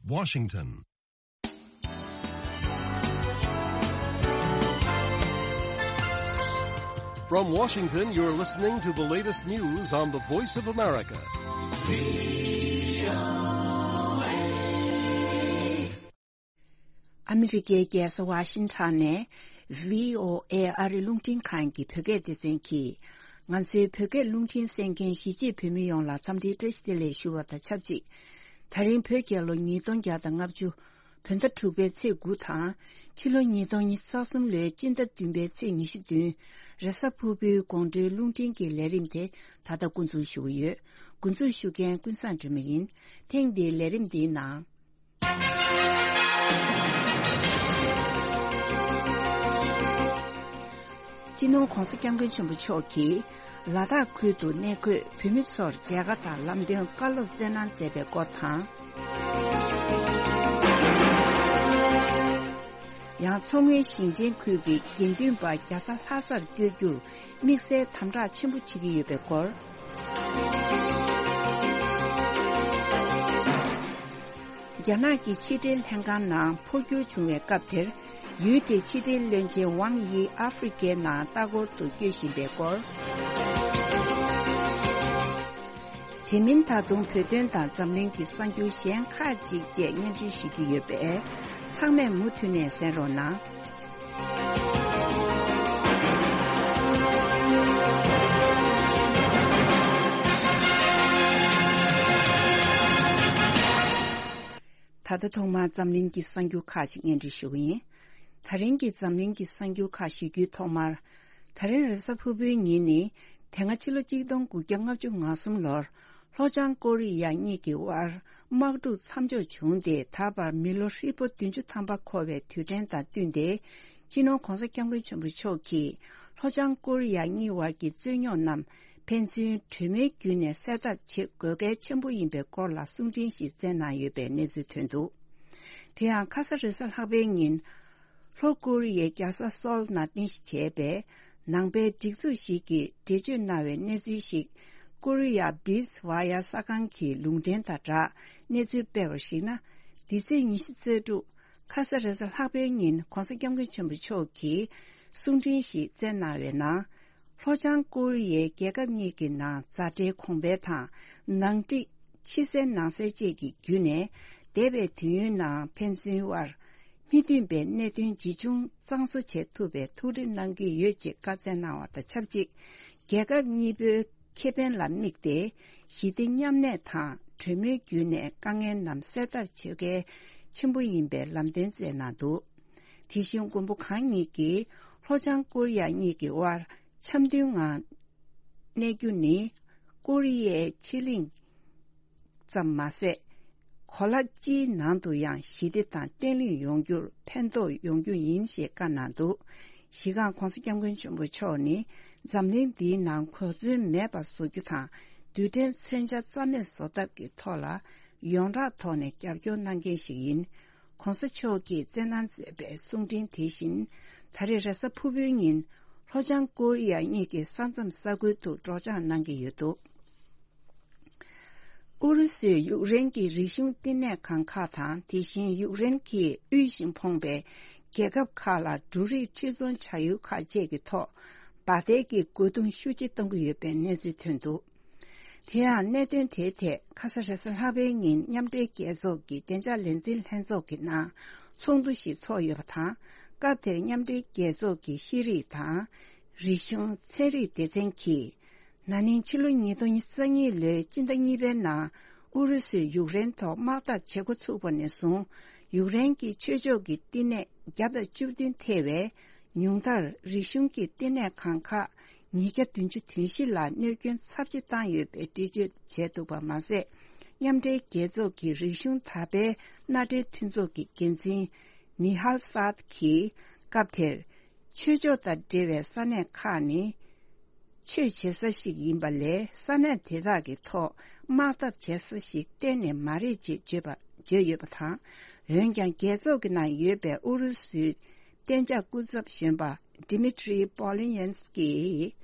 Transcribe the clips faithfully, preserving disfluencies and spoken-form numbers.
Washington. From Washington, you're listening to the latest news on the Voice of America. ཨ་མི་རི་ཀའི་རྒྱལ་ས་ཝ་ཤིང་ཊོན་ནས་བྷི་ཨོ་ཨེ་ཨ་རི་རླུང་འཕྲིན་ཁང་གི་བོད་སྐད་སྡེ་ཚན་གྱིས། ང་ཚོའི་བོད་སྐད་རླུང་འཕྲིན་གསན་མཁན་གཞིས་བྱེས་བོད་མི་ཡོངས་ལ་འཚམས་འདྲིའི་བཀྲ་ཤིས་བདེ་ལེགས་ཞུ་བ་དང་ཆབས་ཅིག་དེ་རིང་བོད་རྒྱལ་ལོ་ཉིས་སྟོང་བརྒྱ་དང་ལྔ་བཅུ་བོད་ཟླ་དྲུག་པའི་ཚེས་དགུ་དང་། ཕྱི་ལོ་ཉིས་སྟོང་ཉི་ཤུ་རྩ་གསུམ་ལོའི་སྤྱི་ཟླ་བདུན་པའི་ཚེས་ཉི་ཤུ་བདུན། རེས་གཟའ་ཕུར་བུའི་དགོང་དྲོའི་རླུང་འཕྲིན་གྱི་ལས་རིམ་དེ་ད་ལྟ་འགོ་འཛུགས་ཞུ་གི་ཡོད། འགོ་འཛུགས་ཞུ་མཁན་ཀུན་བཟང་སྒྲོལ་མ་ཡིན། ཐེངས་འདིའི་ལས་རིམ་འདིའི་ནང་། སྤྱི་ནོར་༧གོང་ས་༧སྐྱབས་མགོན་ཆེན་པོ་མཆོག་གིས་ལ་དྭགས་ཁུལ་དུ་གནས་འཁོད་བོད་མི་ཚོར་མཇལ་ཁ་དང་ལམ་སྟོན་བཀའ་སློབ་སྩལ་གནང་མཛད་པའི་སྐོར་དང་། ཡང་མཚོ་སྔོན་ཞིང་ཆེན་ཁུལ་གྱི་དགེ་འདུན་པ་རྒྱ་བཟའ་ལྷ་སར་བསྐྱོད་རྒྱུར་དམིགས་བསལ་དམ་དྲག་ཆེན་པོ་བྱེད་ཀྱི་ཡོད་པའི་སྐོར། རྒྱ་ནག་གི་ཕྱི་འབྲེལ་ལྷན་ཁང་ནང་འཕོ་འགྱུར་བྱུང་བའི་སྐབས་དེར། ཡུལ་དེའི་ཕྱི་འབྲེལ་བློན་ཆེན་ཝང་དབྱི་ཨ་ཧྥེ་རི་ཁའི་ནང་ལྟ་སྐོར་དུ་བསྐྱོད་བཞིན་པའི་སྐོར། དེ་མིན་ད་དུང་བོད་དོན་དང་འཛམ་གླིང་གི་གསར་འགྱུར་གཞན་ཁག་ཅིག་བཅས་སྙན་སྒྲོན་ཞུ་རྒྱུ་ཡོད་པས། ཚང་མས་མུ་མཐུད་ནས་གསན་རོགས་གནང་། ད་ལྟ་ཐོག་མར་འཛམ་གླིང་གི་གསར་འགྱུར་ཁག་ཅིག་སྙན་སྒྲོན་ཞུ་གི་ཡིན། ད་རིང་གི་འཛམ་གླིང་གི་གསར་འགྱུར་ཁག་ཞུ་རྒྱུའི་ཐོག་མར། ད་རིང་རེས་གཟའ་ཕུར་བུའི་ཉིན་ནི། དེ་སྔ་ཕྱི་ལོ་གཅིག་སྟོང་དགུ་བརྒྱ་ལྔ་བཅུ་ང་གསུམ་ལོར། ལྷོ་བྱང་ཀོ་རི་ཡ་གཉིས་ཀྱི་དབར་དམག་འཁྲུག་མཚམས་འཇོག་བྱུང་སྟེ། ད་བར་མི་ལོ་ཧྲིལ་པོ་བདུན་ཅུ་ཐམ་པ་འཁོར་བའི་དུས་དྲན་དང་བསྟུན་ཏེ། སྤྱི་ནོར་༧གོང་ས་༧སྐྱབས་མགོན་ཆེན་པོ་མཆོག་གིས་ལྷོ་བྱང་ཀོ་རི་ཡ་གཉིས་དབར་གྱི་རྩོད་རྙོག་རྣམས་ཕན་ཚུན་གྲོས་མོལ་བརྒྱུད་ནས་སེལ་ཐབས་བྱེད་དགོས་གལ་ཆེན་པོ་ཡིན་པའི་སྐོར་ལ་གསུང་འཕྲིན་ཞིག་བསྩལ་གནང་ཡོད་པའི་གནས་ཚུལ་ཐོན་འདུག་དེ་ཡང་ཁ་ས་རེས་གཟའ་ལྷག་པའི་ཉིན། ལྷོ་ཀོ་རི་ཡའི་རྒྱལ་ས་སོལ་ནང་རྟེན་གཞི་བྱས་པའི་ནང་པའི་སྒྲིག་འཛུགས་ཤིག་གིས་འགྲེལ་བརྗོད་གནང་བའི་གནས་ཚུལ་ཞིག་ཀོ་རི་ཡ་བིས་ཝ་ཡ་གསར་ཁང་གི་ལུང་འདྲེན་དང་སྦྲགས་གནས་ཚུལ་སྤེལ་བར་གཞིགས་ན། འདི་ཚེས་ཉི་ཤུ་རྩ་དྲུག་ཁ་ས་རེས་གཟའ་ལྷག་པའི་ཉིན་༧གོང་ས་༧སྐྱབས་མགོན་ཆེན་པོ་མཆོག་གིས་གསུང་འཕྲིན་ཞིག་བསྩལ་གནང་བའི་ནང་། ལྷོ་བྱང་ཀོ་རི་ཡའི་རྒྱལ་ཁབ་གཉིས་ཀྱི་ནང་མཛའ་འབྲེལ་གོང་འཕེལ་དང་། ནང་འགྲིག་ཕྱི་གསལ་ནང་གསལ་བཅས་ཀྱི་བརྒྱུད་ནས། འདས་པའི་དུས་ཡུན་ནང་ཕན་ཚུན་དབར་མི་མཐུན་པའི་གནད་དོན་ཇི་བྱུང་གཙང་བཟོ་བྱེད་ཐུབ་པའི་ཐུགས་རེ་གནང་གི་ཡོད་ཅེས་བཀའ་སྩལ་གནང་བ་དང་ཆབས་ཅིག་རྒྱལ་ཁབ་གཉིས་པོའི་ཁེ་ཕན་ལ་དམིགས་ཏེ། ཞི་བདེ་མཉམ་གནས་དང་གྲོས་མོལ་བརྒྱུད་ནས་དཀའ་ངལ་རྣམས་སེལ་ཐབས་བྱེད་གལ་ཆེན་པོ་ཡིན་པའི་ལམ་སྟོན་སྩལ་གནང་འདུག་དེ་བཞིན་མགོན་པོ་གང་ཉིད་ཀྱིས་ལྷོ་བྱང་ཀོ་རི་ཡ་གཉིས་ཀྱི་དབར་འཆམ་མཐུན་ངང་གནས་རྒྱུ་ནི། ཀོ་རི་ཡའི་ཕྱེད་གླིང་ཙམ་མ་ཟད། གོ་ལ་སྤྱིའི་ནང་དུ་ཡང་ཞི་བདེ་དང་བརྟན་ལྷིང་ཡོང་རྒྱུར་ཕན་ཐོགས་ཡོང་རྒྱུ་ཡིན་ཞེས་བཀའ་གནང་འདུག་གཞི་རྐང་༧གོང་ས་༧སྐྱབས་མགོན་ཆེན་པོ་མཆོག་ནི་འཛམ་གླིང་འདིའི་ནང་གོ་མཚོན་མེད་པ་བཟོ་རྒྱུ་དང་། རྡུལ་ཕྲན་མཚོན་ཆ་རྩ་མེད་བཟོ་ཐབས་ཀྱི་ཐོག་ལ་ཡོངས་གྲགས་ཐོག་ནས་རྒྱབ་སྐྱོར་གནང་མཁན་ཞིག་ཡིན། ༸གོང་ས་མཆོག་གིས་བསྩལ་གནང་མཛད་པའི་གསུང་འཕྲིན་དེ་བཞིན། ད་རེས་རེས་གཟའ་ཕུར་བུའི་ཉིན་ལྷོ་བྱང་ཀོ་རི་ཡ་གཉིས་ཀྱི་ས་མཚམས་ས་ཁུལ་དུ་སྒྲོག་སྦྱང་གནང་གི་ཡོད་འདུག་ཨུ་རུ་སུས་ཡུཀ་རེན་གྱི་རིག་གཞུང་བསྟི་གནས་ཁང་ཁག་དང་། དེ་བཞིན་ཡུཀ་རེན་གྱིས་དབུལ་ཞིང་ཕོངས་པའི་རྒྱལ་ཁབ་ཁག་ལ་འབྲུ་རིགས་ཕྱིར་ཚོང་བྱ་ཡུལ་ཁག་བཅས་ཀྱི་ཐོག་འབར་མདེལ་གྱི་རྒོལ་རྡུང་ཤུགས་ཆེ་གཏོང་གི་ཡོད་པའི་གནས་ཚུལ་ཐོན་འདུག་དེ་ཡང་གནད་དོན་དེའི་ཐད་ཁ་ས་རེས་གཟའ་ལྷག་པའི་ཉིན་མཉམ་འབྲེལ་རྒྱལ་ཚོགས་ཀྱི་བདེ་འཇགས་ལས་འཛིན་ལྷན་ཚོགས་ཀྱི་ནང་ཚོགས་འདུ་ཞིག་ཚོགས་ཡོད་པ་དང་། སྐབས་དེར་མཉམ་འབྲེལ་རྒྱལ་ཚོགས་ཀྱི་ཤེས་རིག་དང་། རིག་གཞུང་ཚན་རིག་སྡེ་ཚན་གྱིས། ན་ནིང་ཕྱི་ལོ་ཉིས་སྟོང་ཉི་ཤུ་རྩ་གཉིས་ལོའི་སྤྱི་ཟླ་གཉིས་པའི་ནང་ཨུ་རུ་སུས་ཡུཀ་རེན་ཐོག་དམག་འཐབ་བྱེད་འགོ་ཚུགས་པ་ནས་བཟུང་། ཡུཀ་རེན་གྱི་ཆོས་ཕྱོགས་ཀྱི་བསྟི་གནས་བརྒྱ་དང་བཅུ་བདུན་ཐེ་བའི་ཉུང་མཐར་རིག་གཞུང་གི་བསྟི་གནས་ཁང་ཁག་ཉིས་བརྒྱ་བདུན་ཅུ་དོན་བཞི་ལ་གནོད་སྐྱོན་ཚབས་ཆེ་བཏང་ཡོད་པའི་འགྲེལ་བརྗོད་བྱས་འདུག་པ་མ་ཟད། མཉམ་འབྲེལ་རྒྱལ་ཚོགས་ཀྱི་རིག་གཞུང་དར་སྤེལ་མནའ་འབྲེལ་མཐུན་ཚོགས་ཀྱི་འགན་འཛིན་ནི་ཧལ་སཱད་ཀྱིས་སྐབས་དེར། ཆོས་ཕྱོགས་དང་འབྲེལ་བའི་ས་གནས་ཁག་ནི། ཆོས་བྱེད་ས་ཞིག་ཡིན་པ་ལས། ས་གནས་དེ་དག་གི་ཐོག་དམག་འཐབ་བྱེད་ས་ཞིག་གཏན་ནས་མ་རེད་ཅེས་བརྗོད་པ། བརྗོད་ཡོད་པ་དང་། འོན་ཀྱང་། རྒྱལ་ཚོགས་ཀྱི་ནང་ཡོད་པའི་ཨུ་རུ་སུའི་གཏན་འཇགས་སྐུ་ཚབ་གཞོན་པ་Dmitry Polyanskiy ཡིས།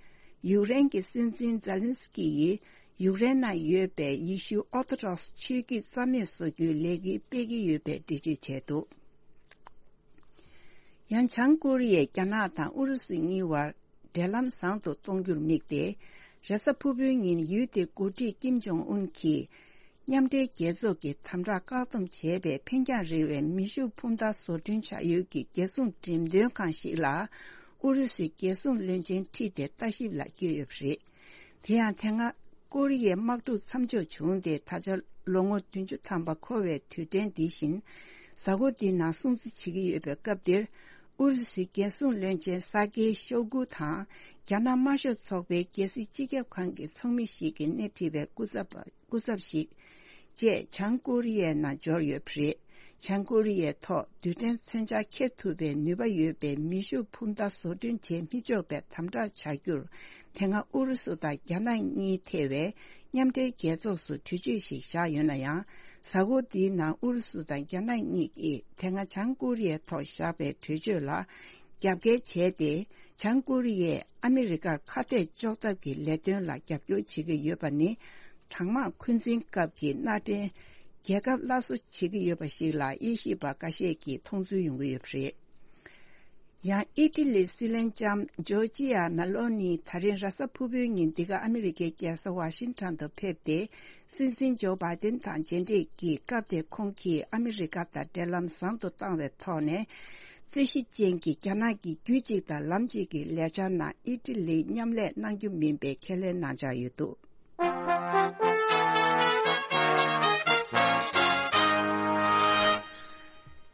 ཡུཀ་རེན་གྱི་སྲིད་འཛིན་ཛེ་ལན་སི་ཀི་ཡིས། ཡུཀ་རེན་ནང་ཡོད་པའི་ཡེ་ཤུ་ཨོ་ཐོ་ཌོག་སི་ཆོས་བརྒྱུད་རྩ་མེད་བཟོ་རྒྱུའི་ལས་འགུལ་སྤེལ་གྱི་ཡོད་པའི་འགྲེལ་བརྗོད་བྱས་འདུག། ཡང་བྱང་ཀོ་རི་ཡས་རྒྱ་ནག་དང་ཨུ་རུ་སུ་གཉིས་བར་འབྲེལ་ལམ་བཟང་དུ་གཏོང་རྒྱུར་དམིགས་ཏེ། རེས་གཟའ་ཕུར་བུའི་ཉིན་ཡུལ་དེའི་འགོ་ཁྲིད་ཀིམ་ཇོང་ཨུན་གྱིས། མཉམ་འབྲེལ་རྒྱལ་ཚོགས་ཀྱི་དམ་དྲག་བཀག་སྡོམ་བྱས་པའི་འཕེན་རྒྱང་རིང་བའི་མེ་ཤུགས་འཕུར་མདའ་བཟོ་སྐྲུན་བྱ་ཡུལ་གྱི་རྒྱལ་སྲུང་འགྲེམས་སྟོན་ཁང་ཞིག་ལ། ཨུ་རུ་སུའི་རྒྱལ་སྲུང་བློན་ཆེན་ཁྲིད་དེ་ལྟ་ཞིབ་ལ་བསྐྱོད་ཡོད་པ་རེད། དེ་ཡང་དེ་སྔ་ཀོ་རི་ཡའི་དམག་འཁྲུག་མཚམས་འཇོག་བྱུང་སྟེ། ད་ཆ་ལོ་ངོ་བདུན་ཅུ་ཐམ་པ་འཁོར་བའི་དུས་དྲན་འདི་བཞིན། གཟའ་འཁོར་འདིའི་ནང་སྲུང་བརྩི་བྱེད་ཀྱི་ཡོད་པའི་སྐབས་འདིར། ཨུ་རུ་སུའི་རྒྱལ་སྲུང་བློན་ཆེན་ས་ཀེ་ཤོ་གུ་དང་། རྒྱ་ནག་དམར་ཤོག་ཚོགས་པའི་རྒྱལ་སྲིད་སྤྱི་ཁྱབ་ཁང་གི་ཚོགས་མི་ཞིག་གིས་སྣེ་ཁྲིད་པའི་སྐུ་ཚབ་པ། སྐུ་ཚབ་ཞིག་བཅས་བྱང་ཀོ་རི་ཡའི་ནང་འབྱོར་ཡོད་པ་རེད། བྱང་ཀོ་རི་ཡའི་ཐོག་རྡུལ་ཕྲན་མཚོན་ཆ་འཁྱེར་ཐུབ་པའི་ནུས་པ་ཡོད་པའི་མེ་ཤུགས་འཕུར་མདའ་བཟོ་སྐྲུན་བྱེད་མི་ཆོག་པའི་དམ་དྲག་བྱ་རྒྱུར། དེ་སྔ་ཨུ་རུ་སུ་དང་རྒྱ་ནག་གཉིས་ཐེ་བའི་མཉམ་འབྲེལ་རྒྱལ་ཚོགས་སུ་གྲོས་ཆོད་ཞིག་བཞག་ཡོད་ན་ཡང་། གཟའ་འཁོར་འདིའི་ནང་ཨུ་རུ་སུ་དང་རྒྱ་ནག་གཉིས་ཀྱིས་དེ་སྔ་བྱང་ཀོ་རི་ཡའི་ཐོག་བཞག་པའི་གྲོས་ཆོད་ལ་རྒྱབ་འགལ་བྱས་ཏེ། བྱང་ཀོ་རི་ཡས་ཨ་མི་རི་ཀར་ཁ་གཏད་གཅོག་ཐབས་ཀྱི་ལས་དོན་ལ་རྒྱབ་སྐྱོར་བྱེད་ཀྱི་ཡོད་པ་ནི། གྲང་དམག་འཁོན་འཛིན་སྐབས་ཀྱི་མནའ་འབྲེལ་རྒྱལ་ཁབ་སླར་གསོ་བྱེད་ཀྱི་ཡོད་པ་ཞིག་ལ་དབྱེ་ཞིབ་པ་འགའ་ཤས་ཀྱིས་མཐོང་ཚུལ་ཡོང་གི་ཡོད་པ་རེད། ཡང་ཨི་ཊི་ལིའི་སྲིད་བློན་ལྕམ་ཇོར་ཇི་ཡ་མེ་ལོ་ནི་ད་རིང་རེས་གཟའ་ཕུར་བུའི་ཉིན་འདི་ག་ཨ་མི་རི་ཀའི་རྒྱལ་ས་ཝ་ཤིང་ཊོན་དུ་ཕེབས་ཏེ། སྲིད་འཛིན་ཇོ་བྷའི་ཏིན་དང་མཇལ་འཕྲད་ཀྱིས། སྐབས་དེར་ཁོང་གིས་ཨ་མི་རི་ཀ་དང་འབྲེལ་ལམ་བཟང་དུ་བཏང་བའི་ཐོག་ནས། རྩོད་གཞི་ཅན་གྱི་རྒྱ་ནག་གི་རྒྱུད་གཅིག་དང་ལམ་གཅིག་གི་ལས་འཆར་ནང་ཨི་ཊི་ལིས་མཉམ་ལས་གནང་རྒྱུ་མིན་པའི་ཁས་ལེན་གནང་འཆར་ཡོད་འདུག།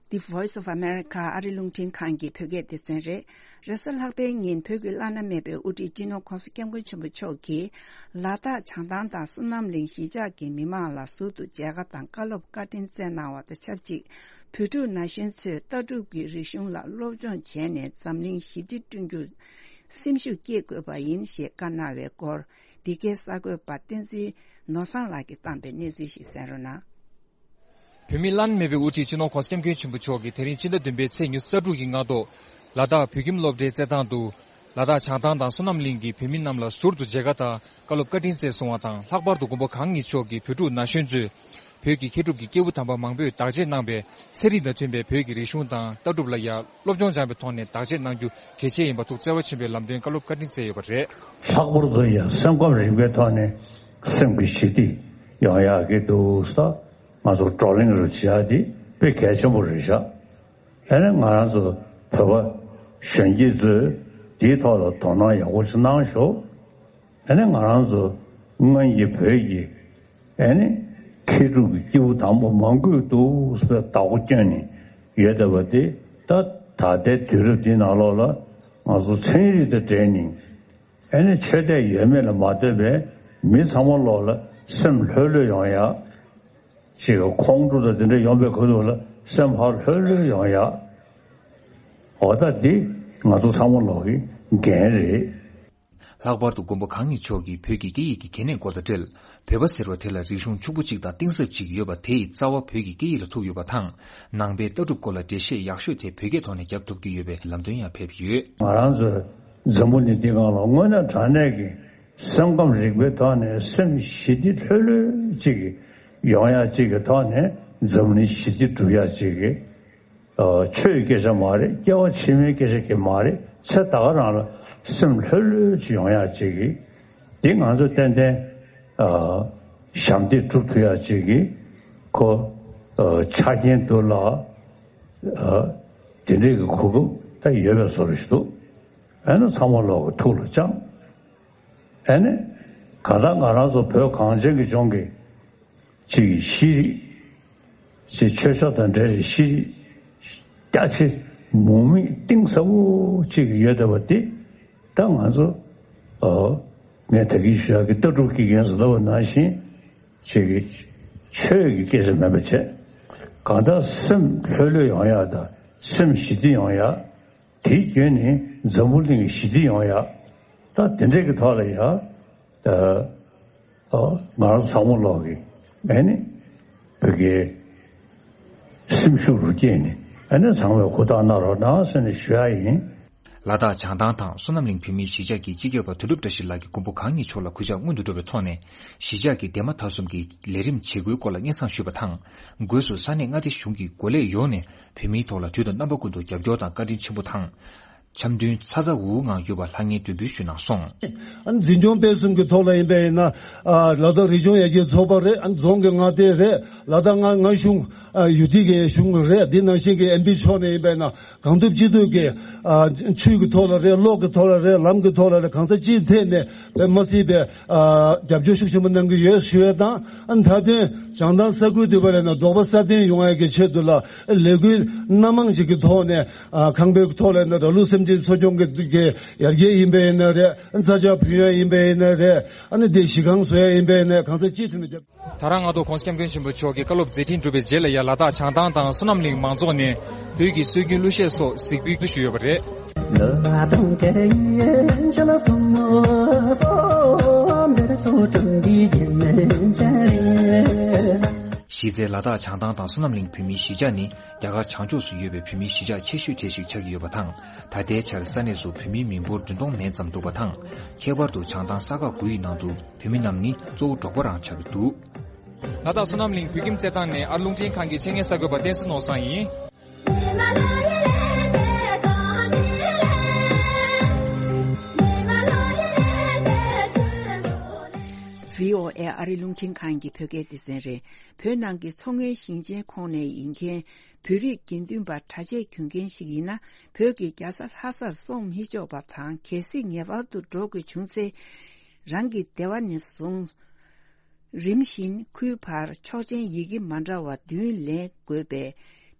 The Voice of America ཨ་རི་རླུང་འཕྲིན་ཁང་གི་བོད་སྐད་སྡེ་ཚན་རེད། རེས་གཟའ་ལྷག་པའི་ཉིན་བོད་ཀྱི་བླ་ན་མེད་པའི་དབུ་ཁྲིད་སྤྱི་ནོར་༧གོང་ས་༧སྐྱབས་མགོན་ཆེན་པོ་མཆོག་གིས། ལ་དྭགས་བྱང་ཐང་དང་བསོད་ནམས་གླིང་གཞིས་ཆགས་ཀྱི་མི་མང་ལ་ཟུར་དུ་མཇལ་ཁ་དང་བཀའ་སློབ་བཀའ་དྲིན་སྩལ་གནང་བ་དང་ཆབས་ཅིག། བོད་ཕྲུག་ན་གཞོན་ཚོས་ལྟ་གྲུབ་ཀྱི་རིག་གཞུང་ལ་སློབ་སྦྱོང་བྱས་ནས་འཛམ་གླིང་ཞི་བདེ་བསྐྲུན་རྒྱུར་སེམས་ཤུགས་བསྐྱེད་དགོས་པ་ཡིན་ཞེས་བཀའ་གནང་བའི་སྐོར། འདི་གའི་གསར་འགོད་པ་བསྟན་འཛིན་ནོར་བཟང་ལགས་ཀྱིས་བཏང་པའི་གནས་ཚུལ་ཞིག་གསན་རོགས་གནང་། བོད་མི་བླ་ན་མེད་པའི་དབུ་ཁྲིད་སྤྱི་ནོར་༧གོང་ས་༧སྐྱབས་མགོན་ཆེན་པོ་མཆོག་གིས་དེ་རིང་ཕྱི་ཟླ་བདུན་པའི་ཚེས་ཉི་ཤུ་རྩ་དྲུག་གི་སྔ་དྲོ། ལ་དྭགས་བོད་ཁྱིམ་སློབ་གྲྭའི་རྩེད་ཐང་དུ། ལ་དྭགས་བྱང་ཐང་དང་བསོད་ནམས་གླིང་གི་བོད་མི་རྣམས་ལ་ཟུར་དུ་མཇལ་ཁ་དང་བཀའ་སློབ་བཀའ་དྲིན་སྩལ་སོང་བ་དང་། ལྷག་པར་དུ་མགོན་པོ་གང་ཉིད་མཆོག་གིས་བོད་ཕྲུག་ན་གཞོན་ཚོས། བོད་ཀྱི་མཁས་གྲུབ་ཀྱི་སྐྱེས་བུ་དམ་པ་མང་པོས་བདག་གཅེས་གནང་བའི་ཚན་རིག་དང་མཐུན་པའི་བོད་ཀྱི་རིག་གཞུང་དང་ལྟ་གྲུབ་ལ་ཡང་སློབ་སྦྱོང་སྦྱངས་པའི་ཐོག་ནས་བདག་གཅེས་གནང་རྒྱུ་གལ་ཆེ་ཡིན་པ་ཐུགས་བརྩེ་བ་ཆེན་པོས་ལམ་སྟོན་བཀའ་སློབ་བཀའ་དྲིན་སྩལ་ཡོད་པ་རེད། ལྷག་པར་དུ་ཡང་སེམས་ཁམས་རིག་པའི་ཐོག་ནས་སེམས་ཀྱི་ཞི་བདེ་ཡོང་ཡག་གི་འདུག་ས། ང་ཚོ་བགྲོ་གླེང་རུ་བྱེད་ཡག་དེ་དཔེ་གལ་ཆེན་པོ་རེད་ཤག། ཨ་ནི་ང་རང་ཚོ་བོད་པ་གཞོན་སྐྱེས་ཚོས་དེའི་ཐོག་ལ་དོ་སྣང་ཡག་པོ་ཞིག་གནང་ཤོག། ཨ་ནི་ང་རང་ཚོ་སྔོན་གྱི་བོད་ཀྱི་ཨ་ནི་མཁས་གྲུབ་ཀྱི་སྐྱེས་བུ་དམ་པ་མང་པོས་འདུག་ཟེར་བདག་པོ་བསྐྱོན་ནས་ཡོད་བསྡད་པ་དེ། ད་ད་ལྟའི་དུས་རབས་འདི་ནང་ལོགས་ལ་ང་ཚོ་ཚན་རིག་དང་འབྲེལ་ནས་ཨ་ནི་ཆོས་དད་ཡོད་མེད་ལ་མ་ལྟོས་པའི་མི་ཚང་མ་ལོགས་ལ་སེམས་ལྷོད་ལྷོད་ཡོང་ཡག་ཅིག་ཁོང་ཁྲོ་དང་དེ་འདྲ་ཡོང་པའི་ཁ་ཐུག་ལ་སེམས་ཕར་ལྷོད་ལྷོད་ཡོང་ཡག། འོ་ད་འདི་ང་ཚོ་ཚང་མ་ལོག་གི་འགན་རེད། ལྷག་པར་དུ་མགོན་པོ་གང་ཉིད་མཆོག་གིས་བོད་ཀྱི་སྐད་ཡིག་གི་གལ་གནད་སྐོར་དང་འབྲེལ། བོད་པ་ཟེར་བ་དེ་ལ་རིག་གཞུང་ཕྱུག་པོ་གཅིག་དང་གཏིང་ཟབ་ཅིག་ཡོད་པ། དེ་ཡི་རྩ་བ་བོད་ཀྱི་སྐད་ཡིག་ལ་ཐུག་ཡོད་པ་དང་། ནང་པའི་ལྟ་གྲུབ་སྐོར་ལ་འགྲེལ་བཤད་ཡག་ཤོས་དེ་བོད་སྐད་ཐོག་ནས་རྒྱབ་ཐུབ་ཀྱི་ཡོད་པའི་ལམ་སྟོན་ཡང་ཕེབས་ཡོད། ང་རང་ཚོའི་འཛམ་བུ་གླིང་འདི་སྒང་ལ་དངོས་གནས་དྲང་གནས་ཀྱི་སེམས་ཁམས་རིག་པའི་ཐོག་ནས་སེམས་ཞི་བདེ་ལྷོད་ལྷོད་ཅིག་ཡོང་ཡག་ཅིག་གི་ཐོག་ནས་འཛམ་བུ་གླིང་ཞི་བདེ་སྒྲུབ་ཡག་ཅིག་གི། ཨ། ཆོས་ཀྱི་སྐད་ཆ་མ་རེད། སྐྱེ་བ་ཕྱི་མའི་སྐད་ཆ་གི་མ་རེད། ཚེ་ད་ག་རང་ལ་སེམས་ལྷོད་ལྷོད་ཅིག་ཡོང་ཡག་ཅིག་གི། འདི་ང་ཚོ་ཏན་ཏན། ཨ། ཞབས་འདེགས་སྒྲུབ་ཐུབ་ཡག་ཅིག་གི་ཁོ། ཨ། ཆ་རྐྱེན་འདུག་ལ། ཨ། དེ་འདྲའི་གི་གོ་སྐབས་ད་ཡོད་པའི་བཟོ་འདྲ་ཞིག་འདུག། ཨ་ནི་ཚང་མ་ལོག་གི་ཐུགས་ལ་བཅངས། ཨ་ནི་གང་ལྟར་ང་རང་ཚོ་བོད་གངས་ཅན་གྱི་ལྗོངས་ཀྱི་ཅིག་ཤེས་རིག་ཅིག་ཆོས་ཕྱོགས་དང་འབྲེལ་བའི་ཤེས་རིག་རྒྱ་ཆེ་མུ་མེད་གཏིང་ཟབ་པོ་ཅིག་ཡོད་བསྡད་པ་དེ། ད་ང་ཚོ། ཨོ། ངས་ད་གིན་ཞུ་ཡག་གི་ལྟ་གྲུབ་ཀྱི་འགན་ཟེར་ལབ་པ་ནང་བཞིན་ཅིག་གི་ཆོས་ཀྱི་སྐད་ཆ་མིན་པ་བྱས། གང་ལྟར་སེམས་ལྷོད་ལྷོད་ཡོང་ཡག་དང་སེམས་ཞི་བདེ་ཡོང་ཡག། དེའི་བརྒྱུད་ནས་འཛམ་བུ་གླིང་གི་ཞི་བདེ་ཡོང་ཡག། ད་དེ་འདྲས་ཀྱི་ཐོག་ལ་ཡ། ད། ཨ། ང་རང་ཚང་མ་ལོག་གི་ཨ་ནི་བོད་ཀྱི་སེམས་ཤུགས་རུ་སྐྱེས་ནས་ཨ་ནི་ཚང་མས་ཧུར་ཐག་གནང་རོགས་གནང་ཟེར་ནས་ཞུ་ཡག་ཡིན། ལ་དྭགས་བྱང་ཐང་དང་བསོད་ནམས་གླིང་བོད་མིའི་གཞིས་ཆགས་ཀྱི་སྤྱི་ཁྱབ་པ་དོན་གྲུབ་བཀྲ་ཤིས་ལགས་ཀྱིས་མགོན་པོ་གང་ཉིད་མཆོག་ལ་གུས་ཕྱག་སྔོན་དུ་འགྲོ་བའི་ཐོག་ནས། གཞིས་ཆགས་ཀྱི་འདན་མ་མཐའ་སྲུང་གི་ལས་རིམ་བྱེད་སྒོའི་སྐོར་ལ་སྙན་སེང་ཞུས་པ་དང་། སྒོས་སུ་ས་གནས་མངའ་སྡེ་གཞུང་གི་འགོ་ལས་ཡོངས་ནས་བོད་མིའི་ཐོག་ལ་དུས་དང་རྣམ་པ་ཀུན་ཏུ་རྒྱབ་སྐྱོར་དང་བཀའ་དྲིན་ཆེན་པོ་དང་། འཆམ་མཐུན་ཚ་ཚ་འུར་འུར་ངང་ཡོད་པར་ལྷང་ངེར་མགྲོན་འབོད་ཞུས་གནང་སོང་། ཨ་ནི་འཛིན་སྐྱོང་སྤེལ་གསུམ་གྱི་ཐོག་ལ་ཡིན་པ་ཡིན་ན། ཨ་ལ་དྭགས་རི་ལྗོངས་ཡར་རྒྱས་ཚོགས་པ་རེད། ཨ་ནི་རྫོང་གི་མངའ་སྡེ་རེད། ལ་དྭགས་མངའ་མངའ་གཞུང་། ཨ་ཡུ་ཊི་གི་གཞུང་རེད། འདི་ནང་བཞིན་གྱི་ཨེམ་པི་ཕྱོགས་ནས་ཡིན་པ་ཡིན་ན། གང་ཐུབ་ཅི་ཐུབ་ཀྱིས། ཨ་ཆོས་ཀྱི་ཐོག་ལ་རེད། གློག་གི་ཐོག་ལ་རེད། ལམ་གྱི་ཐོག་ལ་རེད། གང་ས་ཅིའི་ཐད་ནས་དཔེ་མ་སྲིད་པའི། ཨ་རྒྱབ་སྐྱོར་ཤུགས་ཆེན་པོ་གནང་གི་ཡོད་ཞུ་ཡས་དང་། ཨ་མཐའ་དོན་བྱང་ཐང་ས་ཁུལ་དུ་བ་ལས་ན་རྫོགས་པ་སྲ་བརྟན་ཡོང་ཡས་ཀྱི་ཆེད་དུ་ལ་ལས་འགུལ་སྣ་མང་ཞིག་གི་ཐོག་ནས། ཨ་ཁང་པའི་ཐོག་ལ་ན་ར་ལུག་སེམས་ཅན་འཚོ་སྐྱོང་གི་གི་ཡར་རྒྱས་ཡིན་པ་ཡིན་ན་རེད། ཚྭ་ཆུ་ཕུལ་ཡས་ཡིན་པ་ཡིན་ན་རེད། ཨ་ནི་དེ་གཞི་རྐང་བཟོ་ཡས་ཡིན་པ་ཡིན་ན་རེད། གང་ས་ཅིའི་ཐད་ནས་རྒྱབ། ད་རང་ང་ཚོ་༸གོང་ས་༸སྐྱབས་མགོན་ཆེན་པོ་མཆོག་གི་བཀའ་སློབ་མཛད་འཕྲིན་གྲུབ་པའི་རྗེས་ལ་ཡ། ལ་དྭགས་བྱང་ཐང་དང་བསོད་ནམས་གླིང་མང་ཚོགས་ནས་བོད་ཀྱི་སྲོལ་རྒྱུན་གླུ་གཞས་སོགས་གཟིགས་འབུལ་ཞུས་ཡོད་པ་རེད། གཞི་རྩའི་ལ་དྭགས་བྱང་ཐང་དང་བསོད་ནམས་གླིང་བོད་མིའི་གཞིས་ཆགས་ནི་རྒྱ་གར་བྱང་ཕྱོགས་སུ་ཡོད་པའི་བོད་མིའི་གཞིས་ཆགས་ཆེ་ཤོས་གྲས་ཤིག་ཆགས་ཀྱི་ཡོད་པ་དང་། ད་ལྟའི་ཆར་ས་གནས་སུ་བོད་མིའི་མི་འབོར་བདུན་སྟོང་མན་ཙམ་འདུག་པ་དང་། ཁྱད་པར་དུ་བྱང་ཐང་ས་ཁག་དགུ་ཡི་ནང་དུ་བོད་མི་རྣམས་ནི་གཙོ་བོ་འབྲོག་པ་རང་ཆགས་ཀྱི་འདུག། ལ་དྭགས་བསོད་ནམས་གླིང་བོད་ཁྱིམ་རྩེད་ཐང་ནས་ཨ་རི་རླུང་འཕྲིན་ཁང་གི་ཆེད་མངགས་གསར་འགོད་པ་བསྟན་འཛིན་ནོར་བཟང་ཡིན། བྷི་ཨོ་ཨེ་ཨ་རི་རླུང་འཕྲིན་ཁང་གི་བོད་སྐད་སྡེ་ཚན་རེད། བོད་ནང་གི་མཚོ་སྔོན་ཞིང་ཆེན་ཁོངས་ནས་ཡིན་མཁན་བོད་རིགས་དགེ་འདུན་པ་གྲྭ་ཆས་གྱོན་མཁན་ཞིག་ཡིན་ན། བོད་ཀྱི་རྒྱལ་ས་ལྷ་སར་སོང་མི་ཆོག་པ་དང་། གལ་སྲིད་ངེས་པར་དུ་འགྲོ་དགོས་བྱུང་ཚེ། རང་གི་སྡེ་བ་ནས་བཟུང་། རིམ་བཞིན་ཁུལ་བར་ཆོག་མཆན་ཡི་གེ་མ་འདྲ་བ་བདུན་ལེན་དགོས་པའི་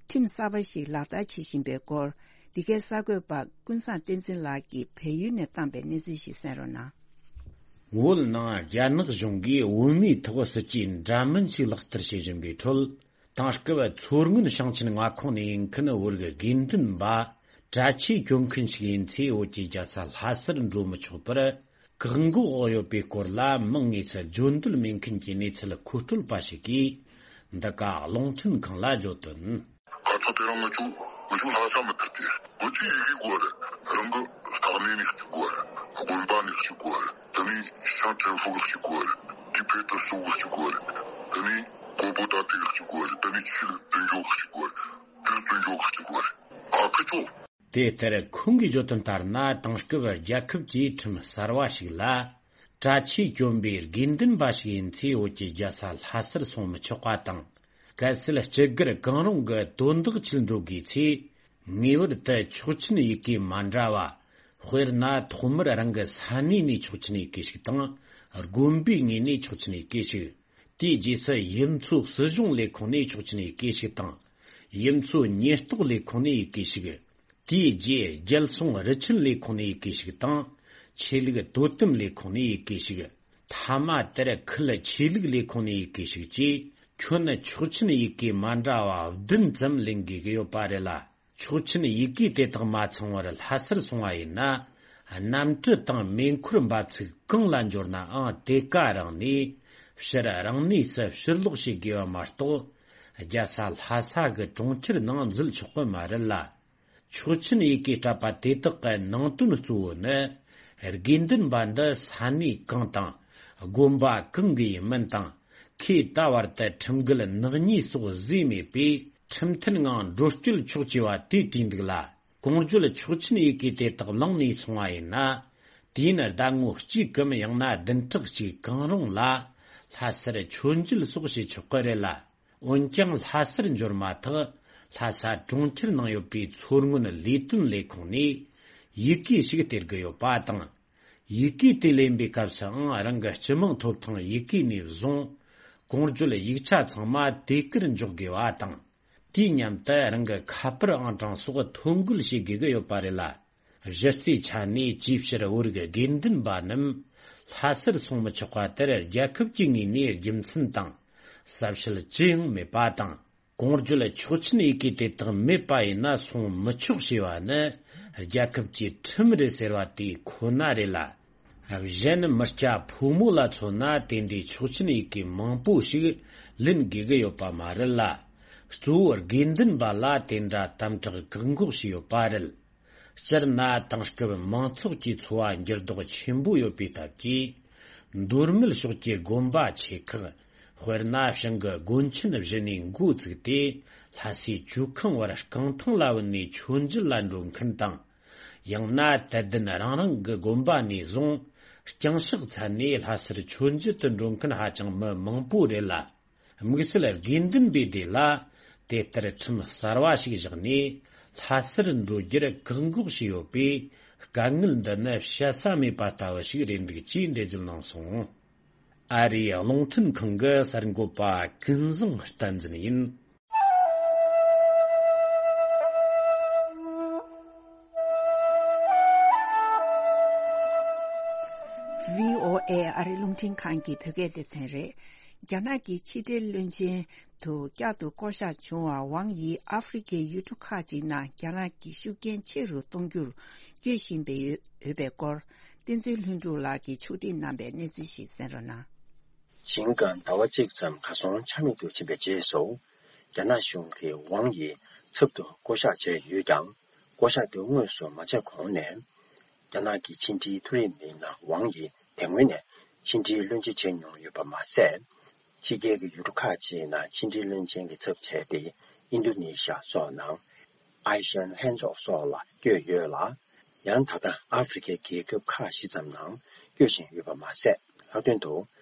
ཁྲིམས་གསར་པ་ཞིག་ལག་བསྟར་བྱེད་བཞིན་པའི་སྐོར། འདི་གའི་གསར་འགོད་པ་ཀུན་བཟང་བསྟན་འཛིན་ལགས་ཀྱིས་བལ་ཡུལ་ནས་བཏང་པའི་གནས་ཚུལ་ཞིག་གསན་རོགས་གནང་། བོད་ནང་རྒྱ་ནག་གཞུང་གིས་བོད་མིའི་ཐོག་སྲིད་ཇུས་འདྲ་མིན་ཞིག་ལག་བསྟར་བྱེད་བཞིན་པའི་ཁྲོད། དེང་སྐབས་མཚོ་སྔོན་ཞིང་ཆེན་མངའ་ཁོངས་ནས་ཡིན་མཁན་བོད་རིགས་དགེ་འདུན་པ་གྲྭ་ཆས་གྱོན་མཁན་ཞིག་ཡིན་ཚེ། བོད་ཀྱི་རྒྱལ་ས་ལྷ་སར་འགྲོ་མི་ཆོག་པར་བཀག་འགོག་འོག་ཡོད་པའི་སྐོར་ལ་མིང་དངོས་སུ་བརྗོད་འདོད་མེད་མཁན་གྱི་གནས་ཚུལ་མཁོ་སྤྲོད་པ་ཞིག་གིས་འདི་ག་རླུང་འཕྲིན་ཁང་ལ་བརྗོད་དོན། ཁ་ཚ་དེ་རིང་ང་ཚོ་ང་ཚོ་ལྷ་ས་མི་ཐུབ་སྟེ། ང་ཚོས་ཡི་གེ་དགོས་རེད། རང་གི་ལྟག་གནས་ནས་གཅིག་དགོས་རེད། དགོན་པ་ནས་གཅིག་དགོས་རེད། དེ་ནས་ཤང་ཁྲེན་ཧྥུ་གི་གཅིག་དགོས་རེད། དེ་བོད་དུ་སོག་གི་གཅིག་དགོས་རེད། དེ་ནས་ཀོང་པོ་ཏ་ཏི་གི་གཅིག་དགོས་རེད། དེ་ནས་ཆོས་དཔལ་འབྱོར་གི་གཅིག་དགོས་རེད། དེ་དཔལ་འབྱོར་གི་གཅིག་དགོས་རེད། ཨ་ཁུ་ཚོ། དེ་ལྟར་ཁོང་གིས་བརྗོད་དོན་ལྟར་ན། དེང་སྐབས་རྒྱལ་ཁབ་ཀྱི་ཁྲིམས་གསར་བ་ཞིག་ལ། གྲྭ་ཆས་གྱོན་པའི་དགེ་འདུན་པ་ཞིག་ཡིན་ཚེ། བོད་ཀྱི་རྒྱལ་ས་ལྷ་སར་སོང་མི་ཆོག་པ་དང་། གལ་སྲིད་སྤྱི་སྒེར་གང་རུང་གི་དོན་དག་ཆེད་འགྲོ་དགོས་ཚེ། ངེས་པར་དུ་ཆོག་མཆན་ཡི་གེ་མ་འདྲ་བ། དཔེར་ན། ཐོག་མར་རང་གི་ས་གནས་ནས་ཆོག་མཆན་ཡི་གེ་ཞིག་དང་། དགོན་པའི་ངོས་ནས་ཆོག་མཆན་ཡི་གེ་ཞིག། དེའི་རྗེས་སུ་ཡུལ་ཚོའི་སྲིད་གཞུང་ལས་ཁུངས་ནས་ཆོག་མཆན་ཡི་གེ་ཞིག་དང་། ཡུལ་ཚོའི་ཉེན་རྟོག་ལས་ཁུངས་ནས་ཡི་གེ་ཞིག། དེའི་རྗེས་རྒྱལ་སྲུང་རུ་ཆེན་ལས་ཁུངས་ནས་ཡི་གེ་ཞིག་དང་། ཆོས་ལུགས་དོ་དམ་ལས་ཁུངས་ནས་ཡི་གེ་ཞིག། མཐའ་མ་དེར་ཁུལ་ཆོས་ལུགས་ལས་ཁུངས་ནས་ཡི་གེ་ཞིག་བཅས། ཁྱོན་ཆོག་མཆན་ཡི་གེ་མ་འདྲ་བ་བདུན་ཙམ་ལེན་དགོས་ཀྱི་ཡོད་པ་རེད་ལ། ཆོག་མཆན་ཡི་གེ་དེ་དག་མ་ཚང་བར་ལྷ་སར་སོང་བ་ཡིན་ན། གནམ་གྲུ་དང་མེ་འཁོར་འབབ་ཚུགས་གང་ལ་འབྱོར་ནའང་། དེ་ག་རང་ནས་ཕྱིར་རང་གནས་སུ་ཕྱིར་ལོག་བྱེད་དགོས་པ་མ་གཏོགས། རྒྱལ་ས་ལྷ་ས་གི་གྲོང་ཁྱེར་ནང་འཛུལ་ཆོག་གི་མ་རེད་ལ། ཆོག་མཆན་ཡི་གེ་སྤྲད་པ་དེ་དག་གི་ནང་དོན་གཙོ་བོ་ནི། དགེ་འདུན་པ་འདི་ས་གནས་གང་དང་། དགོན་པ་གང་གི་ཡིན་མིན་དང་། ཁོས་ད་བར་དུ་ཁྲིམས་འགལ་ནག་ཉེས་སོགས་བཟོས་མེད་པས། ཁྲིམས་མཐུན་ངང་འགྲོ་སྐྱོད་ཆོག་ཅེས་པ་དེ་བྲིས་འདུག་ལ། གོང་བརྗོད་ཆོག་མཆན་ཡི་གེ་དེ་དག་བླངས་ནས་སོང་བ་ཡིན་ན། དུས་ཡུན་ཟླ་ངོ་གཅིག་གམ་ཡང་ན་བདུན་ཕྲག་གཅིག་གང་རུང་ལ་ལྷ་སར་ཆོས་མཇལ་སོགས་བྱེད་ཆོག་གི་རེད་ལ། འོན་ཀྱང་ལྷ་སར་འབྱོར་མ་ཐག་ལྷ་ས་གྲོང་ཁྱེར་ནང་ཡོད་པའི་མཚོ་སྔོན་ལས་དོན་ལས་ཁུངས་ནས་ཡི་གེ་ཞིག་སྟེར་དགོས་ཡོད་པ་དང་། ཡི་གེ་དེ་ལེན་པའི་སྐབས་སུའང་རང་གི་སྤྱི་དམངས་ཐོབ་ཐང་ཡི་གེ་ནས་བཟུང་། གོང་བརྗོད་ཡིག་ཆ་ཚང་མ་དེ་གར་འཇོག་དགོས་པ་དང་། དུས་མཉམ་དུ་རང་གི་ཁ་པར་ཨང་གྲངས་སོགས་ཐོ་འགོད་བྱེད་དགོས་ཀྱི་ཡོད་པ་རེད་ལ། གཞི་རྩའི་ཆ་ནས་ཅིའི་ཕྱིར་བོད་རིགས་དགེ་འདུན་པ་རྣམས་ལྷ་སར་སོང་མི་ཆོག་པ་དེར་རྒྱལ་ཁབ་ཀྱི་ངོས་ནས་རྒྱུ་མཚན་དང་ཟབ་ཞལ་ཅི་ཡང་མེད་པ་དང་། གོང་བརྗོད་ཆོག་མཆན་ཡི་གེ་དེ་དག་མེད་པ་ཡིན་ན་སོང་མི་ཆོག་ཞེས་པ་ནི་རྒྱལ་ཁབ་ཀྱི་ཁྲིམས་རེད་ཟེར་བ་དེ་ཁོ་ན་རེད་ལ། གཞན་མི་སྐྱ་ཕོ་མོ་ལ་མཚོན་ན་དེ་འདྲའི་ཆོག་མཆན་ཡི་གེ་མང་པོ་ཞིག་ལེན་དགོས་ཀྱི་ཡོད་པ་མ་རེད་ལ། གཙོ་བོ་དགེ་འདུན་པ་ལ་དེ་འདྲ་དམ་དྲག་བཀག་འགོག་བྱས་ཡོད་པ་རེད། སྤྱིར་ན་དེང་སྐབས་མང་ཚོགས་ཀྱི་འཚོ་བ་འགྱུར་ལྡོག་ཆེན་པོ་ཡོད་པའི་སྟབས་ཀྱིས། མདོ་སྨད་ཕྱོགས་ཀྱི་དགོན་པ་ཆེ་ཁག་དཔེར་ན་བྱང་གི་དགོན་ཆེན་བཞི་ནས་འགོ་བཙུགས་ཏེ། ལྷ་སའི་ཇོ་ཁང་བར་རྐང་ཐང་ལ་བུད་ནས་མཆོད་མཇལ་ལ་འགྲོ་མཁན་དང་། ཡང་ན་དད་ལྡན་རང་རང་གི་དགོན་པ་ནས་བཟུང་། ལྕང་ཤག་ཚ་ནས་ལྷ་སར་མཆོད་མཇལ་དུ་འགྲོ་མཁན་ཧ་ཅང་མི་མང་པོ་རེད་ལ། དམིགས་བསལ་དགེ་འདུན་པའི་སྡེ་ལ་དེ་ལྟར་ཁྲིམས་གསར་བ་ཞིག་བཞག་ནས། ལྷ་སར་འགྲོ་རྒྱུར་བཀག་འགོག་བྱས་ཡོད་པས། དཀའ་ངལ་འདི་ནི་བཤད་ས་མེད་པ་ལྟ་བུ་ཞིག་རེད་འདུག་ཅེས་འགྲེལ་བརྗོད་གནང་སོང་། ཨ་རིའི་རླུང་འཕྲིན་ཁང་གི་གསར་འགོད་པ་ཀུན་བཟང་བསྟན་འཛིན་ཡིན། ཝི་ཨོ་ཨེ་ཨ་རིའི་རླུང་འཕྲིན་ཁང་གི་བོད་སྐད་སྡེ་ཚན་རེད། རྒྱ་ནག་གི་ཕྱི་འབྲེལ་བློན་ཆེན་དུ་བསྐྱར་དུ་བསྐོ་གཞག་བྱུང་བ་ཝང་ཡིས་ཨ་ཧྥེ་རི་ཁའི་ཡུལ་གྲུ་ཁག་ཅིག་ནང་རྒྱ་ནག་གི་ཤུགས་རྐྱེན་ཆེ་རུ་གཏོང་རྒྱུར་སྐྱོད་བཞིན་པའི་ཡོད་པའི་སྐོར། བསྟན་འཛིན་ལྷུན་གྲུབ་ལགས་ཀྱིས་ཕྱོགས་སྒྲིག་གནང་པའི་གནས་ཚུལ་ཞིག་གསན་རོགས་གནང་། ཞིང་ཀང་ཟླ་བ་གཅིག་ཙམ་གར་སོང་ཆ་མེད་དུ་ཕྱིན་པའི་རྗེས་སུ། རྒྱ་ནག་གཞུང་གིས་ཝང་ཡི་ཚབ་ཏུ་བསྐོ་གཞག་བྱས་ཡོད་ཀྱང་། བསྐོ་གཞག་དེ་དངོས་སུ་མ་བྱས་གོང་ནས། རྒྱ་ནག་གི་ཕྱི་འབྲེལ་མཐོ་རིམ་མི་སྣ་ཝང་ཡི་དེ་སྔོན་ནས་ཕྱི་འབྲེལ་བློན་ཆེན་བྱས་མྱོང་ཡོད་པ་མ་ཟད། ཕྱི་རྒྱལ་གྱི་ཡུལ་གྲུ་ཁག་ཅིག་ནང་ཕྱི་འབྲེལ་བློན་ཆེན་གྱི་ཚབ་བྱས་ཏེ། ཨིན་རྡུ་ནི་ཤ་སོགས་ནང་ཨེ་ཤན་ལྷན་ཚོགས་སོགས་ལ་བསྐྱོད་ཡོད་ལ། ཡང་ད་ལྟ་ཨ་ཧྥེ་རི་ཁའི་རྒྱལ་ཁབ་ཁག་བཞི་ཙམ་ནང་བསྐྱོད་བཞིན་ཡོད་པ་མ་ཟད། ལྷག་དོན་དུ་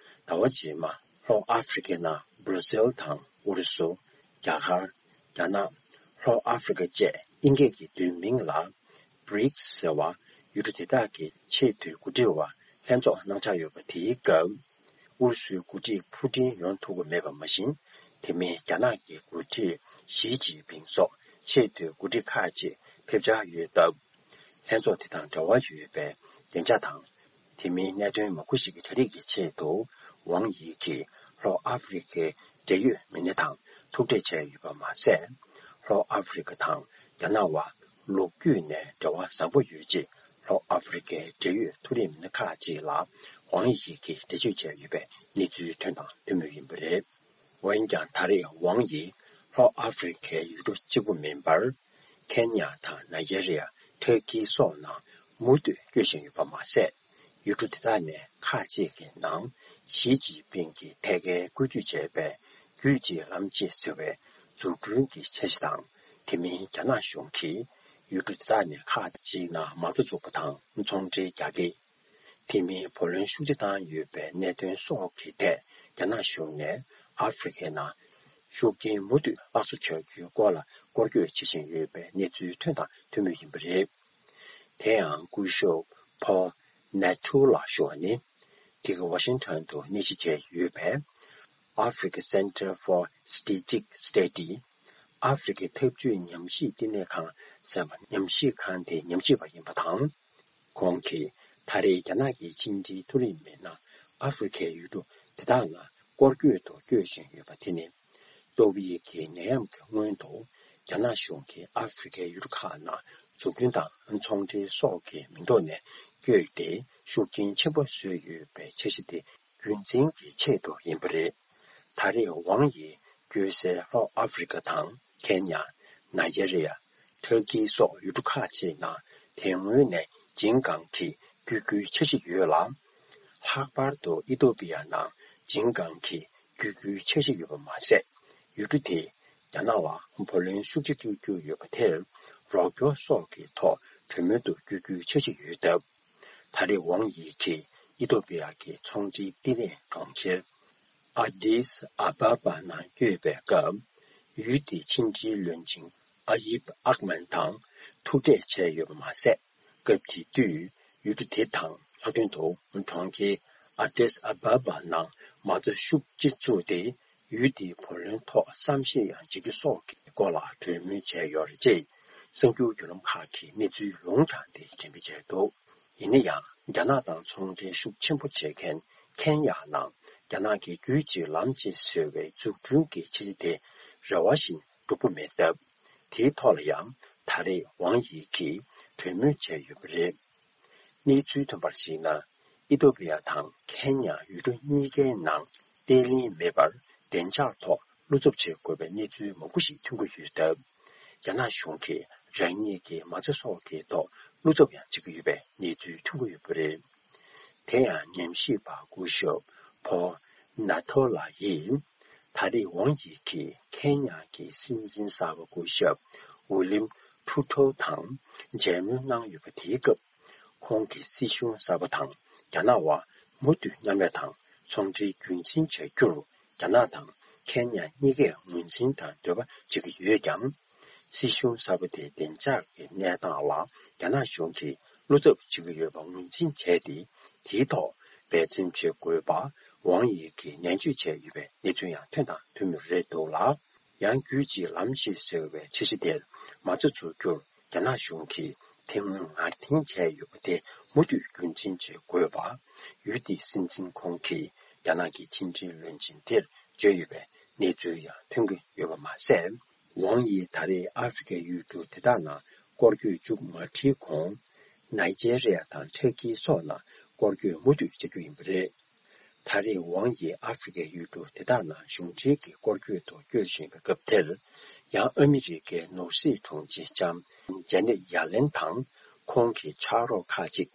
ཟླ་བ་རྗེས་མ་ལྷོ་ཨ་ཧྥེ་རི་ཁའི་ནང་བྷར་ཟིལ་དང་ཨུ་རུ་སུ། རྒྱ་གར། རྒྱ་ནག། ལྷོ་ཨ་ཧྥེ་རི་ཁ་བཅས་དབྱིན་སྐད་ཀྱི་བསྡུས་མིང་ལ་བྷི་རིག་སི་ཟེར་བ། ཡུལ་གྲུ་དེ་དག་གི་ཆེས་མཐོའི་འགོ་ཁྲིད་པ་ལྷན་ཚོགས་གནང་འཆར་ཡོད་པ་དེའི་སྐབས། ཨུ་རུ་སུའི་འགོ་ཁྲིད་ཕུ་ཏིན་ཡོང་ཐུབ་ཀྱི་མེད་པ་མ་ཟད། དེ་མིན་རྒྱ་ནག་གི་འགོ་ཁྲིད་ཞི་ཅིན་ཕིང་སོགས་ཆེས་མཐོའི་འགོ་ཁྲིད་ཁག་ཅིག་ཕེབས་འཆར་ཡོད་སྟབས། ལྷན་ཚོགས་དེ་དང་འབྲེལ་བ་ཡོད་པའི་བདེ་འཇགས་དང་། དེ་མིན་གནད་དོན་མང་པོ་ཞིག་གི་གྲ་སྒྲིག་གི་ཆེད་དུ། ཝང་ཡི་གིས་ལྷོ་ཨ་ཧྥེ་རི་ཁའི་འབྲེལ་ཡོད་མི་སྣ་དང་ཐུག་འཕྲད་བྱས་ཡོད་པ་མ་ཟད། ལྷོ་ཨ་ཧྥེ་རི་ཁ་དང་རྒྱ་ནག་བར་ལོ་རྒྱུས་ནས་འབྲེལ་བ་བཟང་པོ་ཡོད་ཅེས། ལྷོ་ཨ་ཧྥེ་རི་ཁའི་འབྲེལ་ཡོད་མཐོ་རིམ་མི་སྣ་ཁག་ཅིག་ལ་ཝང་ཡི་གིས་འགྲེལ་བརྗོད་བྱས་ཡོད་པའི་གནས་ཚུལ་ཐོན་དང་ཐོན་མུས་ཡིན་པ་རེད། འོན་ཀྱང་། ད་རེས་ཝང་ཡིས་ལྷོ་ཨ་ཧྥེ་རི་ཁའི་ཡུལ་གྲུ་གཅིག་པུ་མིན་པར། ཁེན་ཡ་དང་ནཱི་ཇེ་རི་ཡ། ཐར་ཀི་སོགས་ནང་མུ་མཐུད་བསྐྱོད་བཞིན་ཡོད་པ་མ་ཟད། ཡུལ་གྲུ་དེ་དག་ནས་ཁག་ཅིག་གི་ནང་ཞི་ཅིན་ཕིང་གིས་ཐད་ཀར་བཀོད་སྒྲིག་བྱས་པའི་རྒྱུད་གཅིག་ལམ་གཅིག་ཟེར་བའི་འཛུགས་སྐྲུན་གྱི་འཆར་གཞི་དང་། དེ་མིན་རྒྱ་ནག་གཞུང་གིས་ཡུལ་གྲུ་དེ་དག་ནས་ཁག་ཅིག་ནང་མ་རྩ་འཛུགས་པ་དང་ཚོང་འབྲེལ་རྒྱག་གི། དེ་མིན་བུ་ལོན་ཤུགས་ཆེ་བཏང་ཡོད་པའི་གནད་དོན་སོགས་ཀྱི་ཐད། རྒྱ་ནག་གཞུང་ནས་ཨ་ཧྥེ་རི་ཁའི་ནང་ཤུགས་རྐྱེན་མུ་མཐུད་སླར་གསོ་བྱ་རྒྱུའི་སྐོར་ལ་སྐོར་སྐྱོད་བྱེད་བཞིན་ཡོད་པའི་གནས་ཚུལ་ཐོན་དང་ཐོན་མུས་ཡིན་པ་རེད། དེ་ཡང་སྐུ་ཞབས་ཕོལ་ནེ་ཐུ་ལགས་ཞུ་བ་ནི། དེ་ག་ཝ་ཤིང་ཊོན་དུ་གནས་གཞི་བྱས་ཡོད་པའི་Africa Center for Strategic Study། ཨ་ཧྥེ་རི་ཁའི་འཐབ་ཇུས་ཉམས་ཞིབ་བསྟི་གནས་ཁང་ཟེར་བ་ཉམས་ཞིབ་ཁང་དེའི་ཉམས་ཞིབ་པ་ཡིན་པ་དང་། ཁོང་གིས་ད་རེས་རྒྱ་ནག་གི་ཕྱི་འབྲེལ་མཐོ་རིམ་མི་སྣ་ཨ་ཧྥེ་རི་ཁའི་ཡུལ་གྲུ་དེ་དག་ལ་སྐོར་སྐྱོད་དུ་བསྐྱོད་བཞིན་ཡོད་པ་དེ་ནི། ཏོག་དབྱིབས་ཀྱི་ནད་ཡམས་ཀྱི་སྔོན་དུ་རྒྱ་ནག་གཞུང་གིས་ཨ་ཧྥེ་རི་ཁའི་ཡུལ་གྲུ་ཁག་ནང་འཛུགས་སྐྲུན་དང་ཚོང་འབྲེལ་སོགས་ཀྱི་མིང་ཐོག་ནས་བསྐྱོད་དེ་ཤུགས་རྐྱེན་ཆེན་པོ་བཟོས་ཡོད་པའི་འཆར་གཞི་དེ་རྒྱུན་འཛིན་གྱི་ཆེད་དུ་ཡིན་པ་རེད། ད་རེས་ཝང་ཡིས་བསྐྱོད་སའི་ལྷོ་ཨ་ཧྥེ་རི་ཁ་དང་ཁེན་ཡ། ནཱི་ཇེ་རི་ཡ། ཐར་ཀི་སོགས་ཡུལ་གྲུ་ཁག་ཅིག་ནང་དེ་སྔོན་ནས་ཇིང་གང་གིས་བསྐྱོད་རྒྱུའི་འཆར་གཞི་ཡོད་ལ། ལྷག་པར་དུ་ཨི་ཐོ་པི་ཡ་ནང་ཇིང་གང་གིས་བསྐྱོད་རྒྱུའི་འཆར་གཞི་ཡོད་པ་མ་ཟད། ཡུལ་གྲུ་དེས་རྒྱ་ནག་ལ་བུ་ལོན་ཤུགས་ཆེ་སྤྲོད་རྒྱུ་ཡོད་པ་དེར་རོགས་སྐྱོར་སོགས་ཀྱི་ཐོག་གྲོས་མོལ་དུ་བསྐྱོད་རྒྱུའི་འཆར་གཞི་ཡོད་སྟབས། ད་རེས་ཝང་ཡི་གིས་ཨི་ཐོ་པི་ཡ་གི་ཚོང་འབྲེལ་བསྟི་གནས་གྲོང་ཁྱེར་ཨ་ཏིས་ཨ་བྷ་བྷ་ནང་བསྐྱོད་པའི་སྐབས། ཡུལ་དེའི་ཕྱི་འབྲེལ་བློན་ཆེན་ཨ་ཡིབ་ཨག་མན་དང་ཐུག་འཕྲད་བྱས་ཡོད་པ་མ་ཟད། སྐབས་དེ་དུས་ཡུལ་གྲུ་དེ་དང་ལྷག་དོན་དུ་གྲོང་ཁྱེར་ཨ་ཏིས་ཨ་བྷ་བྷ་ནང་མ་རྩ་ཤུགས་ཆེ་བཙུགས་ཏེ། ཡུལ་དེའི་བུ་ལོན་ཐོག་བསམ་ཤེས་ཡང་བྱེད་རྒྱུ་སོགས་ཀྱི་སྐོར་ལ་གྲོས་མོལ་བྱས་ཡོད་རེད་ཅེས་གསར་འགྱུར་བརྒྱུད་ལམ་ཁག་གིས་གནས་ཚུལ་ལུང་དྲངས་ཏེ་འགྲེམས་སྤེལ་བྱས་འདུག་ཡིན་ན་ཡང་། རྒྱ་ནག་དང་ཚོང་འབྲེལ་ཤུགས་ཆེན་པོ་བྱེད་མཁན་ཁེན་ཡ་ནང་རྒྱ་ནག་གི་རྒྱུད་གཅིག་ལམ་གཅིག་ཟེར་བའི་འཛུགས་སྐྲུན་གྱི་འཆར་གཞི་དེ་རེ་བ་བཞིན་འགྲུབ་པ་མེད་སྟབས། དེའི་ཐོག་ལ་ཡང་ད་རེས་ཝང་ཡི་གིས་གྲོས་མོལ་བྱས་ཡོད་པ་རེད། གནས་ཚུལ་ཐོན་པར་གཞིགས་ན། ཨི་ཐོ་པི་ཡ་དང་ཁེན་ཡ་ཡུལ་གྲུ་གཉིས་ཀའི་ནང་བརྟན་ལྷིང་མེད་པར་བདེ་འཇགས་ཐོག་བློ་འཚབ་བྱེད་དགོས་པའི་གནས་ཚུལ་མང་པོ་ཞིག་ཐོན་གྱི་ཡོད་སྟབས། རྒྱ་ནག་གཞུང་གིས་རང་ཉིད་ཀྱི་མ་རྩ་སོགས་ཀྱི་ཐོག་ བློ་འཚབ་ཡང་བྱེད་ཀྱི་ཡོད་པའི་གནས་ཚུལ་ཐོན་གྱི་ཡོད་པ་རེད། དེ་ཡང་ཉམས་ཞིབ་པ་སྐུ་ཞབས་ཕོ་ནཱ་ཐོ་ལ་ཡིས། ད་རེས་ཝང་ཡི་གིས་ཁེན་ཡ་གི་སྲིད་འཛིན་གསར་པ་སྐུ་ཞབས་ཝི་ལིམ་ཁྲུ་ཁྲོ་དང་མཇལ་མོལ་གནང་ཡོད་པ་དེའི་སྐབས། ཁོང་གིས་སྲིད་གཞུང་གསར་པ་དང་རྒྱ་ནག་དབར་མུ་མཐུད་མཉམ་ལས་དང་ཚོང་འབྲེལ་རྒྱུན་འཛིན་བྱ་རྒྱུར་རྒྱ་ནག་དང་ཁེན་ཡ་གཉིས་ཀས་ངོས་འཛིན་དང་འདོད་པ་བྱེད་ཀྱི་ཡོད་ཀྱང་། སྲིད་གཞུང་གསར་པ་དེའི་བདེ་འཇགས་ཀྱི་གནས་སྟངས་ལ་རྒྱ་ནག་གཞུང་གིས་བློ་འཚབ་བྱེད་ཀྱི་ཡོད་པ་ངོས་འཛིན་བྱས་ཏེ། དེའི་ཐོག་འབད་བརྩོན་བྱེད་དགོས་པ་ཝང་ཡི་གིས་ནན་བརྗོད་བྱས་ཡོད་པའི་གནས་ཚུལ་ཡང་ཐོན་དང་ཐོན་མུས་རེད་འདུག་ལ། ཡང་རྒྱུད་གཅིག་ལམ་གཅིག་ཟེར་བའི་འཆར་གཞི་དེར་མ་རྩ་འཛུགས་རྒྱུར་རྒྱ་ནག་གཞུང་གིས་དེ་སྔོན་ངར་འཐེན་བྱས་ཡོད་པ་དེ་མུ་མཐུད་རྒྱུན་འཛིན་བྱེད་དགོས་པ། ཡུལ་དེའི་སྲིད་འཛིན་ཁོང་གིས་རྒྱ་ནག་གི་ཕྱི་འབྲེལ་བློན་ཆེན་དེར་བརྗོད་ཡོད་པའི་གནས་ཚུལ་ཡང་ཐོན་གྱི་ཡོད་པ་མ་ཟད། ཝང་ཡིས་ད་རེས་ཨ་ཧྥེ་རི་ཁའི་ཡུལ་གྲུ་དེ་དག་ནང་སྐོར་སྐྱོད་མཇུག་མ་ཁྲིད་གོང་། ནཱི་ཇེ་རི་ཡ་དང་ཐར་ཀི་སོགས་ནང་སྐོར་སྐྱོད་མུ་མཐུད་བྱ་རྒྱུ་ཡིན་པ་རེད། ད་རེས་ཝང་ཡིས་ཨ་ཧྥེ་རི་ཁའི་ཡུལ་གྲུ་དེ་དག་ནང་གཞུང་འབྲེལ་གྱི་སྐོར་སྐྱོད་ཐོག་སྐྱོད་བཞིན་པའི་སྐབས་དེར། ཡང་ཨ་མི་རི་ཀའི་ནོར་སྲིད་དྲུང་ཆེ་ལྕམ་ཇེ་ནེ་ཡ་ལེན་དང་ཁོང་གི་ཕྱག་རོགས་ཁག་ཅིག་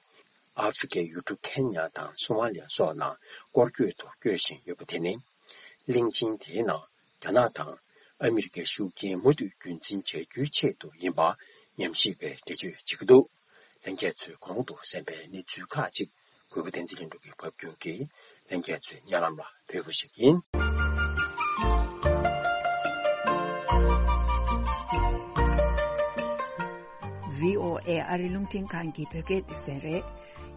ཨ་ཧྥེ་རི་ཁའི་ཡུལ་གྲུ་ཁེན་ཡ་དང་སོ་མ་ལི་ཡ་སོགས་ནང་སྐོར་སྐྱོད་ཐོག་སྐྱོད་བཞིན་ཡོད་པ་དེ་ནི། གླིང་ཆེན་དེའི་ནང་རྒྱ་ནག་དང་ཨ་མི་རི་ཀའི་ཤུགས་རྐྱེན་མུ་མཐུད་རྒྱུན་འཛིན་བྱ་རྒྱུའི་ཆེད་དུ་ཡིན་པ་ཉམས་ཞིབ་པས་འགྲེལ་བརྗོད་བྱེད་ཀྱི་འདུག་ལྷན་རྒྱས་ཚོས་གོང་དུ་གསན་པའི་གནས་ཚུལ་ཁག་ཅིག་གུས་པ་བསྟན་འཛིན་ལྷུན་གྲུབ་ཀྱིས་ཕབ་སྒྱུར་གྱིས་ལྷན་རྒྱས་ཚོའི་སྙན་ལམ་ལ་ཕུལ་བ་ཞིག་ཡིན། བྷི་ཨོ་ཨེ་ཨ་རི་རླུང་འཕྲིན་ཁང་གི་བོད་སྐད་སྡེ་ཚན་རེད།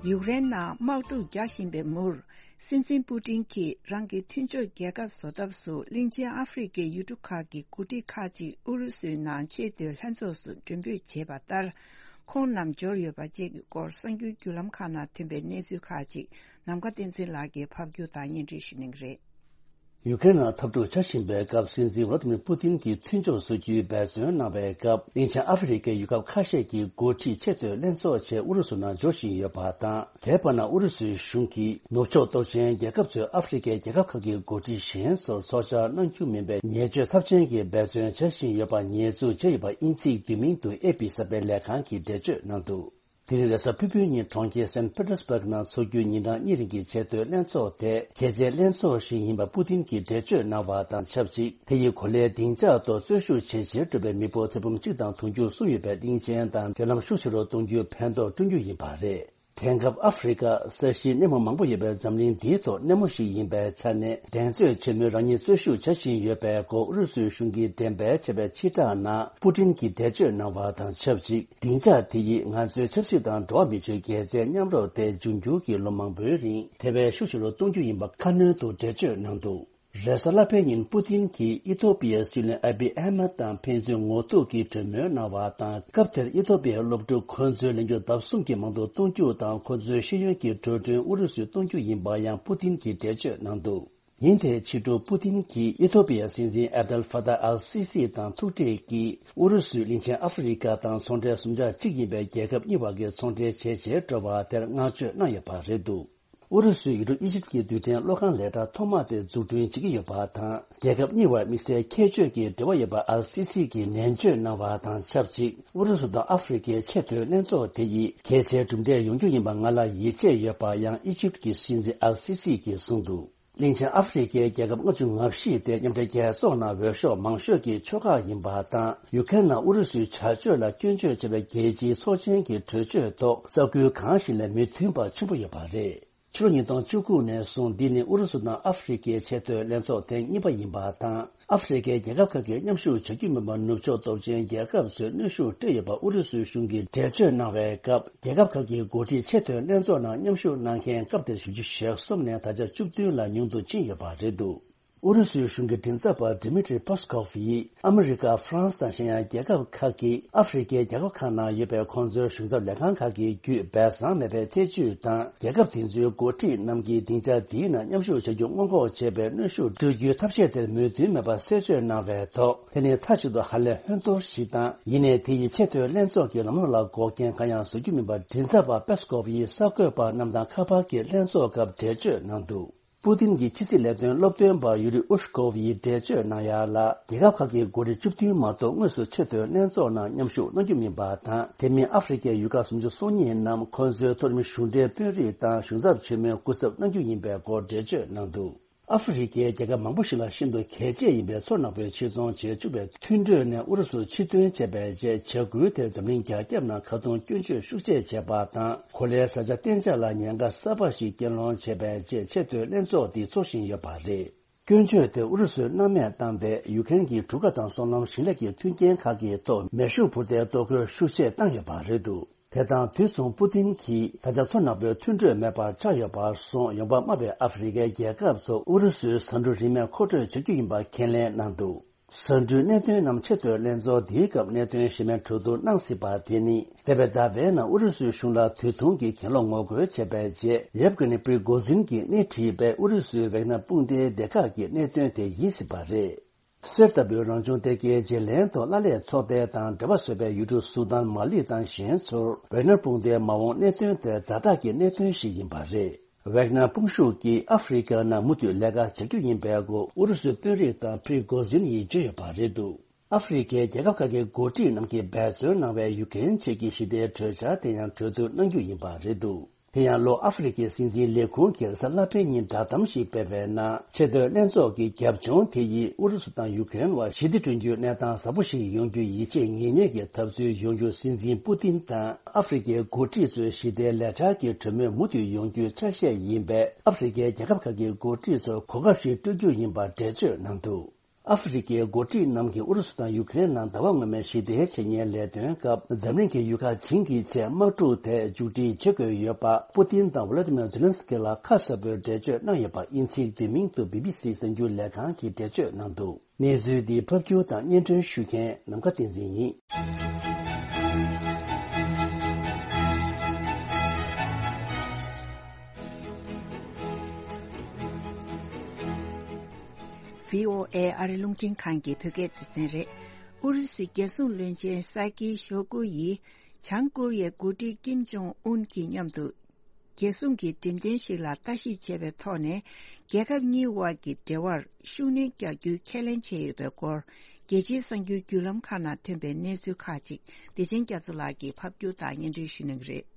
ཡུཀ་རེན་ནང་དམག་འཁྲུག་རྒྱག་བཞིན་པའི་མུར། སྲིད་འཛིན་པུ་ཏིན་གྱིས་རང་གི་མཐུན་ཕྱོགས་རྒྱལ་ཁབ་བཟོ་ཐབས་སུ་གླིང་ཆེན་ཨ་ཧྥེ་རི་ཁའི་ཡུལ་གྲུ་ཁག་གི་འགོ་ཁྲིད་ཁག་ཅིག་ཨུ་རུ་སུའི་ནང་ཆེས་མཐོའི་ལྷན་ཚོགས་སུ་མགྲོན་འབོད་བྱས་པ་ལྟར། ཁོང་རྣམས་འབྱོར་ཡོད་པ་བཅས་ཀྱི་སྐོར་གསར་འགྱུར་བརྒྱུད་ལམ་ཁག་ནང་ཐོན་པའི་གནས་ཚུལ་ཁག་ཅིག་ནམ་མཁའ་བསྟན་འཛིན་ལགས་ཀྱིས་ཕབ་སྒྱུར་དང་སྙན་སྒྲོན་ཞུ་གནང་གི་རེད། ཡུ་ཀེ་རེན་ནང་འཐབ་འཁྲུག་ཆགས་བཞིན་པའི་སྐབས། སྲིད་འཛིན་ཝ་ལ་ཏི་མིར་པུ་ཏིན་གྱི་མཐུན་ཕྱོགས་བཟོ་རྒྱུའི་འབད་བརྩོན་གནང་བའི་སྐབས། གླིང་ཆེན་ཨ་ཧྥེ་རི་ཁའི་ཡུལ་ཁག་ཁ་ཤས་ཀྱི་འགོ་ཁྲིད་ཆེས་མཐོའི་ལྷན་ཚོགས་ཆེད་ཨུ་རུ་སུ་ནང་འབྱོར་བཞིན་ཡོད་པ་དང་། དེའི་བར་ན་ཨུ་རུ་སུའི་གཞུང་གིས་ནུབ་ཕྱོགས་སྟོབས་ཆེན་རྒྱལ་ཁབ་ཚོས་ཨ་ཧྥེ་རི་ཁའི་རྒྱལ་ཁབ་ཁག་གི་འགོ་ཁྲིད་གཞན་ཚོར་ཚོགས་བཅར་གནང་རྒྱུ་མིན་པའི་ཉེས་སྤྱོད་ཚབས་ཆེན་གྱི་འབད་བརྩོན་བྱ་བཞིན་ཡོད་པ་ཉེས་འཛུགས་བྱས་ཡོད་པ་དབྱིན་ཚིག་བསྡུས་མིང་དུ་ཨེ་པི་གསར་པའི་ལས་ཁང་གིས་འགྲེལ་བརྗོད་གནང་འདུག་དེ་རིང་རེས་གཟའ་ཕུར་བུའི་ཉིན་གྲོང་ཁྱེར་སན་ཕེ་ཏེར་སྦུག་ནང་འཚོགས་རྒྱུའི་ཉིན་གྲངས་གཉིས་རིང་གི་ཆེས་མཐོའི་ལྷན་ཚོགས་དེ་གལ་ཆེའི་ལྷན་ཚོགས་ཤིག་ཡིན་པ་པུ་ཏིན་གྱིས་འགྲེལ་བརྗོད་གནང་བ་དང་ཆབས་ཅིག་དེ་ཡི་གོ་ལའི་སྡིངས་ཆ་ཐོག་རྩོད་ཞུགས་ཆེ་ཆེར་འགྲོ་བའི་མི་འབོར་ཐེར་འབུམ་གཅིག་དང་དུང་ཕྱུར་གསུམ་ཡོད་པའི་གླིང་ཆེན་དང་འབྲེལ་ལམ་ཤུགས་ཆེ་རུ་གཏོང་རྒྱུའི་ཕན་ཐོགས་བསྐྲུན་རྒྱུ་ཡིན་པ་རེད། དེང་སྐབས་ཨ་ཧྥེ་རི་ཁ་ས་གཞིའི་གནས་མུ་མང་པོ་ཡོད་པའི་འཛམ་གླིང་འདིའི་ཐོག་སྣེ་མོ་ཞིག་ཡིན་པའི་ཆ་ནས། འགྲན་རྩོད་ཆེན་མོའི་རང་ཉིད་རྩོད་ཞུགས་བྱ་བཞིན་ཡོད་པའི་སྐོར་ཨུ་རུ་སུའི་གཞུང་གིས་འགྲེམས་སྤེལ་བྱས་པའི་ཕྱིར་བསྒྲགས་ནང་པུ་ཏིན་གྱིས་འགྲེལ་བརྗོད་གནང་བ་དང་ཆབས་ཅིག་སྡིངས་ཆ་དེ་ཡིས་ང་ཚོའི་ཆབ་སྲིད་དང་འགྲོ་བ་མིའི་ཆོས་རྒྱལ་རྩེའི་མཉམ་རོགས་དེ་འབྱུང་འགྱུར་གྱི་ལོ་མང་པོའི་རིང་དེ་བས་ཤུགས་ཆེ་རུ་གཏོང་རྒྱུ་ཡིན་པ་ཁ་སྣོན་དུ་འགྲེལ་བརྗོད་གནང་འདུག་རེས་གཟའ་ལྷག་པའི་ཉིན་པུ་ཏིན་གྱིས་ཨི་ཐོ་པི་ཡའི་སྲིད་བློན་ཨ་བི་ཨ་མད་དང་ཕན་ཚུན་ངོ་ཐུག་གིས་གྲོས་མོལ་གནང་བ་དང་། སྐབས་དེར་ཨི་ཐོ་པི་ཡའི་སློབ་ཕྲུག་ཁོ་ཚོའི་ལོ་རྒྱུས་ལྡབ་གསུམ་གྱིས་མང་དུ་གཏོང་རྒྱུ་དང་། ཁོ་ཚོའི་ཤེས་ཡོན་གྱི་འགྲོ་གྲོན་ཨུ་རུ་སུས་གཏོང་རྒྱུ་ཡིན་པ་ཡང་པུ་ཏིན་གྱིས་འགྲེལ་བརྗོད་གནང་འདུག་ཉིན་དེའི་ཕྱི་དྲོ་པུ་ཏིན་གྱིས་ཨི་ཐོ་པི་ཡའི་སྲིད་འཛིན་ཨབ་དལ་ཧྥ་ཏཱ་ཨལ་སི་སི་དང་ཐུག་འཕྲད་ཀྱིས། ཨུ་རུ་སུས་གླིང་ཆེན་ཨ་ཧྥེ་རི་ཁ་དང་ཚོང་འབྲེལ་ཟུང་ཆ་གཅིག་ཡིན་པའི་རྒྱལ་ཁབ་གཉིས་བར་གྱི་ཚོང་འབྲེལ་ཇེ་ཆེར་འགྲོ་བ་དེར་བསྔགས་བརྗོད་གནང་ཡོད་པ་རེད་འདུག་ཨུ་རུ་སུས་ཡུལ་གྲུ་ཨི་ཇིབ་ཀྱི་རྡུལ་ཕྲན་གློག་ཁང་ལས་གྲྭ་ཐོག་མ་དེ་འཛུགས་སྐྲུན་བྱེད་ཀྱི་ཡོད་པ་དང་། རྒྱལ་ཁབ་གཉིས་བར་དམིགས་བསལ་ཁྱད་ཆོས་ཀྱི་འབྲེལ་བ་ཡོད་པ་ཨལ་སི་སི་གིས་ནན་བརྗོད་གནང་བ་དང་ཆབས་ཅིག་ཨུ་རུ་སུ་དང་ཨ་ཧྥེ་རི་ཁའི་ཆེས་མཐོའི་ལྷན་ཚོགས་དེ་ཡིས་གལ་ཆེའི་གྲུབ་འབྲས་ཡོང་རྒྱུ་ཡིན་པ་ང་ལ་ཡིད་ཆེས་ཡོད་པ་ཡང་ཨི་ཇིབ་ཀྱི་སྲིད་འཛིན་ཨལ་སི་སི་གིས་གསུངས་འདུག་གླིང་ཆེན་ཨ་ཧྥེ་རི་ཁའི་རྒྱལ་ཁབ་ལྔ་བཅུ་ང་བཞི་དེ་མཉམ་འབྲེལ་རྒྱལ་ཚོགས་ནང་འོས་ཤོག་མང་ཤོས་ཀྱི་ཕྱོགས་ཁག་ཡིན་པ་དང་། ཡུ་ཁེ་རེན་ནང་ཨུ་རུ་སུའི་བྱ་སྤྱོད་ལ་སྐྱོན་བརྗོད་བྱས་པའི་རྒྱལ་སྤྱིའི་ཚོགས་ཆེན་གྱི་གྲོས་ཆོད་ཐོག་ས་ཁུལ་གང་ཞིག་ལས་མི་མཐུན་པ་ཆེན་པོ་ཡོད་པ་རེད། ཕྱི་ལོ་ཉིས་སྟོང་བཅུ་དགུ་ནས་བཟུང་འདི་ནི་ཨུ་རུ་སུ་དང་ཨ་ཧྥེ་རི་ཁའི་ཆེས་མཐོའི་ལྷན་ཚོགས་ཐེངས་གཉིས་པ་ཡིན་པ་དང་། ཨ་ཧྥེ་རི་ཁའི་རྒྱལ་ཁབ་ཁག་གིས་མཉམ་ཞུགས་བྱ་རྒྱུ་མིན་པར་ནུབ་ཕྱོགས་སྟོབས་ཆེན་རྒྱལ་ཁབ་ཚོས་གནོན་ཤུགས་སྤྲད་ཡོད་པ་ཨུ་རུ་སུའི་གཞུང་གིས་འགྲེལ་བརྗོད་གནང་བའི་སྐབས། རྒྱལ་ཁབ་ཁག་གི་འགོ་ཁྲིད་ཆེས་མཐོའི་ལྷན་ཚོགས་ནང་མཉམ་ཞུགས་གནང་མཁན་སྐབས་དེར་བཞི་བཅུ་ཞེ་གསུམ་ནས་ད་ཆ་བཅུ་བདུན་ལ་ཉུང་དུ་ཕྱིན་ཡོད་པ་རེད་འདུག་ཨུ་རུ་སུའི་གཞུང་གི་མགྲིན་ཚབ་པ་ཌི་མི་ཏྲི་པེ་སི་ཀོབ་ཡིས་ཨ་མི་རི་ཀ། ཧྥ་རན་སི་དང་གཞན་ཡང་རྒྱལ་ཁབ་ཁག་གིས་ཨ་ཧྥེ་རི་ཁའི་རྒྱལ་ཁབ་ཁག་ནང་ཡོད་པའི་ཁོང་ཚོའི་གཞུང་ཚབ་ལས་ཁང་ཁག་གི་བརྒྱུད་སྦས་གསང་མེད་པའི་ཐེ་ཇུས་དང་། རྒྱལ་ཁབ་དེ་ཚོའི་འགོ་ཁྲིད་རྣམས་ཀྱིས་སྡིངས་ཆ་འདིའི་ནང་མཉམ་ཞུགས་བྱ་རྒྱུ་སྔོན་འགོག་བྱེད་པའི་གནོན་ཤུགས་སྤྲོད་རྒྱུའི་ཐབས་ཤེས་དེར་མོས་མཐུན་མེད་པ་གསལ་བརྗོད་གནང་བའི་ཐོག་དེ་ནི་མཐའ་གཅིག་ཏུ་ཧ་ལས་ཧོན་ཏོར་ཞིག་དང་། ཡིན་ནའི་དེ་ཡིས་ཆེས་མཐོའི་ལྷན་ཚོགས་ཀྱི་ལམ་ལུགས་ལ་འགོག་རྐྱེན་གང་ཡང་བཟོ་རྒྱུ་མིན་པར་མགྲིན་ཚབ་པ་པེ་སི་ཀོབ་ཡིས་གསར་འགོད་པ་རྣམས་དང་ཁ་པར་གྱི་ལྷན་ཚོགས་སྐབས་འགྲེལ་བརྗོད་གནང་འདུག་པུ་ཏིན་གྱི་ཕྱི་སྲིད་ལས་དོན་སློབ་སྟོན་པ་ཡུ་རི་ཨུ་ཤ་ཀོབ་ཡིས་འགྲེལ་བརྗོད་གནང་ཡ་ལ། རྒྱལ་ཁབ་ཁག་གི་འགོ་ཁྲིད་བཅུ་བདུན་མ་གཏོགས་དངོས་སུ་ཆེས་མཐོའི་ལྷན་ཚོགས་ནང་མཉམ་ཞུགས་གནང་རྒྱུ་མིན་པ་དང་། དེ་མིན་ཨ་ཧྥེ་རི་ཁའི་ཡུལ་ཁག་སུམ་ཅུ་སོ་གཉིས་རྣམས་ཁོང་ཚོའི་མཐོ་རིམ་གཞུང་འབྲེལ་དཔོན་རིགས་དང་གཞུང་ཚབ་ཆེན་མོའི་སྐུ་ཚབ་གནང་རྒྱུ་ཡིན་པའི་སྐོར་འགྲེལ་བརྗོད་གནང་འདུག་ཨ་ཧྥེ་རི་ཁའི་རྒྱལ་ཁབ་མང་པོ་ཞིག་ལ་ཤིན་ཏུ་གལ་ཆེ་ཡིན་པའི་མཚོ་ནག་པོའི་ཕྱིར་ཚོང་བྱེད་བཅུག་པའི་མཐུན་གྲོས་ནས་ཨུ་རུ་སུ་ཕྱིར་འདོན་བྱས་པའི་རྗེས། བྱ་འགུལ་དེར་འཛམ་གླིང་རྒྱ་ཁྱབ་ནང་ཁ་རྡུང་སྐྱོན་བརྗོད་ཤུགས་ཆེ་བྱས་པ་དང་། གོ་ལའི་བཟའ་བཅའ་གཏན་འཇགས་ལ་ཉེན་ཁ་གསར་པ་ཞིག་རྐྱེན་སློང་བྱས་པའི་རྗེས། ཆེས་མཐོའི་ལྷན་ཚོགས་འདི་འཚོགས་བཞིན་ཡོད་པ་རེད། སྐྱོན་བརྗོད་དེ་ཨུ་རུ་སུས་སྣང་མེད་བཏང་སྟེ། ཡུ་ཀེ་རེན་གྱི་གྲུ་ཁ་དང་སོ་ནམ་ཞིང་ལས་ཀྱི་མཐུན་རྐྱེན་ཁག་གི་ཐོག་མེ་ཤུགས་འཕུར་མདེལ་གཏོར་རྒོལ་ཤུགས་ཆེ་བཏང་ཡོད་པ་རེད་འདུག་དེ་དང་དུས་མཚུངས་པུ་ཏིན་གྱིས་ད་ཆ་མཚོ་ནག་པོའི་མཐུན་གྲོས་མེད་པར་ཆགས་ཡོད་པར་སོང་། ཡོང་འབབ་དམའ་བའི་ཨ་ཧྥེ་རི་ཁའི་རྒྱལ་ཁབ་ཚོ་ཨུ་རུ་སུའི་ཟ་འབྲུ་རིན་མེད་མཁོ་སྤྲོད་བྱ་རྒྱུ་ཡིན་པ་ཁས་ལེན་གནང་འདུག་ཟ་འབྲུའི་གནད་དོན་རྣམས་ཆེས་མཐོའི་ལྷན་ཚོགས་འདིའི་སྐབས་གནད་དོན་གཞན་མའི་གྲོས་བསྡུར་གནང་སྲིད་པ་དེ་ནི། འདས་པའི་ཟླ་བའི་ནང་ཨུ་རུ་སུའི་གཞུང་ལ་དུས་ཐུང་གི་གྱེན་ལོག་ངོ་རྒོལ་བྱས་པའི་རྗེས། ཡེབ་གྷི་ནི་པྲི་གོ་ཟིན་གྱིས་སྣེ་ཁྲིད་པའི་ཨུ་རུ་སུའི་ཝེག་ནར་དཔུང་སྡེའི་སྡེ་ཁག་གི་གནད་དོན་དེ་ཡིན་སྲིད་པ་རེད། གསེར་ལྟ་བུའི་རང་བྱུང་གཏེར་ཁའི་བརྗེ་ལེན་ཐོག་ཀླད་པའི་ཚོགས་སྡེ་དང་འབྲེལ་བ་བཟོས་པའི་ཡུལ་གྲུ་སུ་དཱན། མ་ལི་དང་གཞན་ཚོར་ཝེག་ནར་དཔུང་སྡེའི་མ་འོངས་གནད་དོན་དེ་ཛ་དྲག་གི་གནད་དོན་ཞིག་ཡིན་པ་རེད། ཝེག་ནར་དཔུང་ཤུགས་ཀྱིས་ཨ་ཧྥེ་རི་ཁའི་ནང་མུ་མཐུད་ལས་ཀ་བྱ་རྒྱུ་ཡིན་པའི་སྐོར་ཨུ་རུ་སུའི་དཔོན་རིགས་དང་པྲི་གོ་ཟིན་ཡིས་བརྗོད་ཡོད་པ་རེད་འདུག་ཨ་ཧྥེ་རི་ཁའི་རྒྱལ་ཁབ་ཁག་གི་འགོ་ཁྲིད་རྣམས་ཀྱིས་འབད་བརྩོན་གནང་བའི་ཡུ་ཀེ་རེན་ཆེད་ཀྱི་ཞི་བདེའི་གྲོས་འཆར་དེ་ཡང་གྲོས་བསྡུར་གནང་རྒྱུ་ཡིན་པ་རེད་འདུག་དེ་ཡང་ལོ་ཨ་ཧྥེ་རི་ཁའི་སྲིད་འཛིན་ལས་ཁུངས་ཀྱིས་རེས་གཟའ་ལྷག་པའི་ཉིན་བསྒྲགས་གཏམ་ཞིག་སྤེལ་བའི་ནང་། ཆེས་མཐོའི་ལྷན་ཚོགས་ཀྱི་རྒྱབ་ལྗོངས་དེ་ཡིས་ཨུ་རུ་སུ་དང་ཡུ་ཀེ་རེན་བར་ཞི་བདེ་བསྐྲུན་རྒྱུའི་གནས་སྟངས་བཟང་པོ་ཞིག་ཡོང་རྒྱུ་ཡིད་ཆེས་ཉིད་གཉེར་གྱི་ཐབས་ཚུལ་ཡོང་རྒྱུ། སྲིད་འཛིན་པུ་ཏིན་དང་ཨ་ཧྥེ་རི་ཁའི་འགོ་ཁྲིད་ཚོའི་ཞི་བདེའི་ལས་འཆར་གྱི་གྲོས་མོལ་མུ་མཐུད་ཡོང་རྒྱུའི་ཆ་ཤས་ཡིན་པས། ཨ་ཧྥེ་རི་ཁའི་རྒྱལ་ཁབ་ཁག་གི་འགོ་ཁྲིད་ཚོར་གོ་སྐབས་ཤིག་སྤྲོད་རྒྱུ་ཡིན་པར་འགྲེལ་བརྗོད་གནང་འདུག་ཨ་ཧྥེ་རི་ཁའི་འགོ་ཁྲིད་རྣམས་ཀྱིས་ཨུ་རུ་སུ་དང་ཡུ་ཀེ་རེན་ནང་ཟླ་བ་སྔོན་མའི་ཞི་བདེའི་འཆད་ཉན་ལས་དོན་སྐབས། འཛམ་གླིང་གི་ཡུལ་ཁག་བྱིངས་ཀྱི་ཆེད་དམག་འཁྲུག་དེ་མཇུག་སྒྲིལ་བྱེད་དགོས་ཡོད་པ། པུ་ཏིན་དང་ཝོ་ལོ་ཏི་མིར་ཛེ་ལན་སི་ཀི་ལ་ཁ་གསལ་པོའི་འགྲེལ་བརྗོད་གནང་ཡོད་པ། དབྱིན་ཚིག་བསྡུས་མིང་དུ་བི་བི་སི་གསར་འགྱུར་ལས་ཁང་གིས་འགྲེལ་བརྗོད་གནང་འདུག་གནས་ཚུལ་འདི་ཕབ་སྒྱུར་དང་སྙན་སྒྲོན་ཞུ་མཁན་ནམ་མཁའ་བསྟན་འཛིན་ཡིན། བྷི་ཨོ་ཨེ་ཨ་རི་རླུང་འཕྲིན་ཁང་གི་བོད་སྐད་སྡེ་ཚན་རེད། ཨུ་རུ་སུའི་རྒྱལ་སྲུང་བློན་ཆེན་ས་ཀི་ཤོ་གུ་ཡིས་བྱང་ཀོ་རི་ཡའི་འགོ་ཁྲིད་ཀིམ་ཇོང་ཨུན་གྱི་མཉམ་དུ། རྒྱལ་སྲུང་གི་འགྲེམས་སྟོན་ཞིག་ལ་ལྟ་ཞིབ་བྱས་པའི་ཐོག་ནས། རྒྱལ་ཁབ་གཉིས་དབར་གྱི་འབྲེལ་བར་ཤུགས་སྣོན་རྒྱག་རྒྱུའི་ཁས་ལེན་བྱས་ཡོད་པའི་སྐོར། རྒྱལ་སྤྱིའི་གསར་འགྱུར་བརྒྱུད་ལམ་ཁག་ནང་ཐོན་པའི་གནས་ཚུལ་ཁག་ཅིག་བདེ་ཆེན་རྒྱ་མཚོ་ལགས་ཀྱིས་ཕབ་སྒྱུར་དང་སྙན་སྒྲོན་ཞུ་གནང་གི་རེད།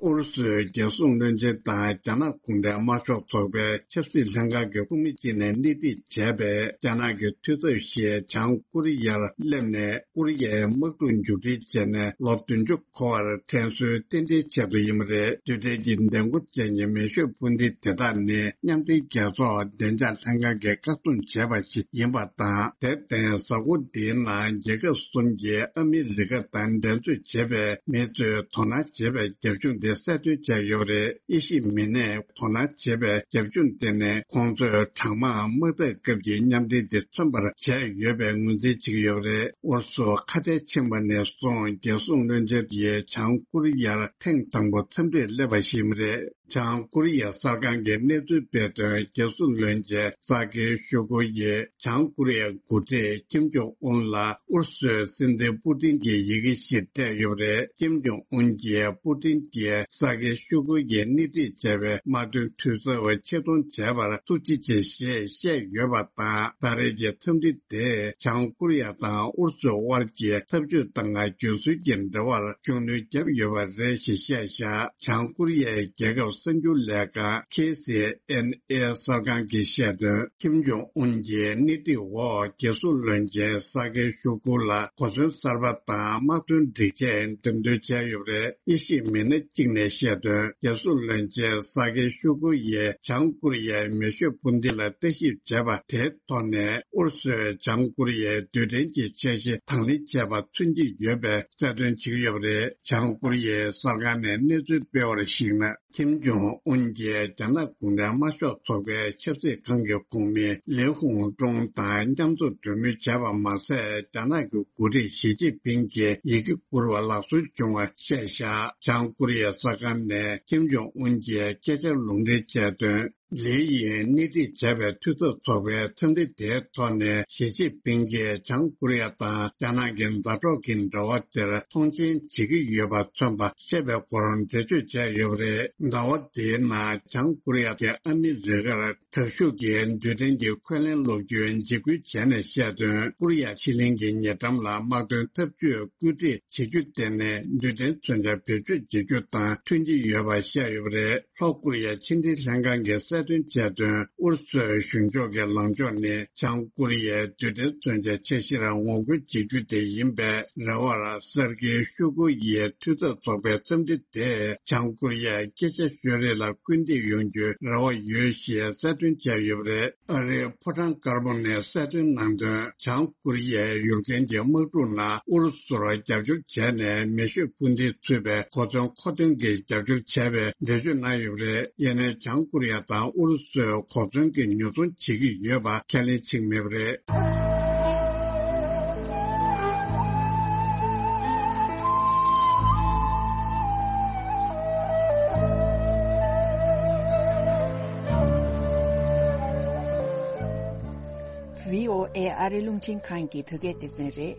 ཨུ་རུ་སུའི་རྒྱལ་སྲུང་བློན་ཆེན་དང་རྒྱ་ནག་གུང་ཁྲན་དམར་ཤོག་ཚོགས་པའི་ཆབ་སྲིད་ལྷན་ཁང་གི་ཁོངས་མི་གཅིག་ནས་སྣེ་ཁྲིད་བྱས་པའི་རྒྱ་ནག་གི་འཐུས་ཚབ་ཞིག་བྱང་ཀོ་རི་ཡར་སླེབས་ནས། ཀོ་རི་ཡའི་དམག་འཁྲུག་མཇུག་སྒྲིལ་བྱས་ནས་ལོ་བདུན་ཅུ་འཁོར་བར་དྲན་གསོའི་རྟེན་འབྲེལ་ཆེད་དུ་ཡིན་པ་རེད། རྡུལ་ཕྲན་གྱི་ལྡིང་སྐོར་ཅན་གྱི་མེ་ཤུགས་འཕུར་མདེལ་དེ་དག་ནི་མཉམ་འབྲེལ་རྒྱལ་ཚོགས་བདེ་འཇགས་ལྷན་ཁང་གིས་བཀག་སྡོམ་བྱས་པ་ཞིག་ཡིན་པ་དང་། དེར་བརྟེན། གཟའ་འཁོར་འདིའི་ནང་རྒྱལ་ཁབ་གསུམ་གྱིས་ཨ་མི་རི་ཀ་དང་འགྲན་རྩོད་བྱེད་པའི་མི་ཚོས་དོ་སྣང་བྱེད་པའི་རྒྱབ་ལྗོངས་དེ་གསལ་སྟོན་བྱས་ཡོད་པ་རེད། དབྱེ་ཞིབ་མི་སྣས། དོ་སྣང་བྱེད་པའི་རྒྱབ་ལྗོངས་དེ་ནི། ཁོང་ཚོས་གྲང་དམག་དམག་འཐབ་སྐབས་ཀྱི་མཉམ་འབྲེལ་དེ་མཚོན་པར་བྱས་ཡོད་པའི་ངོས་འཛིན་བྱེད་ཀྱི་ཡོད་པ་རེད། ཨུ་རུ་སུ་ཁ་བྲལ་ཕྱིན་པ་ནས་བཟུང་། རྒྱལ་སྲུང་བློན་ཆེན་དེས་བྱང་ཀོ་རི་ཡར་ཐེངས་དང་པོ་འཚམས་འདྲིར་སླེབས་པ་ཞིག་མ་རེད། བྱང་ཀོ་རི་ཡ་གསར་ཁང་གིས་གནས་ཚུལ་སྤེལ་དོན། རྒྱལ་སྲུང་བློན་ཆེན་ས་ཀི་ཤོ་གུ་ཡིས་བྱང་ཀོ་རི་ཡའི་འགོ་ཁྲིད་ཀིམ་ཇོང་ཨུན་ལ། ཨུ་རུ་སུའི་སྲིད་འཛིན་པུ་ཏིན་གྱི་ཡི་གེ་ཞིག་སྤྲད་ཡོད་པ་རེད། ཀིམ་ཇོང་ཨུན་གྱིས་པུ་ཏིན་གྱིས་ས་ཀི་ཤོ་གུ་ཡིས་སྣེ་ཁྲིད་བྱས་པའི་དམག་དོན་འཐུས་ཚབ་ཆེད་གཏོང་བྱས་པར་ཐུགས་རྗེ་ཆེ་ཞེས་བཤད་ཡོད་པ་དང་། ད་རེས་ཀྱི་འཚམས་འདྲི་དེས་བྱང་ཀོ་རི་ཡ་དང་ཨུ་རུ་སུའི་དབར་གྱི་འཐབ་ཇུས་དང་རྒྱུན་སྲོལ་གྱི་འབྲེལ་བར་ཤུགས་སྣོན་བརྒྱབ་ཡོད་པ་རེད་ཞེས་བཤད་བཞག་བྱང་ཀོ་རི་ཡའི་རྒྱལ་ཁབ་གསར་འགྱུར་ལས་ཁང་ཁེ་སི་ཨེན་ཨེ་གསར་ཁང་གིས་བཤད་དོན། ཀིམ་ཇོང་ཨུན་གྱི་སྣེ་ཁྲིད་འོག་རྒྱལ་སྲུང་བློན་ཆེན་ས་ཀི་ཤོ་གུ་ལ་གོ་མཚོན་གསར་པ་དང་དམག་དོན་སྒྲིག་ཆས་འགྲེམས་སྟོན་བྱས་ཡོད་པ་རེད། དབྱེ་ཞིབ་མི་སྣ་གཅིག་ནས་བཤད་དོན། རྒྱལ་སྲུང་བློན་ཆེན་ས་ཀི་ཤོ་གུ་ཡིས་བྱང་ཀོ་རི་ཡའི་མེ་ཤུགས་འཕུར་མདེལ་ལ་ལྟ་ཞིབ་བྱས་པ་དེའི་ཐོག་ནས། ཨུ་རུ་སུས་བྱང་ཀོ་རི་ཡའི་རྡུལ་ཕྲན་གྱི་འཆར་གཞི་དང་ལེན་བྱས་པ་མཚོན་གྱི་ཡོད་པའི་གསལ་སྟོན་བྱེད་ཀྱི་ཡོད་པ་རེད། བྱང་ཀོ་རི་ཡའི་གསར་ཁང་ནས་གནས་ཚུལ་སྤེལ་བར་གཞིགས་ན། ཁིམ་ཇོང་ཨུན་གྱིས་རྒྱ་ནག་གུང་ཁྲན་དམར་ཤོག་ཚོགས་པའི་ཆབ་སྲིད་ཁང་གི་ཁོངས་མི་ལིའུ་ཧུང་ཀྲུང་དང་མཉམ་འཛོམས་གྲོས་མོལ་བྱས་པ་མ་ཟད། རྒྱ་ནག་གི་འགོ་ཁྲིད་ཞི་ཅིན་ཕིང་གིས་ཡི་གེ་བསྐུར་བ་ལག་སོན་བྱུང་བ་བཤད་བཞག་བྱང་ཀོ་རི་ཡའི་གསར་ཁང་ནས་ཁིམ་ཇོང་ཨུན་གྱི་སྐད་ཆ་ལུང་འདྲེན་བྱས་དོན། ལི་ཡིས་སྣེ་ཁྲིད་བྱས་པའི་འཐུས་ཚབ་ཚོགས་པའི་འཚམས་འདྲི་དེའི་ཐོག་ནས་ཞི་ཅིན་ཕིང་གིས་བྱང་ཀོ་རི་ཡ་དང་རྒྱ་ནག་གི་མཛའ་གྲོགས་ཀྱི་འབྲེལ་བ་དེར་མཐོང་ཆེན་བྱེད་ཀྱི་ཡོད་པ་མཚོན་པ་བཤད་པའི་སྐོར་འགྲེལ་བརྗོད་བྱས་ཡོད་པ་རེད། ཟླ་བ་འདིའི་ནང་བྱང་ཀོ་རི་ཡ་གིས་ཨ་མི་རི་ཀར་དྲག་ཤུགས་ཀྱི་རྡུལ་ཕྲན་གྱི་འཁོན་ལན་སློག་རྒྱུའི་འཇིགས་སྐུལ་བྱས་ནས་བཤད་དོན། ཀོ་རི་ཡ་ཕྱེད་གླིང་གི་ཉེ་འགྲམ་ལ་དམག་དོན་འཐབ་ཇུས་བཀོད་སྒྲིག་བྱེད་རྒྱུ་དེ་ནི་རྡུལ་ཕྲན་མཚོན་ཆ་བེད་སྤྱོད་བྱེད་རྒྱུ་དང་མཐུན་གྱི་ཡོད་པ་བཤད་ཡོད་པ་རེད། ལྷོ་ཀོ་རི་ཡའི་ཕྱི་འབྲེལ་ལྷན་ཁང་གིས་གསལ་སྟོན་བྱས་དོན། ཨུ་རུ་སུའི་གཞུང་ཕྱོགས་ཀྱི་ལངས་ཕྱོགས་ནི་བྱང་ཀོ་རི་ཡའི་རྡུལ་ཕྲན་མཚོན་ཆའི་འཆར་གཞིར་ངོ་རྒོལ་བྱེད་རྒྱུ་དེ་ཡིན་པའི་རེ་བར། སར་ཀེ་ཤོ་གུ་ཡིས་འཐུས་ཚབ་ཚོགས་པའི་འཚམས་འདྲི་དེས་བྱང་ཀོ་རི་ཡའི་སྐད་ཆ་ཤོད་རེས་ལ་སྐུལ་འདེད་ཡོང་རྒྱུའི་རེ་བ་ཡོད་ཞེས་གསལ་སྟོན་བྱས་ཡོད་པ་རེད། ཨ་རིའི་ཕོ་བྲང་དཀར་པོ་ནས་གསལ་སྟོན་གནང་དོན། བྱང་ཀོ་རི་ཡའི་ཡུལ་ཁན་གྱི་དམག་འཁྲུག་ནང་ཨུ་རུ་སུར་རྒྱབ་སྐྱོར་བྱས་ནས་མེ་ཤོད་འཕུར་མདེལ་ཚུད་པའི་གོ་མཚོན་མཁོ་འདོན་གྱི་རྒྱབ་སྐྱོར་བྱས་པའི་འགྲེལ་བརྗོད་གནང་ཡོད་པ་རེད། ཡིན་ནའི་བྱང་ཀོ་རི་ཡ་དང་ཨུ་རུ་སུས་གོ་མཚོན་གྱི་ཉོ་ཚོང་བྱེད་ཀྱི་ཡོད་པ་ཁས་ལེན་བྱེད་ཀྱི་མེད་པ་རེད། བྷི་ཨོ་ཨེ་ཨ་རི་རླུང་འཕྲིན་ཁང་གི་བོད་སྐད་སྡེ་ཚན་རེད།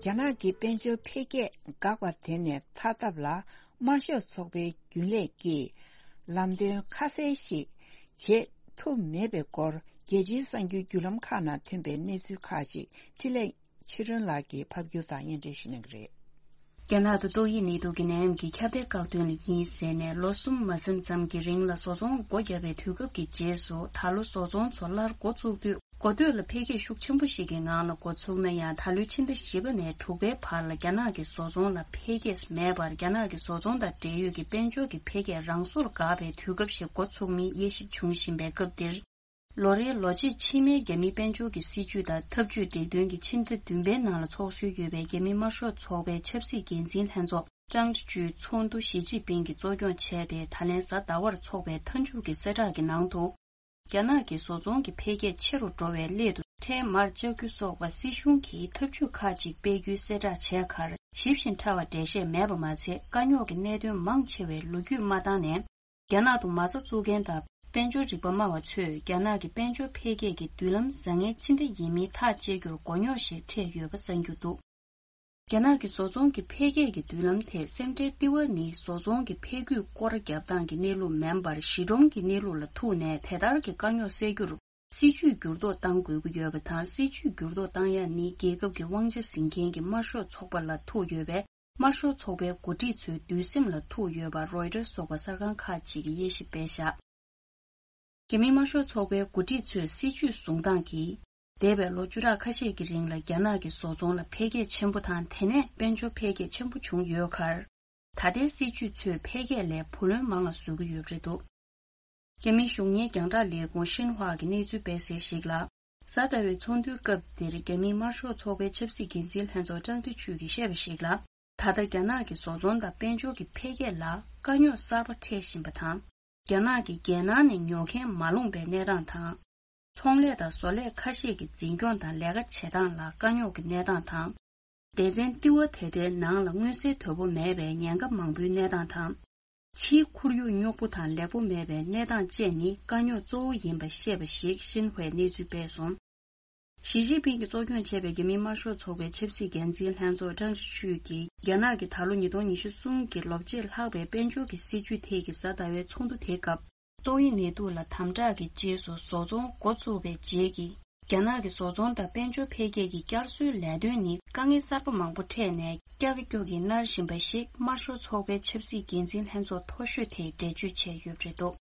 རྒྱ་ནག་གི་དཔལ་འབྱོར་འཕེལ་རྒྱས་འགག་པ་དེ་ནས་ཐར་ཐབས་ལ་དམར་ཤོག་ཚོགས་པའི་རྒྱུན་ལས་ཀྱིས་ལམ་སྟོན་ཁ་གསལ་ཞིག་བྱེད་ཐུབ་མེད་པའི་སྐོར་རྒྱལ་སྤྱིའི་གསར་འགྱུར་བརྒྱུད་ལམ་ཁག་ནང་ཐོན་པའི་གནས་ཚུལ་ཁག་ཅིག་འཕྲིན་ལས་ཆོས་སྒྲོན་ལགས་ཀྱིས་ཕབ་སྒྱུར་དང་སྙན་སྒྲོན་ཞུ་གནང་གི་རེད། རྒྱ་ནག་ཏུ་ཏོག་དབྱིབས་ནད་དུག་གི་ནད་ཡམས་ཀྱི་ཁྱབ་གདལ་བཀག་སྡོམ་ལ་གཉིས་ཟིན་ནས་ལོ་གསུམ་མ་ཟིན་ཙམ་གྱི་རིང་ལ་བཟོ་ཚོང་སྒོ་བརྒྱབ་པའི་དུས་སྐབས་ཀྱི་རྗེས་སུ། ད་ལོ་བཟོ་ཚོང་ཚོ་སླར་འགོ་བཙུགས་དུས། འགོ་སྟོད་ལ་འཕེལ་རྒྱས་ཤུགས་ཆེན་པོ་ཞིག་གི་ངང་ལ་འགོ་ཚུགས་ན་ཡང་། ད་ལོའི་ཕྱི་ཟླ་བཞི་པ་ནས་དྲུག་པའི་བར་ལ་རྒྱ་ནག་གི་བཟོ་ཚོང་ལ་འཕེལ་རྒྱས་མེད་པར། རྒྱ་ནག་གི་བཟོ་ཚོང་དང་འབྲེལ་ཡོད་ཀྱི་དཔལ་འབྱོར་གྱི་འཕེལ་རྒྱས་རང་སོར་འགག་པའི་དུས་སྐབས་ཤིག་འགོ་ཚུགས་མིན་དབྱེ་ཞིབ་འབྱུང་བཞིན་པའི་སྐབས་འདིར། ལོ་རེའི་ལོ་ཕྱེད་ཕྱི་མའི་རྒྱ་མིའི་དཔལ་འབྱོར་གྱི་སྲིད་ཇུས་དང་འཐབ་ཇུས་སྒྲིག་དོན་གྱི་ཕྱི་ཟླ་བདུན་པའི་ནང་ལ་ཚོགས་སྲོལ་ཡོད་པའི་རྒྱ་མིའི་དམར་ཤོག་ཚོགས་པའི་ཆབ་སྲིད་འགན་འཛིན་ལྷན་ཚོགས་ཀྲང་ཅི་ཅུའི་ཚོགས་འདུ་ཞི་ཅིན་ཕིང་གིས་གཙོ་སྐྱོང་བྱས་ཏེ། ད་ལན་གཟའ་ཟླ་བར་འཚོགས་པའི་མཐའ་མཇུག་གི་གསལ་བསྒྲགས་ཀྱི་ནང་དུ། རྒྱ་ནག་གི་བཟོ་ཚོང་གི་འཕེལ་རྒྱས་ཆེ་རུ་འགྲོ་བའི་སླད་དུ། ཁྲལ་མར་བཅག་རྒྱུ་སོགས་པ་སྲིད་གཞུང་གིས་ཐབས་ཇུས་ཁག་ཅིག་སྤེལ་རྒྱུའི་གསལ་བསྒྲགས་བྱས་ཁར། ཞིབ་ཅིང་ཕྲ་བ་འགྲེལ་བཤད་མེད་པ་མ་ཚད། དཀའ་རྙོག་གི་གནད་དོན་མང་ཆེ་བའི་ལོ་རྒྱུས་མ་བཏང་ནས། རྒྱ་ནག་ཏུ་མ་རྩ་བཙུགས་མཁན་དང་། དཔལ་འབྱོར་རིག་པ་སྨྲ་བ་ཚོས། རྒྱ་ནག་གི་དཔལ་འབྱོར་འཕེལ་རྒྱས་ཀྱི་མདུན་ལམ་བཟང་ངན་ཅི་འདྲ་ཡིན་མིན་ཐག་གཅད་རྒྱུར་མགོ་རྙོག་ཞིག་འཕྲད་ཡོད་པ་གསུངས་ཀྱི་འདུག་རྒྱ་ནག་གི་བཟོ་ཚོང་གི་འཕེལ་རྒྱས་ཀྱི་མདུན་ལམ་དེ་སེམས་ཁྲལ་ལྟེ་བ་ནི་བཟོ་ཚོང་གི་འཕེལ་འགྱུར་སྐོར་རྒྱབ་སྟངས་ཀྱི་གནས་ལུགས་མིན་པར། གཞི་སྒྲོམ་གྱི་གནས་ལུགས་ལ་ཐུག་ནས། དེ་ལྟར་གྱི་དཀའ་རྙོག་སེལ་རྒྱུར་སྲིད་ཇུས་འགྱུར་ལྡོག་གཏང་དགོས་ཀྱི་ཡོད་པ་དང་། སྲིད་ཇུས་འགྱུར་ལྡོག་གཏང་ཡ་ནི་རྒྱལ་ཁབ་ཀྱི་དབང་ཆ་འཛིན་མཁན་གྱི་དམར་ཤོག་ཚོགས་པ་ལ་ཐུག་ཡོད་པས། དམར་ཤོག་ཚོགས་པའི་འགོ་ཁྲིད་ཚོའི་འདུན་སེམས་ལ་ཐུག་ཡོད་པ་རོའི་ཊར་སོགས་པ་གསར་ཁང་ཁག་ཅིག་གིས་དབྱེ་ཞིབ་སྤེལ་བཞག་རྒྱ་མིའི་དམར་ཤོག་ཚོགས་པའི་འགོ་ཁྲིད་ཚོས་སྲིད་ཇུས་བཟུང་སྟངས་ཀྱིས། འདས་པའི་ལོ་བཅུ་ཕྲག་ཁ་ཤས་ཀྱི་རིང་ལ་རྒྱ་ནག་གི་བཟོ་ཚོང་ལ་འཕེལ་རྒྱས་ཆེན་པོ་དང་། དེ་ནས་དཔལ་འབྱོར་འཕེལ་རྒྱས་ཆེན་པོ་བྱུང་ཡོད་ཁར། ད་ལྟའི་སྲིད་ཇུས་ཚོས་འཕེལ་རྒྱས་ལས་བུ་ལོན་མང་ལ་བཟོ་གི་ཡོད་པ་རེད་འདུག་རྒྱ་མིའི་གཞུང་གཉེར་རྒྱང་བསྒྲགས་ལས་ཁུངས་ཤིན་ཧྭ་གི་གནས་ཚུལ་སྤེལ་གསལ་ཞིག་ལ། གཟའ་ཟླ་བའི་ཚོགས་འདུའི་སྐབས་འདིར་རྒྱ་མིའི་དམར་ཤོག་ཚོགས་པའི་ཆབ་སྲིད་འགན་འཛིན་ལྷན་ཚོགས་ཀྲང་ཏི་ཆུས་ཀྱིས་བཤད་པ་ཞིག་ལ། ད་ལྟ་རྒྱ་ནག་གི་བཟོ་ཚོང་དང་དཔལ་འབྱོར་གྱི་འཕེལ་རྒྱས་ལ་དཀའ་རྙོག་གསར་པ་འཕྲད་བཞིན་པ་དང་། རྒྱ་ནག་གིས་རྒྱལ་ནང་ནས་ཉོ་མཁན་མ་ལོངས་པའི་གནས་སྟངས་དང་། ཚོང་ལས་དང་བཟོ་ལས་ཁ་ཤས་ཀྱི་འཛིན་སྐྱོང་དང་ལས་ཀ་བྱེད་སྟངས་ལ་དཀའ་རྙོག་གི་གནས་སྟངས་དང་། སྡེ་ཚན་ལྟེ་བ་དེ་འདྲའི་ནང་ལ་མངོན་གསལ་དོད་པོ་མེད་པའི་ཉེན་ཁ་མང་པོའི་གནས་སྟངས་དང་། ཕྱིའི་ཁོར་ཡུག་སྙོབ་པོ་དང་ལེགས་པོ་མེད་པའི་གནས་སྟངས་བཅས་ནི་དཀའ་རྙོག་གཙོ་བོ་ཡིན་པ་བཤད་པ་ཞིག་ཤིན་ཧྭའི་གནས་ཚུལ་སྤེལ་སོང་། ཞི་ཅིན་ཕིང་གིས་གཙོ་སྐྱོང་བྱས་པའི་རྒྱ་མིའི་དམར་ཤོག་ཚོགས་པའི་ཆབ་སྲིད་འགན་འཛིན་ལྷན་ཚོགས་ཀྲང་ཅི་ཆུས་ཀྱིས། རྒྱ་ནག་གིས་ད་ལོ་ཉིས་སྟོང་ཉི་ཤུ་གསུམ་གྱི་ལོ་ཕྱེད་ལྷག་པའི་དཔལ་འབྱོར་གྱི་སྲིད་ཇུས་ཐད་ཀྱི་གཟའ་ཟླ་བའི་ཚོགས་འདུ་དེའི་སྐབས། ཏོག་དབྱིབས་ནད་དུག་ལ་དམ་དྲག་གི་རྗེས་སུ་བཟོ་ཚོང་འགོ་བཙུགས་པའི་རྗེས་ཀྱི། རྒྱ་ནག་གི་བཟོ་ཚོང་དང་དཔལ་འབྱོར་འཕེལ་རྒྱས་ཀྱི་བསྐྱར་གསོའི་ལས་དོན་ནི་དཀའ་ངལ་གསར་པ་མང་པོ་འཕྲད་ནས་ཀྱག་ཀྱོག་གིས་མནར་བཞིན་པ་ཞིག་དམར་ཤོག་ཚོགས་པའི་ཆབ་སྲིད་འགན་འཛིན་ལྷན་ཚོགས་མཐོ་ཤོས་དེས་འགྲེལ་བརྗོད་བྱས་ཡོད་པ་རེད་འདུག་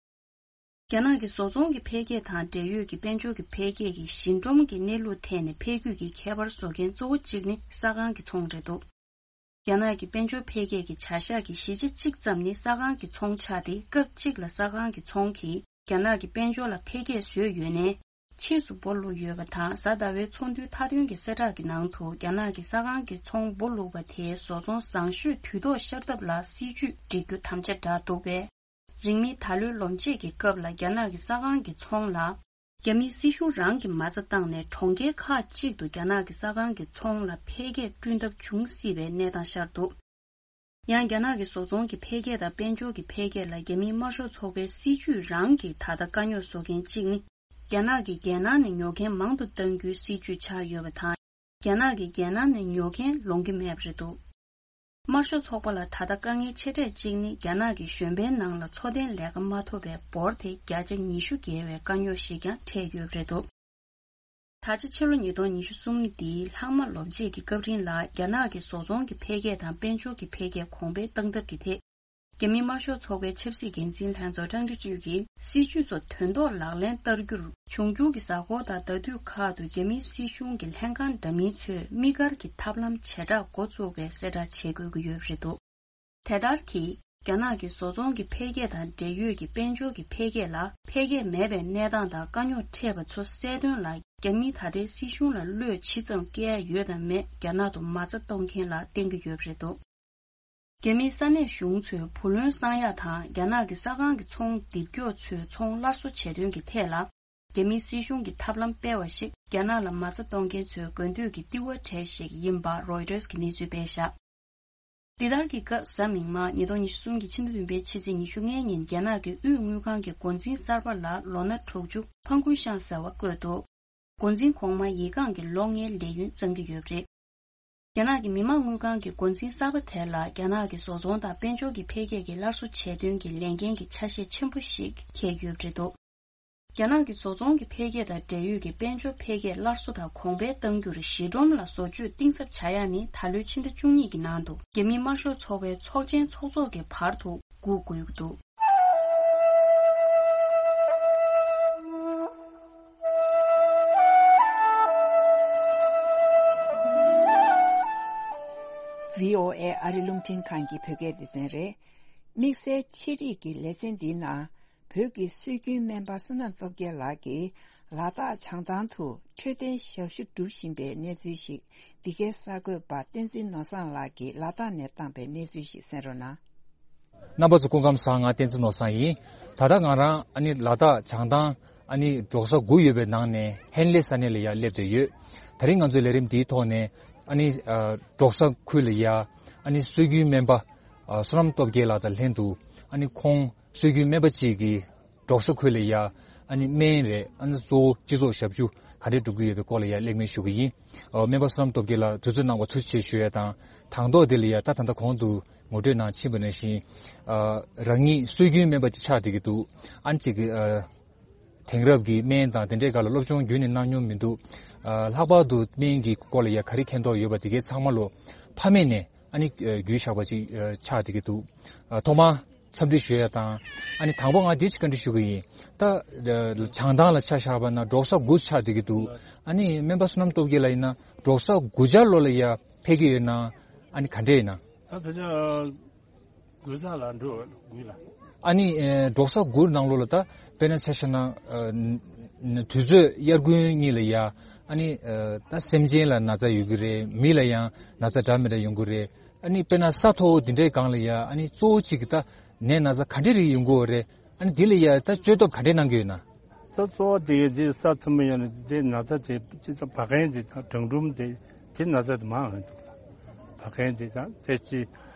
རྒྱ་ནག་གི་བཟོ་ཚོང་གི་འཕེལ་རྒྱས་དང་འབྲེལ་ཡོད་ཀྱི་དཔལ་འབྱོར་གྱི་འཕེལ་རྒྱས་ཀྱི་ཞི་འགྲོམ་གྱི་གནས་ལུགས་ཐད་ནས་འཕེལ་རྒྱས་ཀྱི་ཁྱད་པར་བཟོ་མཁན་གཙོ་བོ་གཅིག་ནི་ས་ཁང་གི་ཚོང་རེད་འདུག་རྒྱ་ནག་གི་དཔལ་འབྱོར་འཕེལ་རྒྱས་ཀྱི་བྱ་གཞག་གི་བཞི་ཆ་གཅིག་ཙམ་ནི་ས་ཁང་གི་ཚོང་ཆགས་ཏེ། སྐབས་གཅིག་ལ་ས་ཁང་གི་ཚོང་གིས་རྒྱ་ནག་གི་དཔལ་འབྱོར་ལ་འཕེལ་རྒྱས་བཟོས་ཡོད་ནའི། ཕྱིས་སུ་སྦོ་བླུགས་ཡོད་པ་དང་། གཟའ་ཟླ་བའི་ཚོགས་འདུའི་མཐའ་དོན་གྱི་གསལ་བསྒྲགས་ཀྱི་ནང་དུ། རྒྱ་ནག་གི་ས་ཁང་གི་ཚོང་སྦོ་བླུགས་པ་དེས་བཟོ་ཚོང་བཟང་ཤོས་དུས་ཐོག་ཤར་ཐབས་ལ་སྲིད་ཇུས་སྒྲིག་རྒྱུ་དམ་བཅའ་བསྒྲགས་འདུག་པས། རིང་མིན་ད་ལོའི་ལོ་མཇུག་གི་སྐབས་ལ་རྒྱ་ནག་གི་ས་ཁང་གི་ཚོང་ལ། རྒྱ་མིའི་སྲིད་གཞུང་རང་གིས་མ་རྩ་བཏང་ནས་གྲོང་ཁྱེར་ཁག་ཅིག་ཏུ་རྒྱ་ནག་གི་ས་ཁང་གི་ཚོང་ལ་འཕེལ་རྒྱས་བསྐྲུན་ཐབས་འབྱུང་སྲིད་པའི་གནས་སྟངས་ཤར་འདུག་ཡང་རྒྱ་ནག་གི་བཟོ་ཚོང་གི་འཕེལ་རྒྱས་དང་དཔལ་འབྱོར་གྱི་འཕེལ་རྒྱས་ལ་རྒྱ་མིའི་དམར་ཤོག་ཚོགས་པའི་སྲིད་ཇུས་རང་གིས་ད་ལྟ་དཀའ་རྙོག་བཟོ་མཁན་གཅིག་ནི། རྒྱ་ནག་གིས་རྒྱལ་ནང་ནས་ཉོ་མཁན་མང་དུ་གཏང་རྒྱུའི་སྲིད་ཇུས་ཆགས་ཡོད་པ་དང་། རྒྱ་ནག་གིས་རྒྱལ་ནང་ནས་ཉོ་མཁན་ལོང་གི་མེད་པ་རེད་འདུག་དམར་ཤོག་ཚོགས་པ་ལ་ད་ལྟ་དཀའ་ངལ་ཆེ་གྲས་གཅིག་ནི། རྒྱ་ནག་གི་གཞོན་པའི་ནང་ལ་འཚོ་རྟེན་ལས་ཀ་མ་ཐོབ་པའི་འབོར་དེ་བརྒྱ་ཆ་ཉི་ཤུ་བརྒལ་བའི་དཀའ་རྙོག་ཞིག་ཀྱང་འཕྲད་ཡོད་པ་རེད་འདུག་ད་ཆ་ཕྱི་ལོ་ཉིས་སྟོང་ཉི་ཤུ་གསུམ་འདིའི་ལྷག་མ་ལོ་མཇུག་གི་སྐབས་རིང་ལ། རྒྱ་ནག་གི་བཟོ་ཚོང་གི་འཕེལ་རྒྱས་དང་དཔལ་འབྱོར་གྱི་འཕེལ་རྒྱས་གོང་འཕེལ་གཏང་ཐབས་ཀྱི་ཐད། རྒྱ་མིའི་དམར་ཤོག་ཚོགས་པའི་ཆབ་སྲིད་འགན་འཛིན་ལྷན་ཚོགས་ཀྲང་ཀྲི་ཅུས་ཀྱིས། སྲིད་ཇུས་ཚོ་དོན་ཐོག་ལག་ལེན་བསྟར་རྒྱུར། འབྱུང་འགྱུར་གྱི་གཟའ་འཁོར་དང་ཟླ་དུས་ཁག་ཏུ་རྒྱ་མིའི་སྲིད་གཞུང་གི་ལྷན་ཁང་འདྲ་མིན་ཚོས་དམིགས་བཀར་གྱི་ཐབས་ལམ་བྱེ་བྲག་འགོ་བཙུགས་པའི་གསལ་བསྒྲགས་བྱེད་དགོས་ཀྱི་ཡོད་པ་རེད་འདུག་དེ་ལྟར་གྱིས། རྒྱ་ནག་གི་བཟོ་ཚོང་གི་འཕེལ་རྒྱས་དང་འབྲེལ་ཡོད་ཀྱི་དཔལ་འབྱོར་གྱི་འཕེལ་རྒྱས་ལ་འཕེལ་རྒྱས་མེད་པའི་གནས་སྟངས་དང་དཀའ་རྙོག་འཕྲད་པ་ཚོ་སེལ་དོན་ལ། རྒྱ་མིས་ད་ལྟའི་སྲིད་གཞུང་ལ་བློས་ཇི་ཙམ་བཀལ་ཡ་ཡོད་དམ་མེད། རྒྱ་ནག་ཏུ་མ་རྩ་གཏོང་མཁན་ལ་བརྟེན་གྱི་ཡོད་པ་རེད་འདུག་རྒྱ་མིའི་ས་གནས་གཞུང་ཚོས་བུ་ལོན་གསང་ཡག་དང་། རྒྱ་ནག་གི་ས་ཁང་གི་ཚོང་འདེབས་མཁན་ཚོའི་ཚོང་སླར་གསོ་བྱེད་དོན་གྱི་ཐད་ལ། རྒྱ་མིའི་སྲིད་གཞུང་གིས་ཐབས་ལམ་སྤེལ་བ་ཞིག་རྒྱ་ནག་ལ་མ་རྩ་གཏོང་མཁན་ཚོའི་དགོས་འདོད་ཀྱི་ལྟེ་བ་གྲས་ཤིག་ཡིན་པ་རོའི་ཊར་གྱིས་གནས་ཚུལ་སྤེལ་བཞག་འདི་ལྟར་གྱི་སྐབས། གཟའ་མིག་དམར་ཉིས་སྟོང་ཉི་ཤུ་གསུམ་གྱི་ཕྱི་ཟླ་བདུན་པའི་ཕྱི་ཚེས་ཉི་ཤུ་ལྔའི་ཉིན། རྒྱ་ནག་གི་དབུས་དངུལ་ཁང་གི་འགོ་འཛིན་གསར་པ་ལ་ལོ་ན་དྲུག་ཅུ་ཕང་ཀུན་ཤང་ཟེར་བ་བསྐོས་འདུག་འགོ་འཛིན་གོང་མ་ཡིག་རྐང་གི་ལོ་ལྔའི་ལས་ཡུན་གཙང་གི་ཡོད་པ་རེད། རྒྱ་ནག་གི་མི་དམངས་དངུལ་ཁང་གི་འགོ་འཛིན་གསར་པ་དེ་ལ། རྒྱ་ནག་གི་བཟོ་ཚོང་དང་དཔལ་འབྱོར་གྱི་འཕེལ་རྒྱས་ཀྱི་སླར་གསོ་བྱེད་དོན་གྱི་ལས་འགན་གྱི་ཆ་ཤས་ཆེན་པོ་ཞིག་འཁྱེར་ཡོད་པ་རེད་འདུག་རྒྱ་ནག་གི་བཟོ་ཚོང་གི་འཕེལ་རྒྱས་དང་འབྲེལ་ཡོད་ཀྱི་དཔལ་འབྱོར་འཕེལ་རྒྱས་སླར་གསོ་དང་གོང་འཕེལ་གཏང་རྒྱུར་གཞི་སྒྲོམ་ལ་བཟོ་བཅོས་གཏིང་ཟབ་བྱ་ཡ་ནི། ད་ལོའི་ཕྱི་ཟླ་བཅུ་གཉིས་ཀྱི་ནང་དུ་རྒྱ་མིའི་དམར་ཤོག་ཚོགས་པའི་ཚོགས་ཆེན་ཚོགས་ཚོགས་ཀྱི་བར་དུ་སྒུག་དགོས་ཀྱི་འདུག་བྷི་ཨོ་ཨེ་ཨ་རི་རླུང་འཕྲིན་ཁང་གི་བོད་སྐད་སྡེ་ཚན་རེད། དམིགས་བསལ་ཆེད་སྒྲིག་གི་ལེ་ཚན་འདིའི་ནང་། བོད་ཀྱི་སྲོལ་རྒྱུན་སྨན་པ་བསོད་ནམས་སྟོབས་རྒྱལ་ལགས་ཀྱིས་ལ་དྭགས་བྱང་ཐང་དུ་འཕྲོད་བསྟེན་ཞབས་ཞུ་སྒྲུབ་བཞིན་པའི་གནས་ཚུལ་ཞིག་འདི་གའི་གསར་འགོད་པ་བསྟན་འཛིན་ནོར་བཟང་ལགས་ཀྱིས་ལ་དྭགས་ནས་བཏང་པའི་གནས་ཚུལ་ཞིག་གསན་རོགས་གནང་། རྣམ་པ་ཚོ་སྐུ་ཁམས་བཟང་། ང་བསྟན་འཛིན་ནོར་བཟང་ཡིན། ད་ལྟ་ང་རང་ཨ་ནི་ལ་དྭགས་བྱང་ཐང་ཨ་ནི་འབྲོག་ས་དགུ་ཡོད་པའི་ནང་ནས་ཧན་ལེ་ས་གནས་ལ་ཡར་སླེབས་བསྡད་ཡོད། ད་རིང་ང་ཚོའི་ལས་རིམ་འདིའི་ཐོག་ནས་ཨ་ནི་ཨ་འབྲོག་ས་ཁུལ་ལ་ཡ་ཨ་ནི་སྲོལ་རྒྱུན་སྨན་པ་ཨ་བསོད་ནམས་སྟོབས་རྒྱལ་ལགས་དང་ལྷན་དུ། ཨ་ནི་ཁོང་སྲོལ་རྒྱུན་སྨན་པ་གཅིག་གིས་འབྲོག་ས་ཁུལ་ལ་ཡ་ཨ་ནི་སྨན་རེད། ཨ་ནི་གཙོ་བོ་སྤྱི་ཚོགས་ཞབས་ཞུ་ག་འདྲས་སྒྲུབ་ཀྱི་ཡོད་པའི་སྐོར་ལ་ཡ་གླེང་མོལ་ཞུ་གི་ཡིན། ཨ་སྨན་པ་བསོད་ནམས་སྟོབས་རྒྱལ་ལགས་དུས་ཚོད་གནང་བར་ཐུགས་རྗེ་ཆེ་ཞུ་ཡ་དང་། དང་ཐོག་དེ་ལ་ཡ་ད་ད་ལྟ་གོང་དུ་ངོ་སྤྲོད་གནང་ཕྱིན་པ་ནང་བཞིན། ཨ་རང་ཉིད་སྲོལ་རྒྱུན་སྨན་པ་ཅིག་ཆགས་བསྡད་ཀྱི་འདུག་ཨ་ནི་གཅིག་གི་ཨ་དེང་རབས་ཀྱི་སྨན་དང་དེ་འདྲའི་སྒང་ལ་སློབ་སྦྱོང་རྒྱུན་ནས་གནང་མྱོང་མི་འདུག་ཨ་ལྷག་པར་དུ་སྨན་གྱི་སྐོར་ལ་ཡ་ག་རེ་མཁྱེན་རྟོགས་ཡོད་པ་དེ་གའི་ཚང་མ་ལོ་ཕ་མེས་ནས་ཨ་ནི་ཨ་བརྒྱུད་བཞག་པ་ཅིག་ཨ་ཆགས་བསྡད་ཀྱི་འདུག་ཨ་ཐོག་མར་འཚམས་འདྲི་ཞུ་ཡ་དང་། ཨ་ནི་དང་པོ་ང་འདི་ཅིག་བཀའ་འདྲི་ཞུ་གི་ཡིན། ད་ཨ་བྱང་ཐང་ལ་ཆ་བཞག་པ་ན་འབྲོག་ས་དགུ་ཆགས་བསྡད་ཀྱི་འདུག་ཨ་ནི་སྨན་པ་བསོད་ནམས་སྟོབས་རྒྱལ་ལགས་ཡིན་ན་འབྲོག་ས་དགུ་ཆ་ལོ་ལ་ཡ་ཕེབས་ཀྱི་ཡོད་ན། ཨ་ནི་ག་འདྲས་ཡིན་ན། ད་ཕལ་ཆེར་དགུ་ས་ལ་འགྲོ་དགུ་ལ། ཨ་ནི་ཨེ་འབྲོག་ས་དགུ་ནང་ལོགས་ལ་ད་དཔེར་ན་ཆ་བཞག་ན་ཨ་ན་དུས་ཚོད་དབྱར་དགུན་གཉིས་ལ་ཡ་ཨ་ནི་ཨ་ད་སེམས་ཅན་ལ་ན་ཚ་ཡོང་གི་རེད། མི་ལ་ཡང་ན་ཚ་འདྲ་མི་འདྲ་ཡོང་གི་རེད། ཨ་ནི་དཔེར་ན་ས་མཐོ་བོ་འདི་འདྲའི་སྒང་ལ་ཡ་ཨ་ནི་གཙོ་བོ་གཅིག་གི་ད་ནད་ན་ཚ་ག་འདྲའི་རིགས་ཡོང་གི་ཡོད་རེད། ཨ་ནི་འདི་ལ་ཡ་ད་བཅོས་ཐབས་ག་འདྲའི་གནང་གི་ཡོད་ན། ད་གཙོ་བོ་དེ་གའི་དེ་ས་ཐོན་པ་ཡོད་ན་དེ་ན་ཚ་དེ་སྤྱི་ཚོགས་བ་གན་དེ་དང་གྲང་འབྲུམ་དེ་དེ་ན་ཚ་དེ་མང་ཡོང་འདུག་ལ། བ་གན་དེ་དང་དེ་ཅི་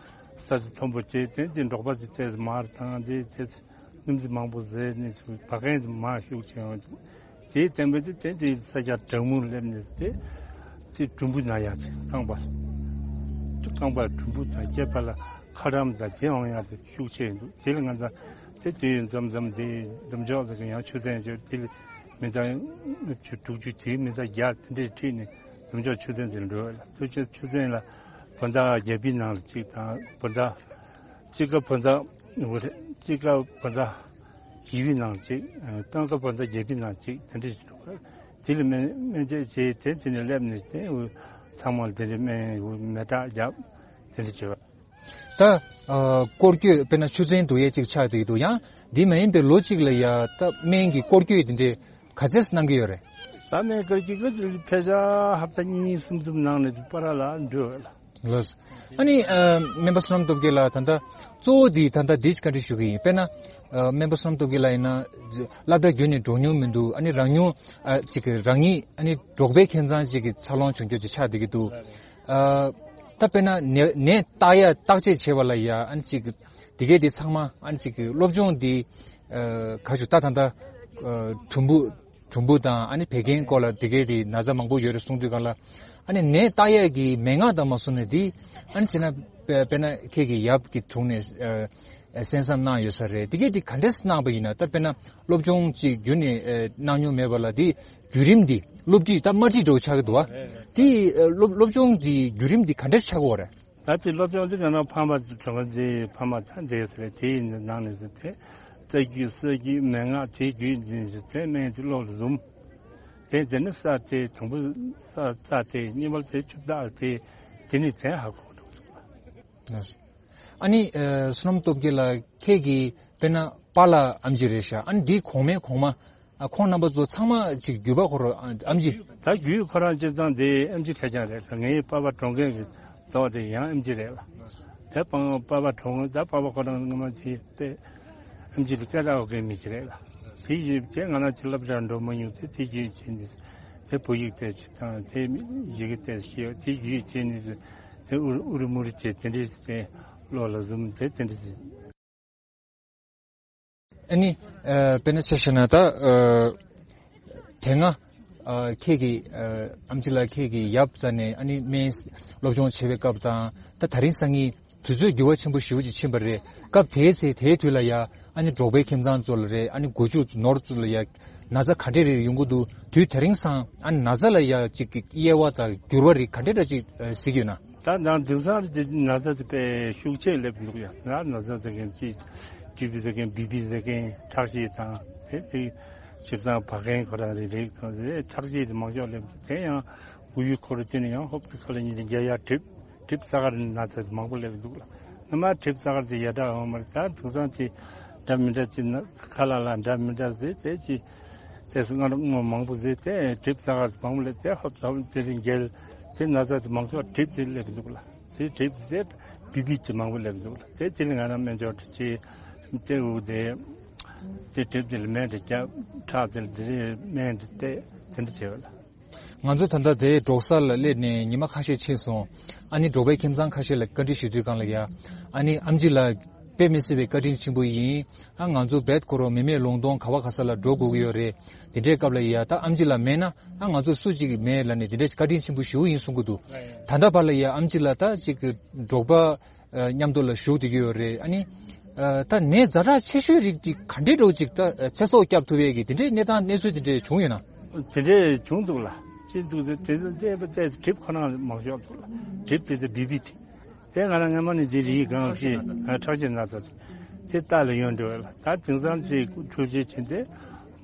ས་ཆ་མཐོན་པོ་བྱས་དེ་དེ་འབྲོག་པ་དེ་དེ་མར་དང་དེ་དེ་སྣུམ་དེ་མང་པོ་བཟས་ནས་བ་གན་དེ་མང་ཤུགས་ཆེ་ཡོང་འདུག་དེའི་སྟེང་པའི་དེ་དེ་དེ་ས་ཆ་གྲང་མོར་སླེབས་ནས་དེ་དེ་གྲུམ་བུ་ན་ཡག་དེ་རྐང་པ་རྐང་པ་གྲུམ་བུ་དང་སྐེད་པ་ལ། ཁ་རམ་དང་དེ་འོང་ཡག་དེ་ཤུགས་ཆེ་འདུག་དེ་ལ་ང་ཚ་དེ་དུས་ཡུན་མཚམས་མཚམས་དེ་འདེམས་འཇོག་ལ་ཡང་ཆུ་ཚན་བརྗོད་དེ་ལ་མི་ཚང་ལྔ་བཅུ་དྲུག་ཅུ་དེའི་མི་ཚང་བརྒྱ་དེ་འདྲས་ཁྲིད་ནས་འདེམས་འཇོག་ཆུ་ཚན་དེ་ལ་འགྲོ་བ་ལ་དུས་ཆེ་ཆུ་ཚན་ལ་བོད་ཟླ་བརྒྱད་པའི་ནང་ལ་གཅིག་དང་བོད་ཟླ་གཅིག་ཀ་བོད་ཟླ་དངུལ་རེད་གཅིག་ཀ་བོད་ཟླ་བཞི་པའི་ནང་གཅིག་སྟོན་ཀ་བོད་ཟླ་བརྒྱད་པའི་ནང་གཅིག་དེ་འདྲས་ཞིག་འགྲོ་བ་དེ་ལ་སྨན་སྨན་བཅོས་བྱས་དེ་དེ་ནས་སླེབས་ནས་དེ་ཚང་མ་ལ་དེ་འདྲས་སྨན་མེ་སྟག་བརྒྱབ་དེ་འདྲས་བྱས་པ། ད་ཨ་སྐོར་སྐྱོད་དཔེར་ན་ཆུ་ཚན་བསྡུ་ཡས་གཅིག་ཆགས་བསྡད་ཀྱི་འདུག་ཡང་འདི་མ་ཡིན་པའི་ལོ་གཅིག་ལ་ཡ་ད་སྨན་གྱི་སྐོར་སྐྱོད་འདི་འདྲས་ག་ཚད་གནང་གི་ཡོད་རེད། ད་སྨན་སྐོར་སྐྱོད་ཀྱི་ཕལ་ཆེར་ཧབ་ཏ་གཉིས་གསུམ་གསུམ་ནང་ནས་པ་ར་ལ་འགྲོ་ལ། ལགས། ཨ་ནི་ཨ་སྨན་པ་བསོད་ནམས་སྟོབས་རྒྱལ་ལགས་ད་ལྟ་གཙོ་བོ་འདི་ད་ལྟ་འདི་བཀའ་འདྲི་ཞུ་གི་ཡིན། དཔེར་ན་ཨ་སྨན་པ་བསོད་ནམས་སྟོབས་རྒྱལ་ལགས་ཡིན་ན་སློབ་གྲྭ་བརྒྱུད་ནས་འགྲོ་མྱོང་མི་འདུག་ཨ་ནི་རང་ཉུང་ཨ་ཅིག་གི་རང་ཉིད་ཨ་ནི་འབྲོག་པའི་ཁྱིམ་ཚང་ཅིག་གི་འཚར་ལོངས་བྱུང་རྒྱུ་ཅིག་ཆགས་བསྡད་ཀྱི་འདུག་ཨ། ད་དཔེར་ན་ནད་ནད་བརྟག་ཡ་བརྟག་དཔྱད་བྱེད་པ་ལ་ཡ་ཨ་ནི་ཅིག་དེ་གས་དེ་ཚང་མ་ཨ་ནི་ཅིག་སློབ་སྦྱོང་འདི་ཨ་ག་ཞུ་ད་ད་ད་ཨ་གྲུམ་བུ་གྲུམ་བུ་དང་ཨ་ནི་བད་ཀན་སྐོར་ལ་དེ་གས་དེ་ན་ཚ་མང་པོ་ཡོད་རེད་གསུང་དུས་གང་ལ་ཨ་ནི་ནད་བརྟག་ཡ་གི་མན་ངག་དང་མ་སོང་ནས་དེ་ཨ་ནི་བྱས་ན་དཔེ་དཔེར་ན་ཁྱེད་ཀྱི་ཡབ་ཀྱི་དྲུང་ནས་ཨ་གསན་བསམ་གནང་ཡོད་ས་རེད། དེ་གས་དེ་ག་འདྲས་གནང་པ་ཡིན་ན་ད་དཔེར་ན་སློབ་སྦྱོང་ཅིག་རྒྱུན་ནས་ཨ་གནང་མྱོང་མེད་པ་ལ་དེ་བརྒྱུད་རིམ་འདི་སློབ་ཁྲིད་ད་དམར་ཁྲིད་འདྲ་བོ་ཆགས་ཀྱི་འདུག་བ། དེ་ཨ་སློབ་སློབ་སྦྱོང་གི་བརྒྱུད་རིམ་འདི་ག་འདྲ་ཆགས་ཀྱི་ཡོད་རེད། ད་དེ་སློབ་སྦྱོང་དེ་ག་ན་ཕ་མ་གྲོང་ཁྱེར་ཕ་མ་ཚ་འདྲེས་ཟེར་དེའི་ནང་ནས་ཟེར་དེ་རྩ་རྒྱུད་སྲོལ་རྒྱུད་མན་ངག་དེའི་རྒྱུད་འཛིན་ཟེར་དེ་སྨན་དེ་བློ་ལ་ཟུམ། དེ་དེ་ནི་ས་དེ་དང་པོ་ས་ས་དེ་གཉིས་པ་དེ་ཆུ་བདག་དེ་དེ་ནི་དེ་ཧ་གོ་འགྲོ་གི་འདུག་ཨ་ནི་ཨ་བསོད་ནམས་སྟོབས་རྒྱལ་ལགས་ཁྱེད་ཀྱི་དཔེར་ན་པཱ་ལགས་ཨམ་ཆི་རེད་ཤག་ཨ་ནི་འདིའི་གོང་མའི་གོང་མ་ཨ་ཁོང་རྣམ་པ་ཚོ་ཚང་མ་ཅིག་བརྒྱུད་པ་ཁོ་རང་ཨ་ཨམ་ཆི། ད་བརྒྱུད་ཁོ་རང་སྤྱིར་བཏང་དེ་ཨམ་ཆི་ཁེར་རྐྱང་རེད། ངའི་པ་ཕ་གྲོང་ཁྱེར་གྱི་ཟླ་བ་དེ་ཡང་ཨམ་ཆི་རེད་ལ། དེ་པ་པ་ཕ་གྲོང་ད་པ་ཕ་ཁོ་རང་སྔ་མ་དེ་དཔེ་ཨམ་ཆི་ལ་སྐད་གྲགས་ཡོད་མཁན་མི་ཞིག་རེད་ལ། དེ་ཡིན་དེ་ང་རང་ཅིག་སློབ་གྲྭར་འགྲོ་མ་མྱོང་ཚེ་དེ་རྒྱུད་བྱས་ནས་དེ་བོད་ཡིག་དེ་ཅིག་དང་དེ་ཡི་གེ་དེ་ཤེས་དེ་རྒྱུད་བྱས་ནས་དེ་ཨུ་རུ་ཨུ་རུ་མུ་རུ་བྱས་དེ་འདྲས་དེ་བློ་ལ་ཟུམ་དེ་དེ་འདྲས། ཨ་ནི་ཨ་དཔེར་ན་ཆ་བཞག་ན་ད་ཨ་དེ་སྔ་ཨ་ཁྱེད་ཀྱི་ཨ་ཨམ་ཆི་ལགས་ཁྱེད་ཀྱི་ཡབ་རྩ་ནས་ཨ་ནི་སྨན་སློབ་སྦྱོང་བྱེད་པའི་སྐབས་དང་ད་ད་རིང་སང་ཉིན་དུས་ཚོད་འགྱུར་བ་ཆེན་པོ་ཞེ་པོ་ཅིག་ཕྱིན་པ་རེད། སྐབས་དེའི་ཚེ་དེའི་དུས་ལ་ཡ་ཨ་ནི་འབྲོག་པའི་ཁྱིམ་ཚང་ཚོ་ལ་རེད་ཨ་ནི་སྒོ་ཕྱུགས་ནོར་ཚོ་ལ་ཡ་ན་ཚ་ག་འདྲས་རེ་ཡོང་གི་འདུག་དུས་དེ་རིང་སང་ཨ་ནི་ན་ཚ་ལ་ཡ་ཅིག་དབྱེ་བ་དང་འགྱུར་བ་རིགས་ག་འདྲས་འདྲ་ཅིག་གཟིགས་ཡོད་ན། ད་ནང་དེང་སང་དེ་ན་ཚ་དེ་དཔེ་ཤུགས་ཆེ་སླེབས་འདུག་ཡ། ང་ན་ཚ་ཟེར་མཁན་ཅིག་ཅུ་པི་ཟེར་མཁན་བི་པི་ཟེར་མཁན་ཁྲག་ཤེད་དང་དེ་དེ་སྤྱིར་བཏང་བག་ཀན་ཁོ་རང་རེ་རེ་དང་དེ་ཁྲག་ཤེད་དེ་མང་ཤོས་སླེབས་འདུག་དེ་ཡང་དབུགས་ཡུལ་འཁོར་དེ་ནི་ཡང་ཧོབ་ཏེ་ཁ་ལ་ཉིན་རེ་བརྒྱ་ཡར་གྲིབ་གྲིབ་ས་གར་ན་ཚ་དེ་མང་པོ་སླེབས་འདུག་ལ། སྔ་མ་གྲིབ་ས་གར་དེ་ཡ་འདྲ་འོང་མ་རེད། ད་དེང་སང་དེ་འདྲ་མི་འདྲ་ཅིག་ན་ཁ་ལ་ལ་འདྲ་མི་འདྲ་ཟེར་དེ་ཅི་དེ་སུ་སྔར་སྔོ་མང་པོ་ཟེར་དེ་གྲིབ་ས་གར་མང་པོ་སླེབས་དེ་ཧོབ་ཧོབ་དེ་རིང་རྒྱལ་དེ་ན་ཚ་དེ་མང་ཤོས་གྲིབ་དེ་སླེབས་འདུག་ལ། དེ་གྲིབ་དེ་བི་བི་དེ་མང་པོ་སླེབས་འདུག་ལ། དེ་དེ་ནི་ང་རང་སྨན་སྦྱོར་དེ་ཅི་དེ་འུ་དེ་དེ་གྲིབ་དེ་ལ་སྨན་དེ་རྒྱབ་ཁྲག་དེ་ལ་དེ་རིང་སྨན་དེ་བལྟས་དེ་འདྲ་བྱས་པ་ལ། ང་ཚོ་ད་ལྟ་དེ་འབྲོག་ས་ལ་སླེབས་ནས་ཉི་མ་ཁ་ཤས་ཕྱིན་སོང་། ཨ་ནི་འབྲོག་པའི་ཁྱིམ་ཚང་ཁ་ཤས་ལ་བཀའ་འདྲི་ཞུ་དུས་སྒང་ལ་ཡ། ཨ་ནི་ཨམ་ཆི་ལགས་དཔེ་མི་སྲིད་པའི་བཀའ་དྲིན་ཆེན་པོ་ཡིན། ཨ་ང་ཚོ་བེད་ཁོ་རོ་མི་མེད་ལུང་སྟོང་ག་བ་ག་ས་ལ་འགྲོ་དགོས་ཀྱི་ཡོད་རེད། དེ་འདྲའི་སྐབས་ལ་ཡ་ད་ཨམ་ཆི་ལགས་མེད་ན་ཨ་ང་ཚོ་སུ་གཅིག་མེད་ལབ་ནས་དེ་འདྲའི་བཀའ་དྲིན་ཆེན་པོ་ཞེ་པོ་ཡིན་གསུང་གི་འདུག་ད་ལྟ་བར་ལ་ཡ་ཨམ་ཆི་ལགས་ད་ཅིག་འབྲོག་པ་མཉམ་དུ་ལ་བཞུགས་བསྡད་ཀྱི་ཡོད་རེད། ཨ་ནི་ད་ནད་ཛ་དྲག་ཆེ་ཤོས་རིགས་ཅིག་ག་འདྲའི་འདྲ་བོ་ཅིག་ད་ཚེ་སྲོག་སྐྱབས་ཐུབ་ཡས་ཀྱི་དེ་འདྲའི་གནས་སྟངས་གནས་ཚུལ་དེ་འདྲ་བྱུང་ཡོད་ན། དེ་འདྲས་བྱུང་འདུག་ལ། ཅི་འདུག་ཟེར་དེ་ཚོ་བལྟས་པ་བལྟས་ཚེ་གྲིབ་ཁོ་རང་མང་ཤོས་འདུག་ལ། གྲིབ་དེ་ཚོ་བི་བི་དེ། དེ་ང་རང་སྔ་མ་ནས་འདི་རིགས་གང་ཅི་ཁྲག་ཤེད་ན་ཚ་དེ་ལྟ་ལ་ཡོང་འགྲོ་བས་ལ། ད་དེང་སང་ཅི་འཕྲུལ་ཆས་ཕྱིན་ཏེ་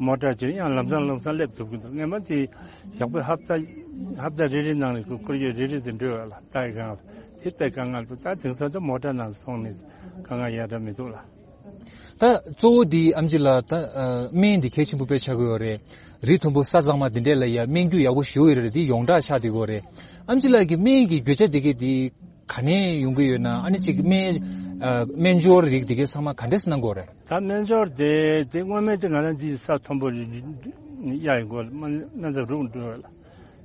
མོ་ཊ་ཅིག་ཡང་ལམ་སང་ལམ་སང་སླེབས་ཐུབ་ཀྱི་འདུག་སྔ་མ་དེ་ཡག་པོ་ཧབ་ཏ་ཧབ་ཏ་རེ་རེ་ནང་ལ་ཁོ་ཁོར་ཡུག་རེ་རེ་དེ་འགྲོ་བས་ལ་ལྟ་ཡི་གང་དེ་དཔེ་དཀའ་ངལ་འདུག་ད་དེང་སང་ད་མོ་ཊ་ནང་སོང་ནས་དཀའ་ངལ་ཡ་འདྲ་མི་འདུག་ལ། ད་གཙོ་བོ་འདི་ཨམ་ཆི་ལགས་ད་ཨ་སྨན་འདི་གལ་ཆེན་པོ་དཔེ་ཆགས་ཀྱི་ཡོད་རེད། རི་མཐོན་པོ་ས་གཙང་མ་འདི་འདྲས་ལ་ཡ་སྨན་རྒྱུ་ཡག་པོ་ཞེ་པོ་ཡོད་རེད། འདི་ཡོངས་གྲགས་ཆགས་བསྡད་ཀྱི་ཡོད་རེད། ཨམ་ཆི་ལགས་ཀྱི་སྨན་གྱི་བརྗོད་བྱ་འདི་གས་འདི་ག་ནས་ཡོང་གི་ཡོད་ན། ཨ་ནི་ཅིག་སྨན་ཨ་སྨན་སྦྱོར་རིགས་འདི་གས་ཚང་མ་ག་འདྲས་གནང་གི་ཡོད་རེད། ད་སྨན་སྦྱོར་དེ་དེ་སྔོན་མའི་དེ་ང་རང་འདི་ས་མཐོན་པོ་གཡའ་ཡི་སྒོ་ལ་སྨན་སྨན་རྩྭ་རུག་འགྲོ་བ་ལ།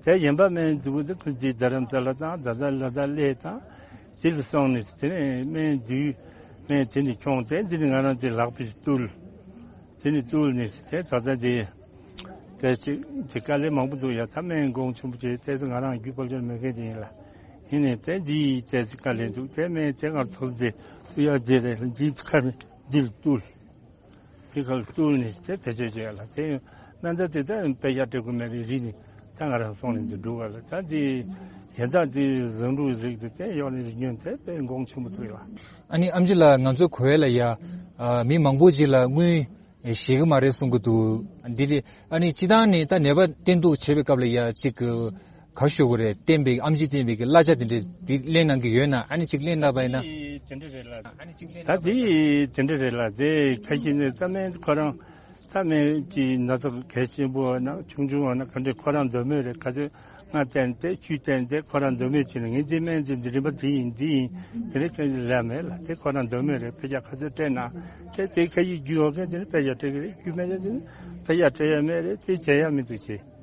དེ་ཡན་པ་སྨན་འདུག་དེ་ཁོ་འདི་རྡ་རམ་ས་ལ་དང་རྡ་རྡ་ལ་དང་གླེ་དང་དེ་ལ་སོང་ནས་དེ་ནས་སྨན་འདུས་སྨན་དེ་ནས་ཁྱོང་དེ་འདི་ནས་ང་རང་དེ་ལག་པས་བཏུལ། དེ་ནས་བཏུལ་ནས་དེ་ད་ལྟ་དེ་དེ་ཅིག་དེ་དཀའ་ལས་མང་པོ་འདུག་ཡ། ད་སྨན་གོང་ཆེན་པོ་བྱས་དེ་ཚོ་ང་རང་རྒྱུད་པ་ལྗོན་མེད་མཁན་ཅིག་ཡིན་ལ། ཡིན་ནས་དེ་འདི་ཡི་དེ་ཚོ་དཀའ་ལས་འདུག་དེ་སྨན་དེ་ང་ཚོ་དེ་བཏུལ་ཡ་དེ་རེད། འདི་ཁ་ནས་འདི་ལ་བཏུལ། དེ་ཁ་ལ་བཏུལ་ནས་དེ་བེད་སྤྱོད་བྱས་ལ། དེ་སྨན་རྫས་དེ་ཚོ་དཔེ་ཡག་སྤྲད་དགོས་མེད་རེད། རིགས་ནི་ད་ང་རང་སོང་ནས་འདི་འགྲོ་བ་ལ། ད་འདི་ཡན་ཆད་འདི་བཟང་འབྲུ་རིགས་དེ་དེ་ཡོག་ནས་རིགས་ཉོན་དེ་དཔེ་གོང་ཆེན་པོ་ཐུག་ཡོད། ཨ་ནི་ཨམ་ཆི་ལགས་ང་ཚོ་གོ་བས་ལ་ཡ་ཨ་མི་མང་པོ་ཅིག་ལ་དངུལ་ཞེ་གི་མ་རེད་གསུང་གི་འདུག་འདི་རེད། ཨ་ནི་སྤྱི་བཏང་ནས་ད་ནད་པ་བསྟེན་གཏུག་བྱེད་པའི་སྐབས་ལ་ཡ་ཅིག་ག་ཞུ་དགོས་རེད། བསྟེན་པའི་ཨམ་ཆི་བསྟེན་པའི་གི་གླ་ཆ་དེ་འདྲས་དེ་ལེན་གནང་གི་ཡོད་ན། ཨ་ནི་ཅིག་ལེན་གནང་པ་ཡིན་ན། དེ་འདྲ་རེད་ལ། ད་དེ་དེ་འདྲ་རེད་ལ། དེ་ཁ་ཤས་ནས་ས་སྨན་ཁོ་རང་ས་སྨན་གྱི་ན་ཚ་གལ་ཆེན་པོ་ན་ཆུང་ཆུང་བ་ན་ག་འདྲས་ཁོ་རང་འདོད་མོས་རེད། ཁ་ཚོད་ང་བསྟེན་ཏེ་ཆུ་བསྟེན་ཏེ་ཁོ་རང་འདོད་མོས་བྱས་ནས་ངས་འདི་སྨན་འདི་འདི་རིམ་པ་འདི་ཡིན་འདི་ཡིན་དེ་རེད་ཁ་ལ་མེད་ལ། དེ་ཁོ་རང་འདོད་མོས་རེད། ཕལ་ཆེར་ཁ་ཚོད་སྤྲད་ན་དེ་དེ་ཁ་ཡིས་རྒྱུ་ཡོད་མཁན་དེ་ནི་ཕལ་ཆེར་སྤྲད་གི་རེད། རྒྱུ་མེད་མཁན་དེ་ནི་ཕལ་ཆེར་སྤྲད་ཡ་མེད་རེད། དེ་བྱེད་ཡ་མི་འདུག་ཅེས།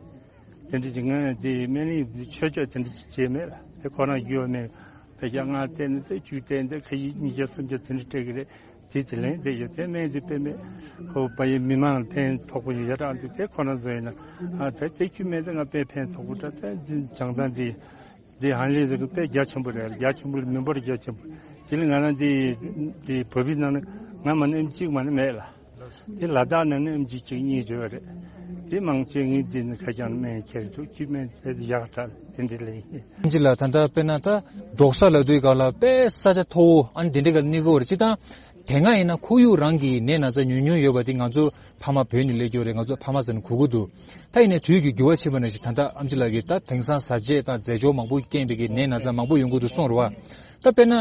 དེ་འདྲ་ཅིག་ངས་དེ་སྨན་གླིང་དེ་ཆོས་ཕྱོགས་དེ་འདྲ་ཅིག་བྱས་མེད་ལ། དེ་ཁོ་རང་རྒྱུ་ཡོད་མེད། བརྒྱ་ལྔ་བལྟས་ནས་ཚེ་བཅུ་བལྟས་ནས་ཁ་ཡིག་ཉིས་བརྒྱ་སུམ་བརྒྱ་དེ་འདྲ་སྤྲད་ཀྱི་རེད། དེ་དེ་ལན་དེ་ཡོད་དེ་སྨན་དེ་དཔེ་མེད་ཁོ་པ་ཡི་མི་མང་ཕན་ཐོགས་པོ་ཡོད་རག་འདུག་དེ་ཁོ་ན་བཟོ་ཡིན་ན་ཨ་དེ་དེ་ཁྱི་སྨན་དེ་ང་དཔེ་ཕན་ཐོགས་པོ་འདྲ་དེ་འཛིན་བྱང་ཐང་དེ་དེ་ཧན་ལས་ཟེར་གི་དཔེ་རྒྱ་ཆེན་པོ་རེད། རྒྱ་ཆེན་པོ་ལ་མི་འབོར་རྒྱ་ཆེན་པོ་དེ་ལ་ང་རང་དེ་དེ་བོད་པའི་ནང་ནས་ང་མ་ནས་ཨེམ་གཅིག་མ་ནས་མེད་ལ། དེ་ལ་དྭགས་ནང་ནས་ཨེམ་ཆི་གཅིག་གཉིས་ཡོད་རེད། དེ་མང་ཆེ་ངས་འདི་ནས་ཁ་བྱང་སྨན་ཁྱེར་འདུག་ཁྱི་སྨན་དེ་ཡག་དྲག་དེ་འདྲ་ལས་ཡིན། ཨེམ་ཆི་ལགས་ད་ལྟ་དཔེར་ན་ད་འབྲོག་ས་ལབ་དུས་སྒང་ལ་དཔེ་ས་ཆ་མཐོ་བོ་ཨ་ནི་དེ་འདྲ་ག་གནས་དགོས་རེད། སྤྱིར་བཏང་དེ་སྔ་ཡིན་ན་ཁོར་ཡུག་རང་གི་ནད་ན་ཚ་ཉུང་ཉུང་ཡོད་པ་དེ་ང་ཚོ་ཕ་མ་བོད་ནས་སླེབས་ཀྱི་ཡོད་རེད། ང་ཚོ་ཕ་མ་ཟེར་ནས་གོ་གི་འདུག་ད་ཡིན་ནའི་དུས་ཀྱི་འགྱུར་བ་ཕྱིན་པ་ནང་བཞིན་ད་ལྟ་ཨེམ་ཆི་ལགས་ཀྱིས་ད་དེང་སང་བཟའ་བཅའ་དང་རྫས་སྦྱོར་མང་པོ་རྐྱེན་པས་ཀྱི་ནད་ན་ཚ་མང་པོ་ཡོང་གི་འདུག་གསུངས་རེད་བ། ད་དཔེར་ན་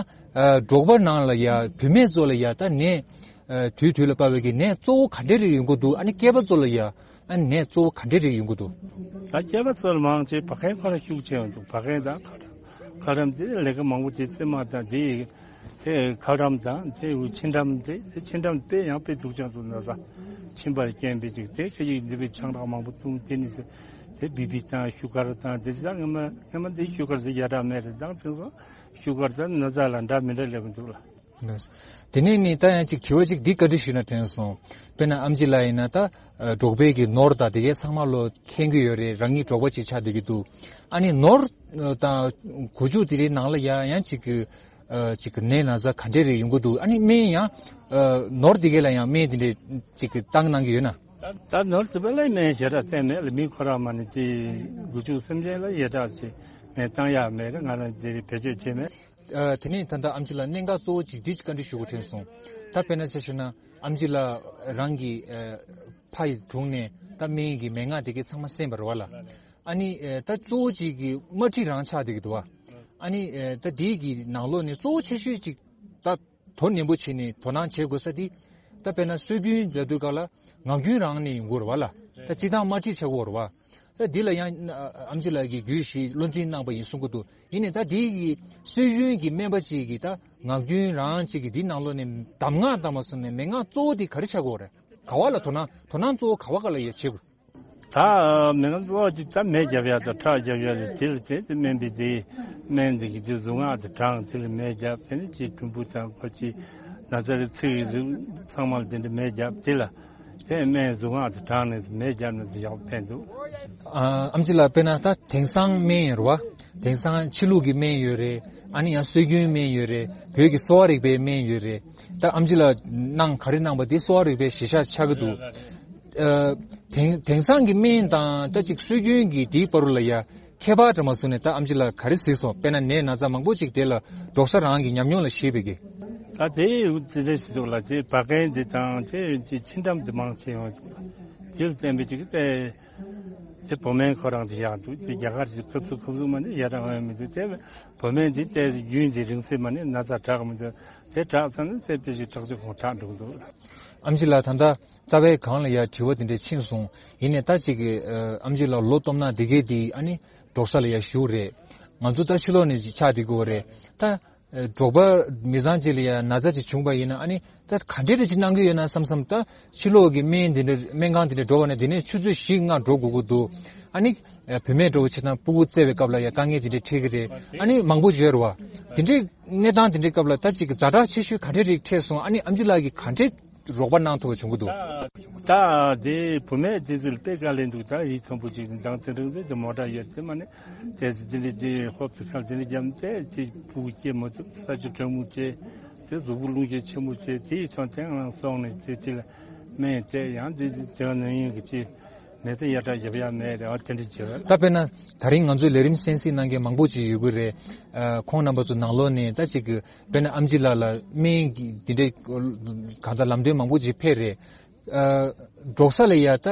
འབྲོག་པ་ནང་ལ་ཡ་བུད་མེད་ཚོ་ལ་ཡ་ད་ནད་དུས་དུས་ལ་དཔག་པའི་གི་ནད་གཙོ་བོ་ག་འདྲས་རིགས་ཡོང་གི་འདུག་ཨ་ནི་སྐྱེས་པ་ཚོ་ལ་ཡ་ཨ་ནི་ནད་གཙོ་བོ་ག་འདྲས་རིགས་ཡོང་གི་འདུག་ད་སྐྱེས་པ་ཚོ་ལ་མང་ཆེ་བ་གན་ཁོ་རང་ཤུགས་ཆེ་ཡོང་འདུག་བ་གན་དང་ཁ་ཁྲམ། ཁ་ཁྲམ་དེ་ལས་ཀ་མང་པོ་དེ་རྩེད་མ་དང་དེ་དེ་ཁ་ཁྲམ་དང་དེ་ཆིན་ཁྲམ་དེ་དེ་ཆིན་ཁྲམ་དཔེ་ཡང་དཔེ་སྡུག་ཅག་འདུག་ན་ས་ཆིན་པར་རྐྱེན་པས་ཅིག་དེ་ཁ་ཡིག་འདི་པའི་ཆང་རག་མང་པོ་བཙུམ་དེ་ནི་དེ་བི་པི་དང་ཤུ་གར་དང་དེ་ད་ངེ་མ་ངེ་མ་དེ་ཤུ་གར་དེ་ཡ་དྲག་མེད་རེད། དང་དེ་སོང་ཤུ་གར་དང་ན་ཚ་ལ་འདྲ་མི་འདྲ་སླེབས་འདུག་ལ། དེ་ནས་ནི་ད་ཡང་ཅིག་དྲི་བ་ཅིག་འདི་བཀའ་འདྲི་ཞུས་ན་དྲན་སོང་། དཔེར་ན་ཨམ་ཆི་ལགས་ཡིན་ན་ད་འབྲོག་པའི་གི་ནོར་དང་དེ་གའི་ཚང་མ་ལོ་མཁྱེན་གྱི་ཡོད་རེད། རང་ཉིད་འབྲོག་པ་ཅིག་ཆགས་བསྡད་ཀྱི་འདུག་ཨ་ནི་ནོར་དང་གོ་ཆུ་དེ་རིགས་ནང་ལ་ཡང་ཡང་ཅིག་གི་ཅིག་གི་ནད་ན་ཚ་ག་འདྲས་རེ་ཡོང་གི་འདུག་ཨ་ནི་སྨན་ཡང་ནོར་དེ་གའི་ལ་ཡང་སྨན་དེ་འདྲས་ཅིག་གི་བཏང་གནང་གི་ཡོད་ན། ད་ནོར་དེ་བས་ལ་སྨན་ཞེ་དྲག་བསྟེན་མེད་ལ། མི་ཁོ་རང་མ་ནི་ཅི་གོ་ཆུ་སེམས་ཅན་ལ་ཡ་དྲག་ཅིག་སྨན་བཏང་ཡག་མེད་ལ། ང་རང་དེ་རིགས་བེད་སྤྱོད་བྱས་མེད། ཨ། དེ་ནས་ད་ལྟ་ཨམ་ཆི་ལགས་གནད་འགག་གཙོ་བོ་གཅིག་འདི་བཀའ་འདྲི་ཞུ་དགོས་དྲན་སོང་། ད་དཔེར་ན་ཆ་བཞག་ན་ཨམ་ཆི་ལགས་རང་གི་ཨ་ཕ་ཡི་དྲུང་ནས་ད་སྨན་གྱི་མན་ངག་དེ་གའི་ཚང་མ་གསན་པ་རེད་བ་ལ། ཨ་ནི་ཨ་ད་གཙོ་བོ་གཅིག་གི་དམར་ཁྲིད་རང་ཆགས་བསྡད་ཀྱི་འདུག་བ། ཨ་ནི་ཨ་ད་དེའི་གི་ནང་ལོགས་ནས་གཙོ་བོ་ཆེ་ཤོས་གཅིག་ད་དོ་ནན་པོ་བྱས་ནས་དོ་སྣང་བྱེད་དགོས་ས་དེ། ད་དཔེར་ན་སྲོལ་རྒྱུན་ལབ་དུས་སྒང་ལ་ངག་རྒྱུན་རང་ནས་ཡོང་གི་རེད་བ་ལ། ད་སྤྱིར་བཏང་དམར་ཁྲིད་ཆགས་ཀྱི་ཡོད་རེད་བ། ད་འདི་ལ་ཡང་ཨ་ཨམ་ཆི་ལགས་ཀྱིས་རྒྱུས་བཞེས་བློ་འཛིན་གནང་པ་ཡིན་གསུང་གི་འདུག་ཡིན་ནའི་ད་འདི་གི་སྲོལ་རྒྱུན་གྱི་སྨན་པ་ཅིག་གིས་ད་ངག་རྒྱུན་རང་ཅིག་གིས་འདི་ནང་ལོགས་ནས་གདམས་ངག་དང་མ་སོང་ནས་མན་ངག་གཙོ་བོ་འདི་ག་རེ་ཆགས་ཀྱི་ཡོད་རེད། ག་བ་ལ་དོ་སྣང་དོ་སྣང་གཙོ་བོ་ག་བ་ག་ལ་ཡོད་བྱེད་དགོས། ད་མན་ངག་གཙོ་བོ་ཅིག་ད་མེ་རྒྱབ་ཡག་དང་ཁྲག་རྒྱབ་ཡག་དེ་དེ་ལ་བརྟེན་ཏེ་སྨན་པས་དེ་སྨན་འདི་གི་དེ་གཟུངས་སྔགས་དེ་བགྲངས། དེ་ལ་མེ་རྒྱབ། དེ་ནས་ཅིག་གྲུམ་བུ་དང་ཁོ་ཅིག་ན་ཚ་རེ་ཚིག་གི་རིགས་ཚང་མ་ལ་དེ་འདྲ་མེ་རྒྱབ། དེ་ལ་དེ་སྨན་གཟུངས་སྔགས་དེ་བགྲངས་ནས་མེ་རྒྱབ་ནས་དེ་ཡག་པོ་ཕན་འདུག་ཨ། ཨམ་ཆི་ལགས་དཔེར་ན་ད་དེང་སང་སྨན་ཡོད་རེད་བ། དེང་སང་ཕྱི་ལུགས་ཀྱི་སྨན་ཡོད་རེད། ཨ་ནི་ཡང་སྲོལ་རྒྱུན་སྨན་ཡོད་རེད། བོད་ཀྱི་གསོ་བ་རིག་པའི་སྨན་ཡོད་རེད། ད་ཨམ་ཆི་ལགས་གནང་ག་རེ་གནང་པ་དེ་གསོ་བ་རིག་པའི་གཞི་བཞག་ཆགས་ཀྱི་འདུག་ཨ། དེང་དེང་སང་གི་སྨན་དང་ད་ཅིག་སྲོལ་རྒྱུན་གྱི་དེའི་བར་ལ་ཡ་ཁྱད་པར་འདྲ་མ་སོང་ནས་ད་ཨམ་ཆི་ལགས་ག་རེ་གཟིགས་སོང་། དཔེར་ན་ནད་ན་ཚ་མང་པོ་ཅིག་དེ་ལ་འབྲོག་ས་རང་གི་ཉམས་མྱོང་ལ་གཞིགས་པའི་གི། ད་དེ་དེ་འདྲ་ཞིག་འདུག་ལ། དེ་བ་གན་དེ་དང་དེ་ཆིན་ཁྲམ་དེ་མང་ཆེ་ཡོང་འདུག་དེ་ལ་བརྟེན་པའི་ཅིག་དེ་དེ་བོད་སྨན་ཁོ་རང་དེ་ཡག་འདུག་དེ་རྒྱ་གར་གྱི་ཁབ་སུ་ཁབ་སུ་མ་ནི་ཡ་རང་ཡོང་མི་འདུག་དེ་བོད་སྨན་དེ་དེ་རྒྱུན་དེ་རིང་ཚད་མ་ནི་ན་ཚ་དྲག་མི་འདུག་དེ་དྲག་ཚར་ན་དེ་དཔེ་ཞིག་དྲག་ཅིག་ཁོང་དྲག་འགྲོ་གི་འདུག་ཨམ་ཆི་ལགས་ད་ལྟ་རྩ་བའི་སྒང་ལ་ཡ་དྲི་བ་དེ་འདྲ་ཕྱིན་སོང་། ཡིན་ནའི་ད་ཅིག་གི་ཨ་ཨམ་ཆི་ལགས་ལོ་སྟོབས་ན་དེ་གས་དེ་ཨ་ནི་འབྲོག་ས་ལ་ཡ་བཞུགས་རེད། ང་ཚོ་ད་ཕྱི་ལོགས་ནས་ཅིག་ཆགས་བསྡད་དགོས་རེད། ད་ཨ་འབྲོག་པ་མི་ཚང་ཅིག་ལ་ཡ་ན་ཚ་ཅིག་བྱུང་པ་ཡིན་ན་ཨ་ནི་ད་ག་འདྲས་རེ་ཅིག་གནང་གི་ཡོད་ན་བསམ་བསམ། ད་ཕྱི་ལོགས་ཀྱི་སྨན་དེ་འདྲ་སྨན་ཁང་དེ་འདྲ་འགྲོ་བ་ནས་དེ་ནས་ཆུ་ཚོད་བཞི་ལྔ་འགྲོ་དགོས་ཀྱི་འདུག་ཨ་ནི་ཨ་བུད་མེད་འགྲོ་བ་ཕྱིར་ན་སྤུ་གུ་བཙས་པའི་སྐབས་ལ་ཡ་དཀའ་ངལ་དེ་འདྲ་འཕྲད་ཀྱི་རེད། ཨ་ནི་མང་པོ་ཡོད་རེད་བ། དེ་འདྲའི་གནས་སྟངས་དེ་འདྲའི་སྐབས་ལ་ད་ཅིག་ཛ་དྲག་ཆེ་ཤོས་ག་འདྲའི་རིགས་འཕྲད་སོང་། ཨ་ནི་ཨམ་ཆི་ལགས་ཀྱིས་ག་འདྲའི་རོགས་པ་གནང་ཐུབ་པ་བྱུང་གི་འདུག་ད་དེ་བུད་མེད་དེ་ཚོ་ལ་དཔེ་དཀའ་ལས་འདུག་ད་ཡིད་ཚང་པོ་ཅིག་མདང་དེ་རིང་དེ་མོ་ཊ་ཡོད་དེ་མ་ནི་དེ་ཚོ་དེ་འདྲའི་དེ་ཧོབ་ཏེ་ཁར་དེ་འདྲ་བརྒྱབ་ནས་དེ་ཅིག་སྤུ་གུ་སྐྱེ་མ་ཐུབ། ས་ཆུ་གྲང་མོ་བྱས་དེ་གཟུགས་པོ་རླུང་ཤས་ཆེན་པོ་བྱས་དེ་ཡིད་ཚང་དེ་ང་སོང་ནས་དེ་དེ་ལ་སྨན་དེ་ཡང་དེ་དེ་ནང་ཡིན་གི་ཅི། མེད་ཚེ་ཡ་དྲག་རྒྱབ་ཡ་མེད་རེད་བ། དེ་འདྲ་བྱེད་པ། ད་དཔེར་ན་ད་རིང་ང་ཚོའི་ལས་རིམ་གསན་གཟིགས་གནང་མཁན་མང་པོ་ཅིག་ཡོད་ཀྱི་རེད། ཨ་ཁོང་རྣམ་པ་ཚོ་ནང་ལོགས་ནས་ད་ཅིག་གི་དཔེར་ན་ཨམ་ཆི་ལགས་ལ་སྨན་གྱི་འདི་འདྲའི་གང་ལྟར་ལམ་སྟོན་མང་པོ་ཅིག་ཕེབས་རེད། ཨ་འབྲོག་ས་ལ་ཡ་ད་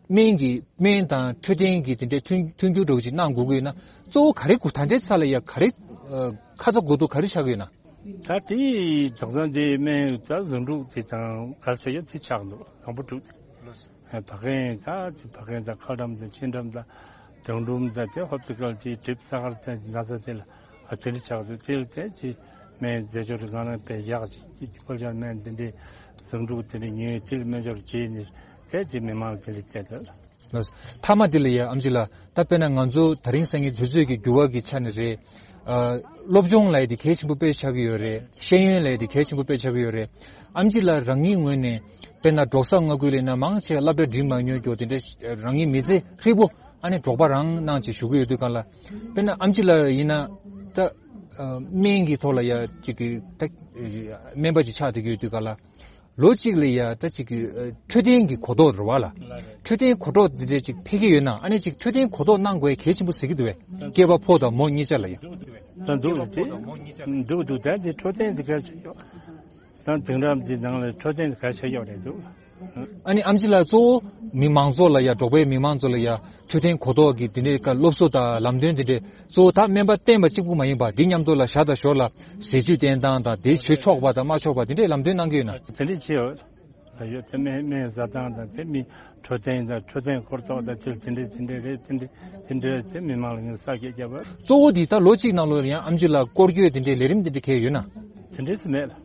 སྨན་གྱི་སྨན་དང་འཕྲོད་བསྟེན་གྱི་དེ་འདྲའི་མཐུན་མཐུན་འགྱུར་འདྲ་བོ་ཅིག་གནང་དགོས་ཀྱི་ཡོད་ན་གཙོ་བོ་ག་རེ་དགོས། ད་ལྟའི་ཆ་ལ་ཡ་ག་རེ་ཨ་ཁ་ཚ་དགོས་གཏུགས་ག་རེ་ཆགས་ཀྱི་ཡོད་ན། ད་དེ་དེང་སང་དེ་སྨན་ད་ཟིང་འཁྲུག་དེ་དང་ག་རེ་ཆགས་ཡོད་དེ་ཆགས་འདུག་དང་པོ་དྲུག་ཨ་བ་གན་ད་ཅི་བ་གན་དང་ཁ་ཁྲམ་དང་ཆིན་ཁྲམ་དང་དང་སྒྲུང་དང་དེ་ཧོབ་ཏེ་སྐབས་ཀྱི་གྲིབ་ས་གར་དང་ན་ཚ་དེ་ལ་ཨ་དེ་འདྲ་ཆགས་འདུག་དེ་ལ་དེ་ཅི་སྨན་རྫས་སྦྱོར་རིགས་གང་རུང་དཔེ་ཡག་ཅིག་ཅི་ཅི་ཕོ་བྱ་སྨན་དེ་འདྲའི་ཟིང་འཁྲུག་དེ་འདྲའི་ཉུང་ཡོད་དེ་ལ་སྨན་སྦྱོར་བྱས་ནས་དེ་ཅི་མི་མང་དེ་འདྲ་བསྟན་འདུག་ལགས། མཐའ་མ་དེ་ལ་ཡ་ཨམ་ཆི་ལགས། ད་དཔེར་ན་ང་ཚོ་ད་རིང་སང་ཉིན་དུས་ཚོད་ཀྱི་འགྱུར་བ་གི་ཆ་ནས་རེད། ཨ། སློབ་སྦྱོང་ལབ་ཡས་དེ་གལ་ཆེན་པོ་དཔེ་ཆགས་ཀྱི་ཡོད་རེད། ཤེས་ཡོན་ལབ་ཡས་དེ་གལ་ཆེན་པོ་དཔེ་ཆགས་ཀྱི་ཡོད་རེད། ཨེམ་ཆི་ལགས་རང་ཉིད་ངོས་ནས་དཔེར་ན་འབྲོག་ས་མངའ་ཁུལ་ལ་ཡིན་ན་མང་ཆེ་བ་སློབ་གྲྭ་འགྲིམ་མ་མྱོང་རྒྱུ་དེ་འདྲ་རང་ཉིད་མི་ཚེ་ཧྲིལ་པོ་ཨ་ནི་འབྲོག་པ་རང་གནང་བྱས་བཞུགས་ཀྱི་ཡོད་དུས་ག་ལ། དཔེར་ན་ཨེམ་ཆི་ལགས་ཡིན་ན་ད་ཨ། སྨན་གྱི་ཐོག་ལ་ཡ་ཅིག་གི་ད་སྨན་པ་ཅིག་ཆགས་བསྡད་ཀྱི་ཡོད་དུས་ག་ལ། ལོ་གཅིག་ལ་ཡ་ད་ཅིག་གི་ཨ། འཕྲོད་བསྟེན་གྱི་གོ་རྟོགས་རེད་བ་ལ། འཕྲོད་བསྟེན་གོ་རྟོགས་འདི་འདྲ་ཅིག་འཕེལ་གྱི་ཡོད་ན་ཨ་ནི་ཅིག་འཕྲོད་བསྟེན་གོ་རྟོགས་གནང་དགོས་གལ་ཆེན་པོ་ཟེར་གྱི་འདུག་བས། སྐྱེས་པ་ཕོ་དང་མོ་གཉིས་ཆ་ལ་ཡ། ད་འདུག་སྟེ། འདུག་འདུག་ད་འདི་འཕྲོད་བསྟེན་འདི་གལ་ཆེ་ཤོས། ད་དེང་རབས་འདི་ནང་ལ་འཕྲོད་བསྟེན་འདི་གལ་ཆེ་ཤོས་རེད་འདུག་ཨ་ནི་ཨེམ་ཆི་ལགས་གཙོ་བོ་མི་མང་ཚོགས་ལ་ཡ་འབྲོག་པའི་མི་མང་ཚོ་ལ་ཡ་འཕྲོད་བསྟེན་གོ་རྟོགས་ཀྱི་འདི་འདྲའི་ཀ་སློབ་གསོ་དང་ལམ་སྟོན་འདི་འདྲའི་གཙོ་བོ་ད་སྨན་པ་བསྟེན་པ་གཅིག་པུ་མ་ཡིན་པ་འདི་མཉམ་དུ་ལ་ཞར་དང་ཞོར་ལ་ཟས་བཅུད་བསྟེན་སྟངས་དང་དེ་ཞུ་ཆོག་པ་དང་མ་ཆོག་པ་འདི་འདྲའི་ལམ་སྟོན་གནང་གི་ཡོད་ན། དེ་འདྲའི་ཆེ་བ་ཡོད་དེ་སྨན་སྨན་བཟའ་སྟངས་དང་དེ་མི་འཕྲོད་བསྟེན་དང་འཕྲོད་བསྟེན་གོ་རྟོགས་དང་དེ་དེ་འདྲའི་དེ་འདྲའི་རེད། དེ་འདྲའི་དེ་འདྲའི་དེ་མི་མང་ལ་ངས་གསལ་བཤད་བརྒྱབ་པ། གཙོ་བོ་འདི་ད་ལོ་གཅིག་ནང་ལོགས་ཡང་ཨེམ་ཆི་ལགས་སྐོར་སྐྱོད་དེ་འདྲའི་ལས་རིམ་དེ་འདྲ་གལ་ཡོད་ན། དེ་འདྲའི་སུ་མེད་ལ།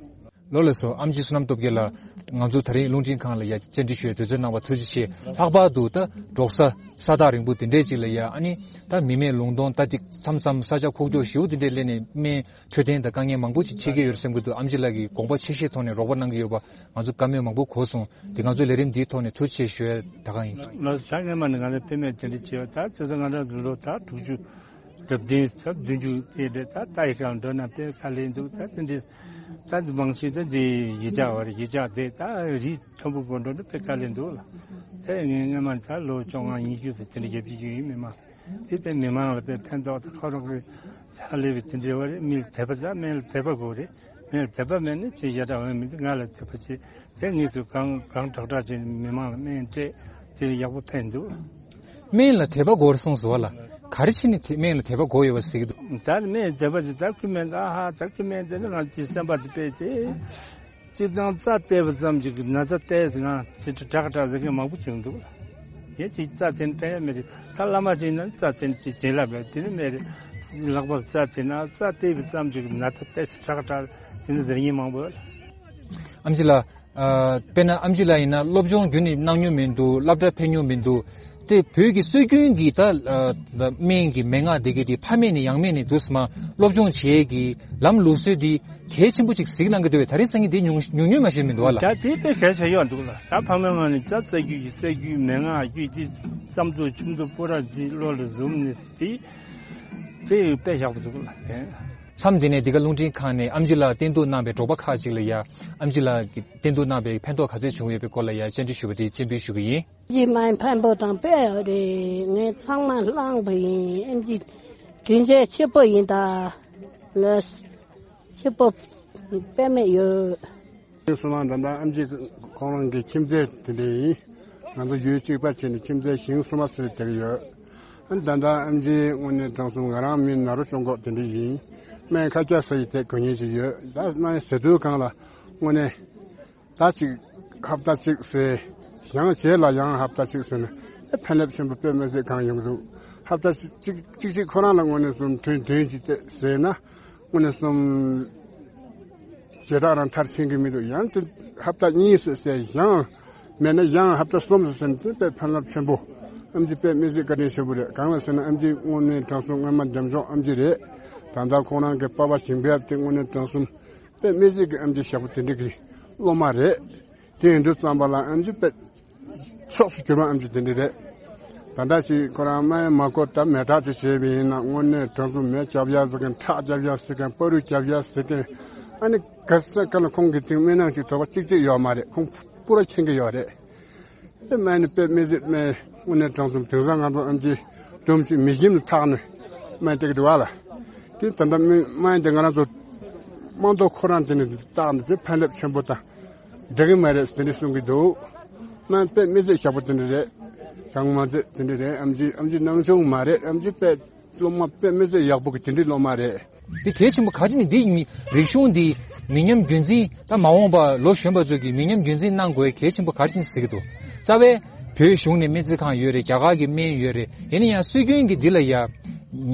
ལོ་ལེགས་སོ། ཨེམ་ཆི་བསོད་ནམས་སྟོབས་རྒྱལ་ལགས་ང་ཚོ་དེ་རིང་རླུང་འཕྲིན་ཁང་ལ་ཡ་བཅར་འདྲི་ཞུ་བའི་དུས་ཚོད་གནང་བ་ཐུགས་རྗེ་ཆེ། ལྷག་པར་དུ་ད་འབྲོག་ས་ས་ཐག་རིང་པོ་དེ་འདྲའི་ཅིག་ལ་ཡ་ཨ་ནི་ད་མི་མེད་ལུང་སྟོང་ད་ཅིག་མཚམས་མཚམས་ས་ཆ་ཁུག་ཀྱོག་ཞེ་པོ་དེ་འདྲའི་སླེབས་ནས་སྨན་འཕྲོད་བསྟེན་དང་དཀའ་ངལ་མང་པོ་ཅིག་འཕྲད་ཀྱི་ཡོད་བསམ་གྱི་འདུག་ཨེམ་ཆི་ལགས་ཀྱིས་དགོངས་པ་ཆེ་བཞེས་ཐོག་ནས་རོགས་པ་གནང་གི་ཡོད་པ་ང་ཚོ་བཀའ་མོལ་མང་པོ་གོ་སོང་། དེ་ང་ཚོའི་ལས་རིམ་འདིའི་ཐོག་ནས་ཐུགས་རྗེ་ཆེ་ཞུ་ཡ་ད་ག་ཡིན། ལགས་སོ། ང་སྔོན་མ་ནས་ང་ཚོ་དཔེ་མེད་དེ་འདྲ་བྱས་ཡོད། ད་བྱས་ཙང་ང་རང་ཚོ་ལོ་ད་དྲུག་ཅུ་རེ་བདུན་ཙམ་བདུན་ཅུ་དེ་རེད། ད་ལྟ་ཡི་གང་འགྲོ་ན་དཔེ་དཀའ་ལས་འདུག་ད་དེ་འདྲའི་ད་མང་ཤོས་ད་འདི་ཡིག་ཆ་བར་ཡིག་ཆ་དེ་ད་རིགས་མཐོན་པོ་དགོས་འགྲོ་ན་དཔེ་དཀའ་ལས་འདུག་ལ། དེ་ངས་སྔོན་མ་ད་ལོ་བཅོ་ལྔ་ཉི་ཤུ་ཙམ་དེ་འདྲ་རྒྱབ་ཀྱི་ཡོད་ཡིན། མི་མང་དེ་དཔེ་མི་མང་ལ་དཔེ་ཕན་ཐོགས་ད་ཁོ་རང་གི་ཕྱག་ལས་པའི་དེ་འདྲའི་བར་མི་ལ་དད་པ་ད་སྨན་ལ་དད་པ་དགོས་རེད། སྨན་ལ་དད་པ་མེད་ན་ཅི་ཡ་འདྲ་འོང་མི་འདུག་ང་ལ་དད་པ་བྱེད། དེ་ངེད་ཚོས་གང་གང་དྲག་དྲག་བྱས་ནས་མི་མང་ལ་སྨན་སྤྲད་དེ་ཡག་པོ་ཕན་འདུག་སྨན་ལ་དད་པ་དགོས་རེད་གསུངས་སོང་བ་ལ། ག་རེ་བྱས་ནས་དེ་སྨན་ལ་དད་པ་དགོས་ཡོད་པ་ཟེར་གྱི་འདུག་ད་སྨན་དད་པ་དེ་ད་ཁུ་སྨན་ད་ཧ་ད་ཁུ་སྨན་དེ་ནི་ང་ཚོའི་སེམས་པ་དེ་དཔེ་དེ། སྤྱིར་བཏང་རྩ་བལྟས་པ་ཙམ་གྱིས་ན་ཚ་བལྟས་ཟིན་ང་ཚོ་དྲག་དྲག་ཟེར་མཁན་མང་པོ་བྱུང་འདུག་ཡིན་གཅིག་རྩ་བལྟས་ན་བལྟས་ཡ་མེད་རེད། ད་བླ་མ་ཅིག་ཡིན་ན་རྩ་བལྟས་ན་ཅིག་བྱིན་རླབས་རེད། དེ་ནི་མེད་རེད། ལྷག་པར་རྩ་བལྟས་ན་རྩ་བལྟས་པ་ཙམ་གྱིས་ན་ཚ་བལྟས་ཟིན་དྲག་དྲག་དེ་ནི་ཟེར་མཁན་མང་པོ་ཡོད། ཨེམ་ཆི་ལགས། ཨ། དཔེར་ན་ཨེམ་ཆི་ལགས་ཡིན་ན་སློབ་སྦྱོང་རྒྱུན་ནས་གནང་མྱོང་མི་འདུག་སློབ་གྲྭ་ཕེབས་མྱོང་མི་འདུག་དེ་བོད་ཀྱི་སྲོལ་རྒྱུན་གྱི་ད་ཨ། སྨན་གྱི་མན་ངག་དེ་གའི་དེ་ཕ་མེས་ནས་ཡང་མེས་ནས་འདུག་སེ་མ་སློབ་སྦྱོང་བྱེད་ཀྱི་ལམ་ལུགས་སྲོལ་འདི་གལ་ཆེན་པོ་ཅིག་གཟིགས་གནང་གི་འདུག་པས། ད་རིང་སང་ཉིན་འདི་ཉུང་ཉུང་ཉུང་མ་ཤེས་མི་འདུག་བ་ལ། ད་དེ་དཔེ་གལ་ཆེ་ཡོད་འདུག་ལ། ད་ཕ་མའི་ངོས་ནས་ད་སྲོལ་རྒྱུན་གྱི་སྲོལ་རྒྱུན་མན་ངག་རྒྱུད་འདི་བསམ་ཚུལ་ཁྱིམ་ཚུལ་སྤོ་ར་འདི་བློ་ལ་ཟུམ་ནས་དེ་དེ་དཔེ་ཡག་པོ་འདུག་ལ། མཚམས་འདི་ནས་འདི་ག་རླུང་འཕྲིན་ཁང་ནས་ཨེམ་ཆི་ལགས་བསྟེན་གཏུག་གནང་བའི་འབྲོག་པ་ཁག་ཅིག་ལ་ཡ་ཨེམ་ཆི་ལགས་ཀྱིས་བསྟེན་གཏུག་གནང་བའི་ཕན་ཐོགས་ག་ཚོད་བྱུང་ཡོད་པའི་སྐོར་ལ་ཡ་བཅར་འདྲི་ཞུ་བ་དེ་སྤྱན་འབུལ་ཞུ་གི་ཡིན། ཨེམ་ཆི་མ་ཕན་པོ་དང་དཔེ་ཡོད་རེད། ངས་ཚང་མ་བླངས་པ་ཡིན། ཨེམ་ཆི་དྲིན་ཆེན་ཆེ་པོ་ཡིན་ད། ལགས། ཆེ་པོ་དཔེ་མེད་ཡོད། ཞིང་གསུམ་མ་ད་ལྟ་ཨེམ་ཆི་ཁོང་རང་གི་ཁྱིམ་མཚེས་དེ་འདྲ་ཡིན། ང་ཚོ་ཡུལ་གཅིག་པ་བྱས་ནས་ཁྱིམ་མཚེས་ཞིང་གསུམ་མ་ཟེར་དེ་ག་ཡོད། ཨ་ནི་ད་ལྟ་ཨེམ་ཆི་དངོས་གནས་དྲང་གསུམ་ང་རང་མི་ནཱ་རོ་ཅུན་ཀོག་དེ་འདྲ་ཡིན། སྨན་ཁ་སྐྱ་ཟ་ཡི་དེ་གོ་མཁན་ཞིག་ཡོད། ད་སྨན་ཟ་དུས་གང་ལ་དངོས་གནས་ད་ཅིག་ཧབ་ཏ་གཅིག་ཟས། ཡང་རྗེས་ལ་ཡང་ཧབ་ཏ་གཅིག་ཟས་ན་ཨེ་ཕན་རླབས་ཆེན་པོ་དཔེ་མི་སྲིད་གང་ཡོང་གི་འདུག་ཧབ་ཏ་གཅིག་གཅིག་གཅིག་ཁོ་རང་ལ་དངོས་གནས་སུ་ཐུན་བདུན་གཅིག་དེ་ཟས་ན་དངོས་གནས་སུ་ཞེ་དྲག་རང་མཐར་ཕྱིན་གྱི་མི་འདུག་ཡང་དེ་ཧབ་ཏ་གཉིས་སུ་ཟས། ཡང་མེད་ན་ཡང་ཧབ་ཏ་གསུམ་སུ་ཟས་ན་དེ་དཔེ་ཕན་རླབས་ཆེན་པོ། ཨེམ་ཆི་དཔེ་མི་སྲིད་བཀའ་དྲིན་ཆེན་པོ་རེད། གང་ལ་ཟེར་ན་ཨེམ་ཆི་དངོས་གནས་དྲང་གསུམ་སྔོན་མ་འདེམས་ཤོག་ཨེམ་ཆི་རེད། ད་ལྟ་ཁོང་རང་གི་པ་ཕ་ཞིང་ཕེབས་དེ་དངོས་གནས་དྲང་གསུམ་དཔེ་མི་སྲིད་ཀྱི་ཨེམ་ཆི་ཞབས་པོ་དེ་འདྲ་གི་སློབ་མ་རེད། དེ་ཡིན་དུས་ཙམ་པ་ལ་ཨེམ་ཆི་དཔེ་ཕྱོགས་སུ་གྱུར་པ་ཨེམ་ཆི་དེ་འདྲ་རེད། ད་ལྟ་ཞིག་ཁོ་རང་སྨན་མ་གོ་ད་མེ་སྲེག་ཅིག་བྱས་པ་ཡིན་ན་དངོས་གནས་དྲང་གསུམ་མེ་རྐྱབ་ཡ་ཟེར་མཁན། ཁྲག་རྐྱབ་ཡ་ཟེར་མཁན། བ་རུ་རྐྱབ་ཡ་ཟེར་མཁན། ཨ་ནི་ག་ས་ག་ལ་ཁོང་གི་སྟེང་སྨན་ནང་ཞིག་དོགས་པ་གཅིག་གཅིག་ཡོད་མ་རེད། ཁོང་པུ་ར་མཁྱེན་གྱི་ཡོད་རེད། དེ་སྨན་ནི་དཔེ་མི་སྲིད་སྨན་དངོས་གནས་དྲང་གསུམ། དེང་སང་ང་ཚོ་ཨེམ་ཆི་སྒྲུང་ཅིག་མི་ཞིམ་ལ་ཐག་ནས་སྨན་སྟེར་གི་འདུག་བ་ལ། དེ་ད་ལྟ་སྨན་སྨན་དེ་ང་རང་ཚོ་དམངས་ཐོག་ཁོ་རང་དེ་ནས་བཏགས་ནས་དེ་ཕན་རླབས་ཆེན་པོ་དང་འགྲིག་གི་མ་རེད་དེ་འདྲ་གསུང་གི་འདུག་སྨན་དཔེ་མི་སྲིད་ཞབས་པོ་དེ་འདྲ་རེད། གང་མ་ཚད་དེ་འདྲ་རེད། ཨེམ་ཆི་ཨེམ་ཆི་ནང་ཆུང་མ་རེད། ཨེམ་ཆི་དཔེ་སློབ་མ་དཔེ་མི་སྲིད་ཡག་པོ་གི་དེ་འདྲའི་སློབ་མ་རེད། འདི་གལ་ཆེན་པོ་ག་རེ་ནི་འདི་མི་རིག་གཞུང་འདི་མི་ཉམས་རྒྱུན་འཛིན། ད་མ་འོངས་པ་ལོ་གཞོན་པ་ཚོ་གིས་མི་ཉམས་རྒྱུན་འཛིན་གནང་དགོས་གལ་ཆེན་པོ་ག་རེ་ནི་ཟེར་གི་འདུག་རྩ་བའི་བོད་གཞུང་ནས་སྨན་རྩིས་ཁང་ཡོད་རེད། རྒྱ་གར་གྱི་སྨན་ཡོད་རེད། ཡིན་ན་ཡང་སྲོལ་རྒྱུན་གྱི་འདི་ལ་ཡ་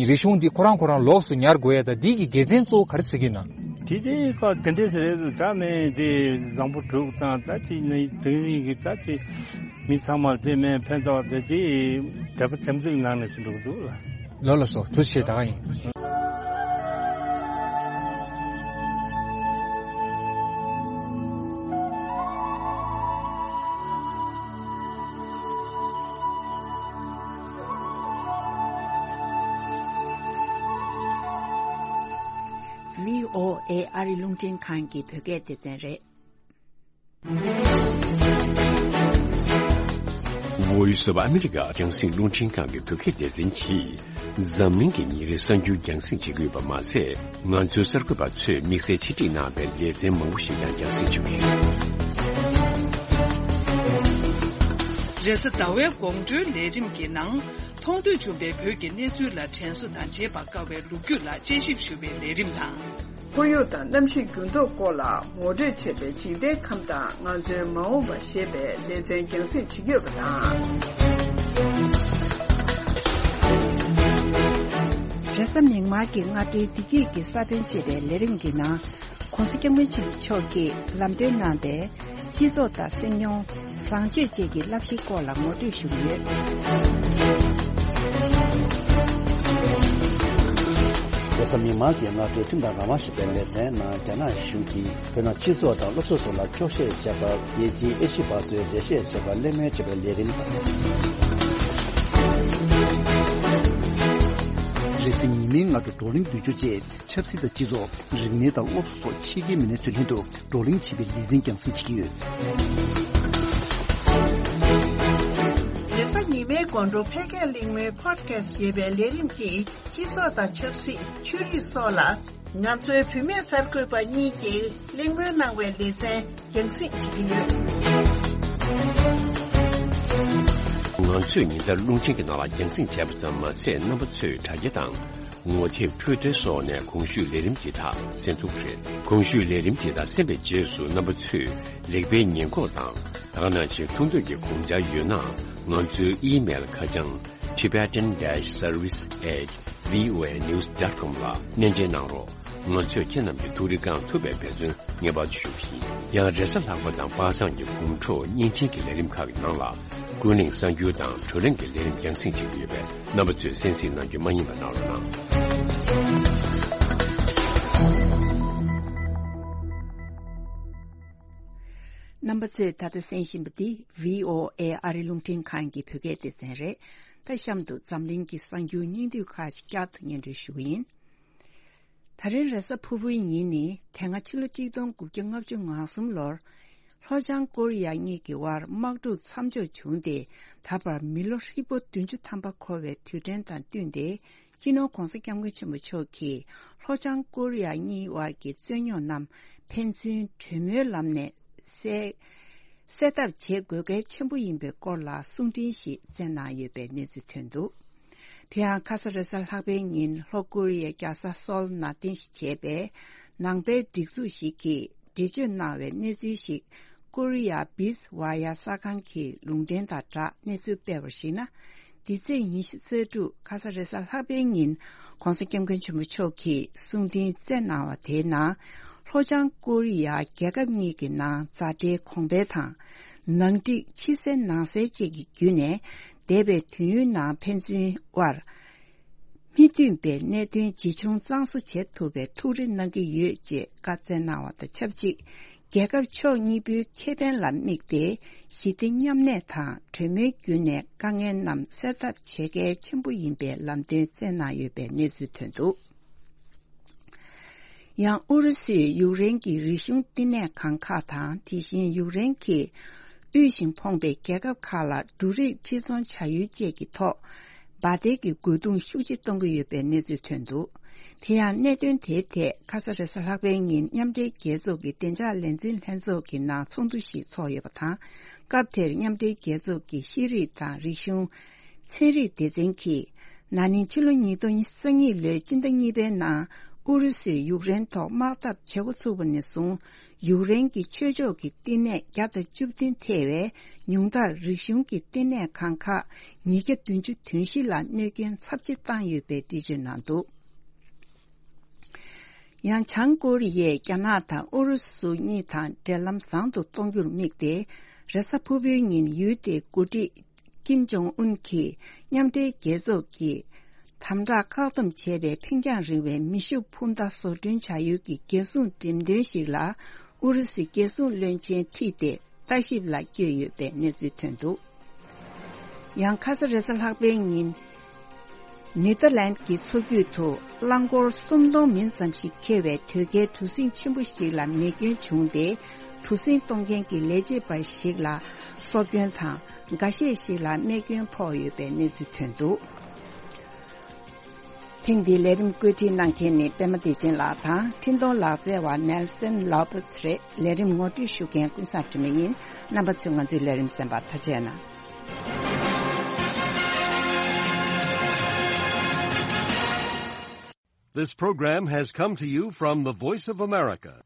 རིག་གཞུང་འདི་ཁོ་རང་ཁོ་རང་ལོགས་སུ་ཉར་དགོས་ཡ། ད་འདི་གི་དགེ་མཚན་གཙོ་བོ་ག་རེ་ཟེར་གི་ན། དེ་དེ་ཁ་དེ་འདྲས་ཟེར་རེད། ད་སྨན་དེ་བཟང་པོ་སྒྲུབ་དང་ད་དེ་ནི་དེང་རིང་གི་ད་དེ་མི་ཚང་མར་དེ་སྨན་ཕན་ཐོགས་དེ་དེ་དད་པ་དམ་ཚིག་ནང་ནས་སུ་འགྲོ་གི་འདུག་ལ། ལོ་ལ་སོ་ཐུགས་རྗེ་ཆེ། ད་ག་ཡིན། ཨེ་ཨ་རི་རླུང་འཕྲིན་ཁང་གི་བོད་སྐད་སྡེ་ཚན་རེད། Voice of America རྒྱང་སྲིང་རླུང་འཕྲིན་ཁང་གི་བོད་སྐད་སྡེ་ཚན་གྱིས། འཛམ་གླིང་གི་ཉིན་རེའི་གསར་འགྱུར་རྒྱང་སྲིང་བྱེད་ཀྱི་ཡོད་པ་མ་ཟད། ང་ཚོའི་གསར་འགོད་པ་ཚོས་དམིགས་བསལ་ཆེད་སྒྲིག་གནང་བའི་ལེ་ཚན་མང་པོ་ཞིག་ཀྱང་རྒྱང་སྲིང་བྱེད་ཀྱི་ཡོད། རེས་གཟའ་ཟླ་བའི་དགོང་དྲོའི་ལས་རིམ་གྱི་ནང་། མཐོང་ཐོས་བྱུང་བའི་བོད་ཀྱི་གནས་ཚུལ་ལ་དྲན་གསོ་དང་བརྗེད་པར་དཀའ་བའི་ལོ་རྒྱུས་ལ་དཔྱད་ཞིབ་ཞུ་བའི་ལས་རིམ་དང་། ཁོར་ཡུག་དང་གནམ་གཤིས་འགྱུར་ལྡོག་སྐོར་ལ་ངོ་སྤྲོད་བྱས་པའི་འཇིག་རྟེན་ཁམས་དང་ང་ཚོའི་མ་འོངས་པ་ཞེས་པའི་ལེ་ཚན་རྒྱང་སྲིང་བྱེད་ཀྱི་ཡོད་པ་དང་། རེས་གཟའ་མིག་དམར་གྱི་སྔ་དྲོའི་བདེ་སྐྱིད་ཀྱི་ས་བོན་ཅེས་པའི་ལས་རིམ་གྱི་ནང་། ྋགོང་ས་ྋསྐྱབས་མགོན་ཆེན་པོ་མཆོག་གིས་ལམ་སྟོན་གནང་བའི་སྤྱི་ཚོགས་དང་སེམས་མྱོང་། བཟང་སྤྱོད་བཅས་ཀྱི་བསླབ་གཞིའི་སྐོར་ལ་ངོ་སྤྲོད་ཞུ་གི་ཡོད། རེས་གཟའ་མིག་དམར་གྱི་སྔ་དྲོའི་ཁྲིམས་དང་རང་དབང་ཞེས་པའི་ལེ་ཚན་ནང་། རྒྱ་ནག་གཞུང་གིས་བོད་ནང་སྤྱི་ཚོགས་དང་སློབ་གསོ་སོགས་ལ་འཁྱོག་བཤད་བྱས་པར། རྒྱལ་སྤྱིའི་ཨེ་ཤི་ཡ་པ་ཚོས་འགྲེལ་བཤད་བྱས་པར་གླེང་མོལ་བྱས་པའི་ལས་རིམ་དང་། རེས་གཟའ་ཉི་མའི་སྔ་དྲོ་བགྲོ་གླེང་བསྡུས་སྦྱོར་བཅས། ཆབ་སྲིད་དང་སྤྱི་ཚོགས། རིག་གནས་དང་སློབ་གསོ་སོགས་ཕྱི་རྒྱལ་མི་སྣ་ཚོའི་ལྷན་དུ་བགྲོ་གླེང་བྱེད་པའི་ལེ་ཚན་རྒྱང་སྲིང་བྱེད་ཀྱི་ཡོད། རེས་གཟའ་ཉི་མའི་དགོང་དྲོ་ཕལ་སྐད་གླེང་མོལ་Podcast ཞེས་པའི་ལས་རིམ་གྱིས་སྤྱི་ཚོགས་དང་ཆབ་སྲིད། ཆོས་རིག་སོགས་ལ་ང་ཚོའི་བུད་མེད་གསར་འགོད་པ་གཉིས་ཀྱིས་གླེང་མོལ་གནང་བའི་ལེ་ཚན་རྒྱང་སྲིང་བྱེད་ཀྱི་ཡོད། ང་ཚོས་ཉིན་ལྟར་རླུང་འཕྲིན་གྱི་ནང་ལ་རྒྱང་སྲིང་བྱས་པ་ཙམ་མ་ཟད། རྣམ་པ་ཚོས་དྲ་རྒྱ་དང་། ངོ་དེབ། Twitter སོགས་ནས་གོང་ཞུས་ལས་རིམ་འདི་དག་གསན་ཐུབ་ཀྱི་རེད། གོང་ཞུས་ལས་རིམ་འདི་དག་གསན་པའི་རྗེས་སུ། རྣམ་པ་ཚོས་ལེགས་སྤེལ་ཉེས་འགོག་དང་། ད་ག་ནང་བཞིན་མཐོང་ཐོས་ཀྱི་དགོངས་འཆར་ཡོད་ན། ང་ཚོའི་ཨི་མེལ་ཁ་བྱང་tibetan dash service at voa news dot com ལ་སྣེ་འདྲེན་གནང་རོགས། ང་ཚོས་ཁྱེད་རྣམས་ཀྱི་ཐུགས་རེ་བསྐང་ཐུབ་པའི་འབད་བརྩོན་ངེས་པར་དུ་ཞུ་གི་ཡིན། ཡང་། རེས་གཟའ་ལྷག་པ་དང་པ་སངས་ཀྱི་དགོང་དྲོ་བརྙན་འཕྲིན་གྱི་ལས་རིམ་ཁག་གི་ནང་ལ། ཀུན་གླེང་གསར་འགྱུར་དང་བགྲོ་གླེང་གི་ལས་རིམ་རྒྱང་སྲིང་བྱེད་ཀྱི་ཡོད་པས། རྣམ་པ་ཚོས་གསན་གཟིགས་གནང་རྒྱུ་མ་བསྙེལ་བ་གནང་རོགས་གནང་། རྣམ་པ་ཚོས་ད་ལྟ་གསན་བཞིན་པ་འདི་བྷི་ཨོ་ཨེ་ཨ་རི་རླུང་འཕྲིན་ཁང་གི་བོད་སྐད་སྡེ་ཚན་རེད། ད་གཤམ་དུ་འཛམ་གླིང་གི་གསར་འགྱུར་སྙིང་བསྡུས་ཁག་ཅིག་བསྐྱར་དུ་སྙན་སྒྲོན་ཞུ་གི་ཡིན། ད་རིང་རེས་གཟའ་ཕུར་བུའི་ཉིན་ནི། དེ་སྔ་ཕྱི་ལོ་གཅིག་སྟོང་དགུ་བརྒྱ་ལྔ་བཅུ་ང་གསུམ་ལོར། ལྷོ་བྱང་ཀོ་རི་ཡ་གཉིས་ཀྱི་དབར་དམག་འཁྲུག་མཚམས་འཇོག་བྱུང་སྟེ། ད་བར་མི་ལོ་ཧྲིལ་པོ་བདུན་ཅུ་ཐམ་པ་འཁོར་བའི་དུས་དྲན་དང་བསྟུན་ཏེ། སྤྱི་ནོར་༧གོང་ས་༧སྐྱབས་མགོན་ཆེན་པོ་མཆོག་གིས་ལྷོ་བྱང་ཀོ་རི་ཡ་གཉིས་དབར་གྱི་རྩོད་རྙོག་རྣམས་ཕན་ཚུན་གྲོས་མོལ་ལམ་ནས་སེལ། སེལ་ཐབས་བྱེད་དགོས་གལ་ཆེན་པོ་ཡིན་པའི་སྐོར་ལ་གསུང་འཕྲིན་ཞིག་བསྩལ་གནང་ཡོད་པའི་གནས་ཚུལ་ཐོན་འདུག། དེ་ཡང་ཁ་ས་རེས་གཟའ་ལྷག་པའི་ཉིན་ལྷོ་ཀོ་རི་ཡའི་རྒྱལ་ས་སོལ་ནང་རྟེན་གཞི་བྱས་པའི་ནང་པའི་སྒྲིག་འཛུགས་ཤིག་གིས་འགྲེལ་བརྗོད་གནང་བའི་གནས་ཚུལ་ཞིག་ཀོ་རི་ཡ་བིས་ཝ་ཡ་གསར་ཁང་གི་ལུང་འདྲེན་དང་སྦྲགས་གནས་ཚུལ་སྤེལ་བར་གཞིགས་ན། འདི་ཚེས་ཉི་ཤུ་རྩ་དྲུག་ཁ་ས་རེས་གཟའ་ལྷག་པའི་ཉིན་༧གོང་ས་༧སྐྱབས་མགོན་ཆེན་པོ་མཆོག་གིས་གསུང་འཕྲིན་བསྩལ་གནང་བ་དེའི་ནང་། ལྷོ་བྱང་ཀོ་རི་ཡ་རྒྱལ་ཁབ་གཉིས་ཀྱི་ནང་མཛའ་འབྲེལ་གོང་འཕེལ་དང་། ནང་འགྲིག་ཕྱི་གསལ་ནང་གསལ་བཅས་ཀྱི་བརྒྱུད་ནས། འདས་པའི་དུས་ཡུན་ནང་ཕན་ཚུན་དབར་མི་མཐུན་པའི་གནད་དོན་ཇི་བྱུང་གཙང་བཟོ་བྱེད་ཐུབ་པའི་ཐུགས་རེ་གནང་གི་ཡོད་ཅེས་བཀའ་སྩལ་གནང་བ་དང་ཆབས་ཅིག། རྒྱལ་ཁབ་ཕྱོགས་གཉིས་པོའི་ཁེ་ཕན་ལ་དམིགས་ཏེ། ཞི་བདེ་མཉམ་གནས་དང་གྲོས་མོལ་བརྒྱུད་ནས་དཀའ་ངལ་རྣམས་སེལ་ཐབས་བྱེད་གལ་ཆེན་པོ་ཡིན་པའི་ལམ་སྟོན་བསྩལ་གནང་ཡོད་པའི་གནས་ཚུལ་ཐོན་འདུག། ཡང་ཨུ་རུ་སུས་ཡུཀ་རེན་གྱི་རིག་གཞུང་བསྟི་གནས་ཁང་ཁག་དང་། དེ་བཞིན་ཡུཀ་རེན་གྱི་དབུལ་ཞིང་ཕོངས་པའི་རྒྱལ་ཁབ་ཁག་ལ་འབྲུ་རིགས་ཕྱིར་ཚོང་བྱ་ཡུལ་བཅས་ཀྱི་ཐོག་འབའ་སྡེ་གྱི་རྒོལ་རྡུང་ཤུགས་ཆེ་གཏོང་གི་ཡོད་པའི་གནས་ཚུལ་ཐོན་འདུག། དེ་ཡང་གནད་དོན་དེའི་ཐད་ཁ་ས་རེས་གཟའ་ལྷག་པའི་ཉིན་མཉམ་འབྲེལ་རྒྱལ་ཚོགས་ཀྱི་བདེ་འཇགས་ལས་འཛིན་ལྷན་ཚོགས་ཀྱི་ནང་ཚོགས་འདུ་ཞིག་ཚོགས་ཡོད་པ་དང་། སྐབས་དེར་མཉམ་འབྲེལ་རྒྱལ་ཚོགས་ཀྱི་ཤེས་རིག་དང་རིག་གཞུང་། ཚན་རིག་སྡེ་ཚན་གྱིས་ན་ནིང་ཕྱི་ལོ་ཉིས་སྟོང་ཉེར་གཉིས་ལོའི་སྤྱི་ཟླ་གཉིས་པའི་ནང་ཨུ་རུ་སུས་ཡུཀ་རེན་ཐོག་དམག་འཐབ་བྱེད་འགོ་ཚུགས་པ་ནས་བཟུང་། ཡུཀ་རེན་གྱི་ཆོས་ཕྱོགས་ཀྱི་བསྟི་གནས་བརྒྱ་དང་བཅུ་བདུན་ཐེ་བའི་ཉུང་མཐར་རིག་གཞུང་གི་བསྟི་གནས་ཁང་ཁག་ཉིས་བརྒྱ་བདུན་ཅུ་དོན་བཞི་ལ་གནོད་སྐྱོན་ཚབས་ཆེ་བཏང་ཡོད་པའི་འགྲེལ་བརྗོད་གནང་འདུག། ཡང་བྱང་ཀོ་རི་ཡས་རྒྱ་ནག་དང་ཨུ་རུ་སུ་གཉིས་དང་འབྲེལ་ལམ་བཟང་དུ་གཏོང་རྒྱུར་དམིགས་ཏེ། རེས་གཟའ་ཕུར་བུའི་ཉིན་ཡུལ་དེའི་འགོ་ཁྲིད་ཀིམ་ཇོང་ཨུན་གྱིས་མཉམ་འབྲེལ་རྒྱལ་ཚོགས་ཀྱིས་དམ་དྲག་བཀག་སྡོམ་བྱས་པའི་འཕེན་རྒྱང་རིང་བའི་མེ་ཤུགས་འཕུར་མདའ་བཟོ་སྐྲུན་བྱ་ཡུལ་གྱི་རྒྱལ་སྲུང་འགྲེམས་སྟོན་ཞིག་ལ་ཨུ་རུ་སུའི་རྒྱལ་སྲུང་བློན་ཆེན་ཁྲིད་དེ་ལྟ་ཞིབ་ལ་བསྐྱོད་ཡོད་པའི་གནས་ཚུལ་ཐོན་འདུག། ཡང་ཁ་ས་རེས་གཟའ་ལྷག་པའི་ཉིན། ནེ་ཐར་ལན་གྱི་མཚོ་རྒྱུད་དུ་རླངས་འཁོར་སུམ་སྟོང་མིན་ཙམ་ཞིག་འཁྱེར་བའི་དོས་སྐྱེལ་གྲུ་གཟིངས་ཆེན་པོ་ཞིག་ལ་མེ་སྐྱོན་བྱུང་སྟེ། གྲུ་གཟིངས་གཏོང་མཁན་གྱི་ལས་བྱེད་པ་ཞིག་ལ་སྲོག་སྐྱོན་དང་། འགའ་ཤས་ཤིག་ལ་རྨས་སྐྱོན་ཕོག་ཡོད་པའི་གནས་ཚུལ་ཐོན་འདུག་ཐེངས་འདིའི་ལས་རིམ་བཀོད་སྒྲིག་གནང་མཁན་ནི་པད་མ་བདེ་ཆེན་ལགས་དང་། འཕྲིན་གཏོང་ལག་རྩལ་བ་ནེལ་སན་ལོ་པེ་སི་རེད། ལས་རིམ་ངོ་སྤྲོད་ཞུ་མཁན་ཀུན་བཟང་དྲི་མེད་ཡིན། རྣམ་པ་ཚོས་ང་ཚོའི་ལས་རིམ་གསན་པར་ཐུགས་རྗེ་གནང་། This program has come to you from the Voice of America.